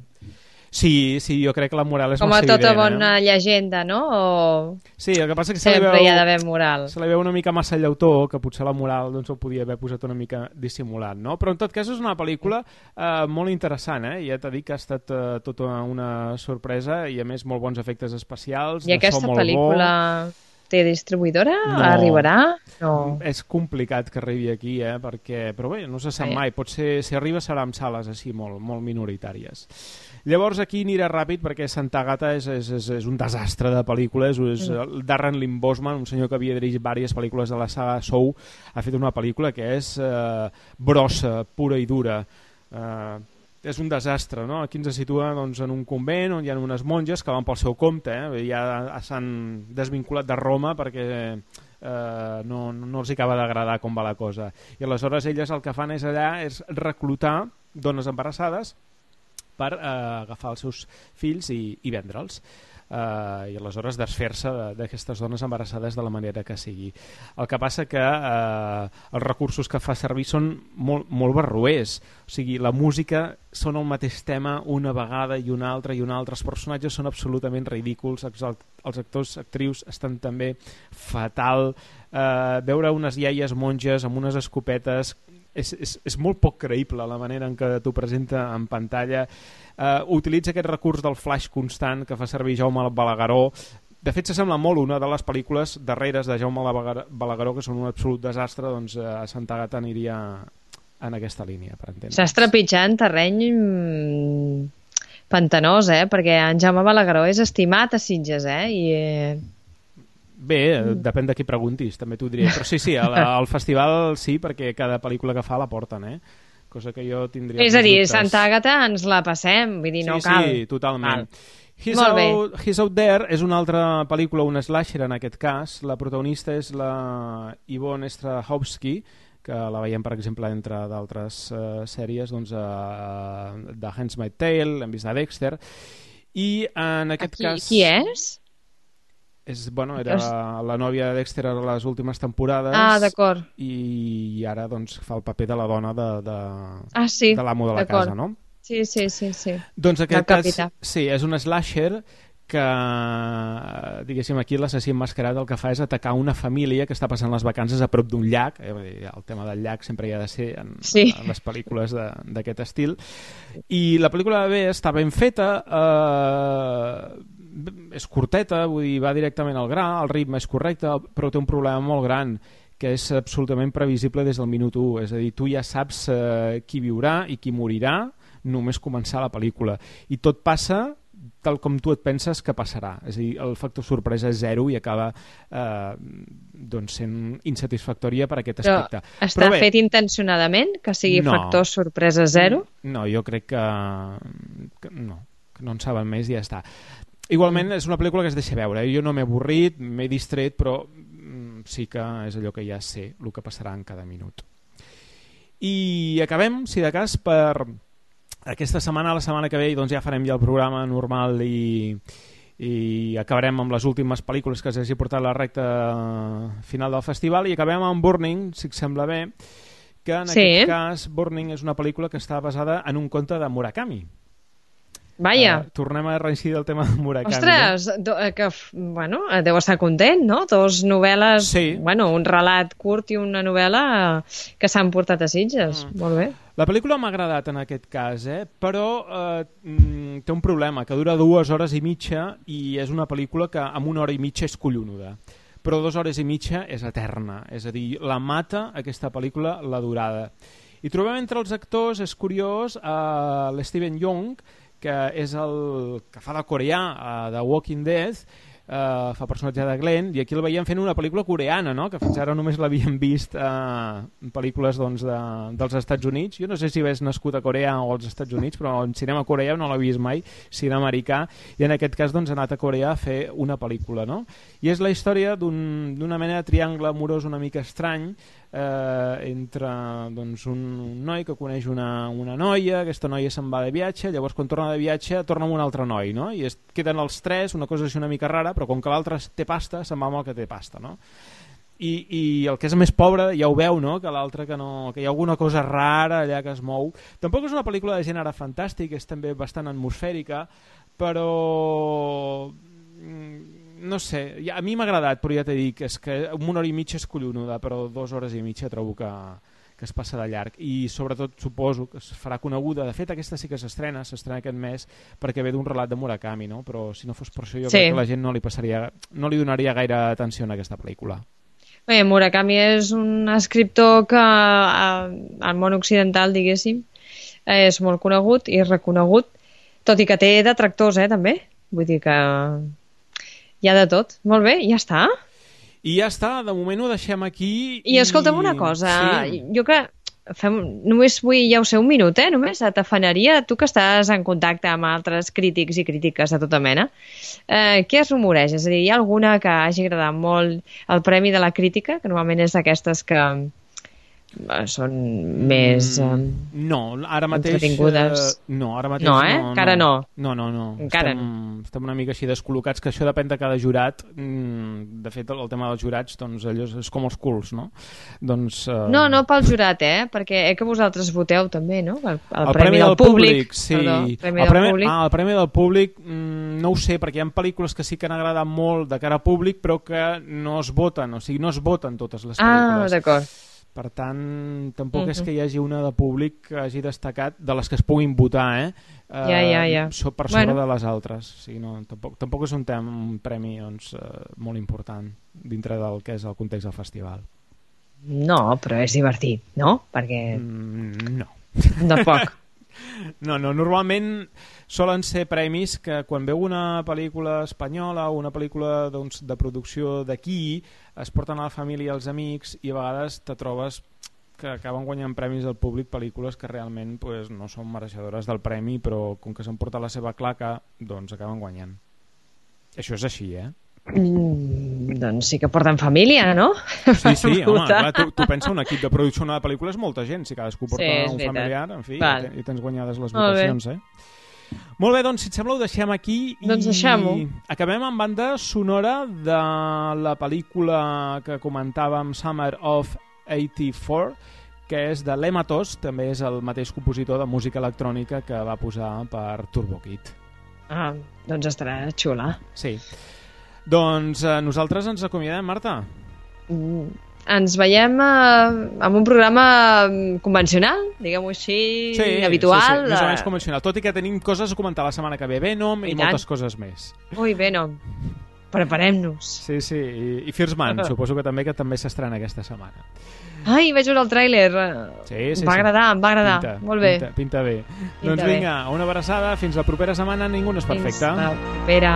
Sí, sí, jo crec que la moral és com massa a tota evident, bona eh? llegenda, no? O... Sí, el que passa que se li sempre veu, hi ha d'haver moral. Se li veu una mica massa llautó, que potser la moral doncs, ho podia haver posat una mica dissimulat, no? Però en tot cas és una pel·lícula eh, molt interessant, eh? Ja t'he dit que ha estat eh, tota una sorpresa i a més molt bons efectes especials. I aquesta pel·lícula té distribuïdora? No, arribarà? No. És complicat que arribi aquí, eh? Perquè, però bé, no se sap mai. Potser si arriba serà amb sales així molt, molt minoritàries. Llavors aquí anirà ràpid perquè Santa Agata és, és, és, és un desastre de pel·lícules. És, mm. Darren Lynn Bousman, un senyor que havia dirigit diverses pel·lícules de la saga Saw, ha fet una pel·lícula que és eh, brossa, pura i dura. Eh, és un desastre, no? Aquí ens situa doncs, en un convent on hi ha unes monges que van pel seu compte, eh? Ja s'han desvinculat de Roma perquè eh, no, no els acaba d'agradar com va la cosa. I aleshores elles el que fan és allà és reclutar dones embarassades per eh, agafar els seus fills i, i vendre'ls. Uh, i aleshores desfer-se d'aquestes dones embarassades de la manera que sigui. El que passa que uh, els recursos que fa servir són molt, molt barroers, o sigui, la música són el mateix tema una vegada i una altra i una altra, els personatges són absolutament ridículs, els actors, actrius estan també fatal, uh, veure unes iaies monges amb unes escopetes és, és, és molt poc creïble la manera en què t'ho presenta en pantalla. Uh, utilitza aquest recurs del flash constant que fa servir Jaume Balagueró. De fet, s'assembla molt una de les pel·lícules darreres de Jaume Balagueró, que són un absolut desastre, doncs a Santa Agata aniria en aquesta línia, per entendre. S'està trepitjant terreny pantanós, eh? Perquè en Jaume Balagueró és estimat a Sitges, eh? I... Bé, depèn de qui preguntis, també t'ho diré. Però sí, sí, al, al festival sí, perquè cada pel·lícula que fa la porten, eh? Cosa que jo tindria... És a dir, dubtes. Santa Agata ens la passem, vull dir, no sí, cal. Sí, totalment. He's Molt bé. Out, He's Out There és una altra pel·lícula, un slasher en aquest cas. La protagonista és la Yvonne Strahovski, que la veiem, per exemple, entre d'altres uh, sèries, doncs, uh, de Handmaid's Tale, hem vist de Dexter, i en aquest Aquí, cas... Qui és? És, bueno, era la nòvia de Dexter a les últimes temporades. Ah, d'acord. I, i ara doncs, fa el paper de la dona de, de, ah, sí, de l'amo de la casa, no? Sí, sí, sí, sí. Doncs aquest cas, sí, és un slasher que, diguéssim, aquí l'assassí emmascarat el que fa és atacar una família que està passant les vacances a prop d'un llac. El tema del llac sempre hi ha de ser en, sí. en les pel·lícules d'aquest estil. I la pel·lícula bé està ben feta, eh, és curteta, vull dir, va directament al gra, el ritme és correcte, però té un problema molt gran, que és absolutament previsible des del minut u. És a dir, tu ja saps eh, qui viurà i qui morirà només començar la pel·lícula. I tot passa tal com tu et penses que passarà. És a dir, el factor sorpresa és zero i acaba eh, doncs sent insatisfactòria per aquest aspecte. Però està Però bé, fet intencionadament que sigui no, factor sorpresa zero? No, jo crec que, que no, que no en saben més i ja està. Igualment és una pel·lícula que es deixa veure. Jo no m'he avorrit, m'he distret, però mm, sí que és allò que ja sé el que passarà en cada minut. I acabem, si de cas, per aquesta setmana, la setmana que ve, doncs ja farem ja el programa normal i, i acabarem amb les últimes pel·lícules que s'hagi portat la recta final del festival i acabem amb Burning, si et sembla bé, que en sí. aquest cas Burning és una pel·lícula que està basada en un conte de Murakami. Vaja. Uh, tornem a reincidir el tema de Murakami. Ostres, no? que, bueno, deu estar content, no? Dos novel·les, sí. bueno, un relat curt i una novel·la que s'han portat a Sitges. Mm. Molt bé. La pel·lícula m'ha agradat en aquest cas, eh? Però eh, té un problema, que dura dues hores i mitja i és una pel·lícula que amb una hora i mitja és collonuda. Però dues hores i mitja és eterna, és a dir, la mata aquesta pel·lícula la durada. I trobem entre els actors, és curiós, eh, l'Steven Yeun, que és el que fa de coreà uh, de Walking Dead, uh, fa personatge de Glenn, i aquí el veiem fent una pel·lícula coreana, no? Que fins ara només l'havíem vist uh, en pel·lícules doncs, de, dels Estats Units. Jo no sé si ves nascut a Corea o als Estats Units, però en cinema coreà no l'he vist mai, cinema americà, i en aquest cas doncs, ha anat a Coreà a fer una pel·lícula, no? I és la història d'un, d'una mena de triangle amorós una mica estrany, Eh, entre doncs, un, un noi que coneix una, una noia, aquesta noia se'n va de viatge, llavors quan torna de viatge torna amb un altre noi, no? I es queden els tres, una cosa així una mica rara, però com que l'altre té pasta, se'n va amb el que té pasta, no? I, i el que és més pobre ja ho veu, no? Que l'altre que no, que hi ha alguna cosa rara allà que es mou. Tampoc és una pel·lícula de gènere fantàstic, és també bastant atmosfèrica, però no sé, ja, a mi m'ha agradat, però ja t'he dit que és que una hora i mitja és collonuda, però dues hores i mitja trobo que, que es passa de llarg i sobretot suposo que es farà coneguda. De fet, aquesta sí que s'estrena, s'estrena aquest mes perquè ve d'un relat de Murakami, no? Però si no fos per això jo sí. crec que la gent no li passaria, no li donaria gaire atenció a aquesta pel·lícula. Bé, Murakami és un escriptor que al món occidental, diguéssim, és molt conegut i reconegut, tot i que té detractors, eh, també. Vull dir que hi ha de tot. Molt bé, ja està. I ja està, de moment ho deixem aquí. I, i... escolta'm una cosa, sí. jo que fem, només vull, ja ho sé, un minut, eh, només, t'afanaria, tu que estàs en contacte amb altres crítics i crítiques de tota mena, eh, què es rumoreja? És a dir, hi ha alguna que hagi agradat molt el Premi de la Crítica, que normalment és d'aquestes que són més um, no, ara mateix entretingudes. Uh, no, ara mateix no, eh? no, Encara no. No, no, no. Encara estem, no. estem una mica així descol·locats, que això depèn de cada jurat. De fet, el, el tema dels jurats, doncs, allò és com els culs, no? Doncs, uh... No, no pel jurat, eh? Perquè eh, que vosaltres voteu també, no? El, el, el Premi, premi del, del Públic. públic sí. Perdó, el Premi el del premi, Públic. Ah, el Premi del Públic, mm, no ho sé, perquè hi ha pel·lícules que sí que han agradat molt de cara a públic, però que no es voten, o sigui, no es voten totes les pel·lícules. Ah, d'acord. Per tant, tampoc uh-huh. és que hi hagi una de públic que hagi destacat, de les que es puguin votar, eh? Uh, ja, ja, ja. Per sobre bueno. de les altres. O sigui, no, tampoc, tampoc és un, tema, un premi doncs, uh, molt important dintre del que és el context del festival. No, però és divertit, no? Perquè... Mm, no. Tampoc. No, no, normalment solen ser premis que quan veu una pel·lícula espanyola o una pel·lícula doncs, de producció d'aquí es porten a la família i als amics i a vegades te trobes que acaben guanyant premis del públic pel·lícules que realment pues, no són mereixedores del premi, però com que s'han portat la seva claca doncs acaben guanyant. Això és així, eh? Mm, doncs sí que porten família, no? Sí, sí, home, clar, tu, tu pensa un equip de producció de pel·lícules molta gent, si cadascú porta sí, un veritat. familiar, en fi, Val. i tens guanyades les votacions, eh? Molt bé, doncs si et sembla ho deixem aquí i doncs deixem-ho. Acabem amb banda sonora de la pel·lícula que comentàvem, Summer of eighty-four, que és de l'Emma Tost, també és el mateix compositor de música electrònica que va posar per Turbo Kid. Ah, doncs estarà xula. Sí. Doncs eh, nosaltres ens acomiadem, Marta. Mm, ens veiem eh, amb un programa convencional, diguem-ho així, sí, habitual. Sí, sí, més o menys convencional, tot i que tenim coses a comentar la setmana que ve, Venom i, i moltes coses més. Ui, Venom, preparem-nos. Sí, sí, i, i First Man, suposo que també que també s'estrena aquesta setmana. Ai, vaig veure el tràiler. Sí, sí, em va sí. agradar, em va agradar. Pinta, molt bé. Pinta, pinta bé. Pinta doncs bé. vinga, una abraçada, fins la propera setmana, ningú no és perfecte. Fins la propera.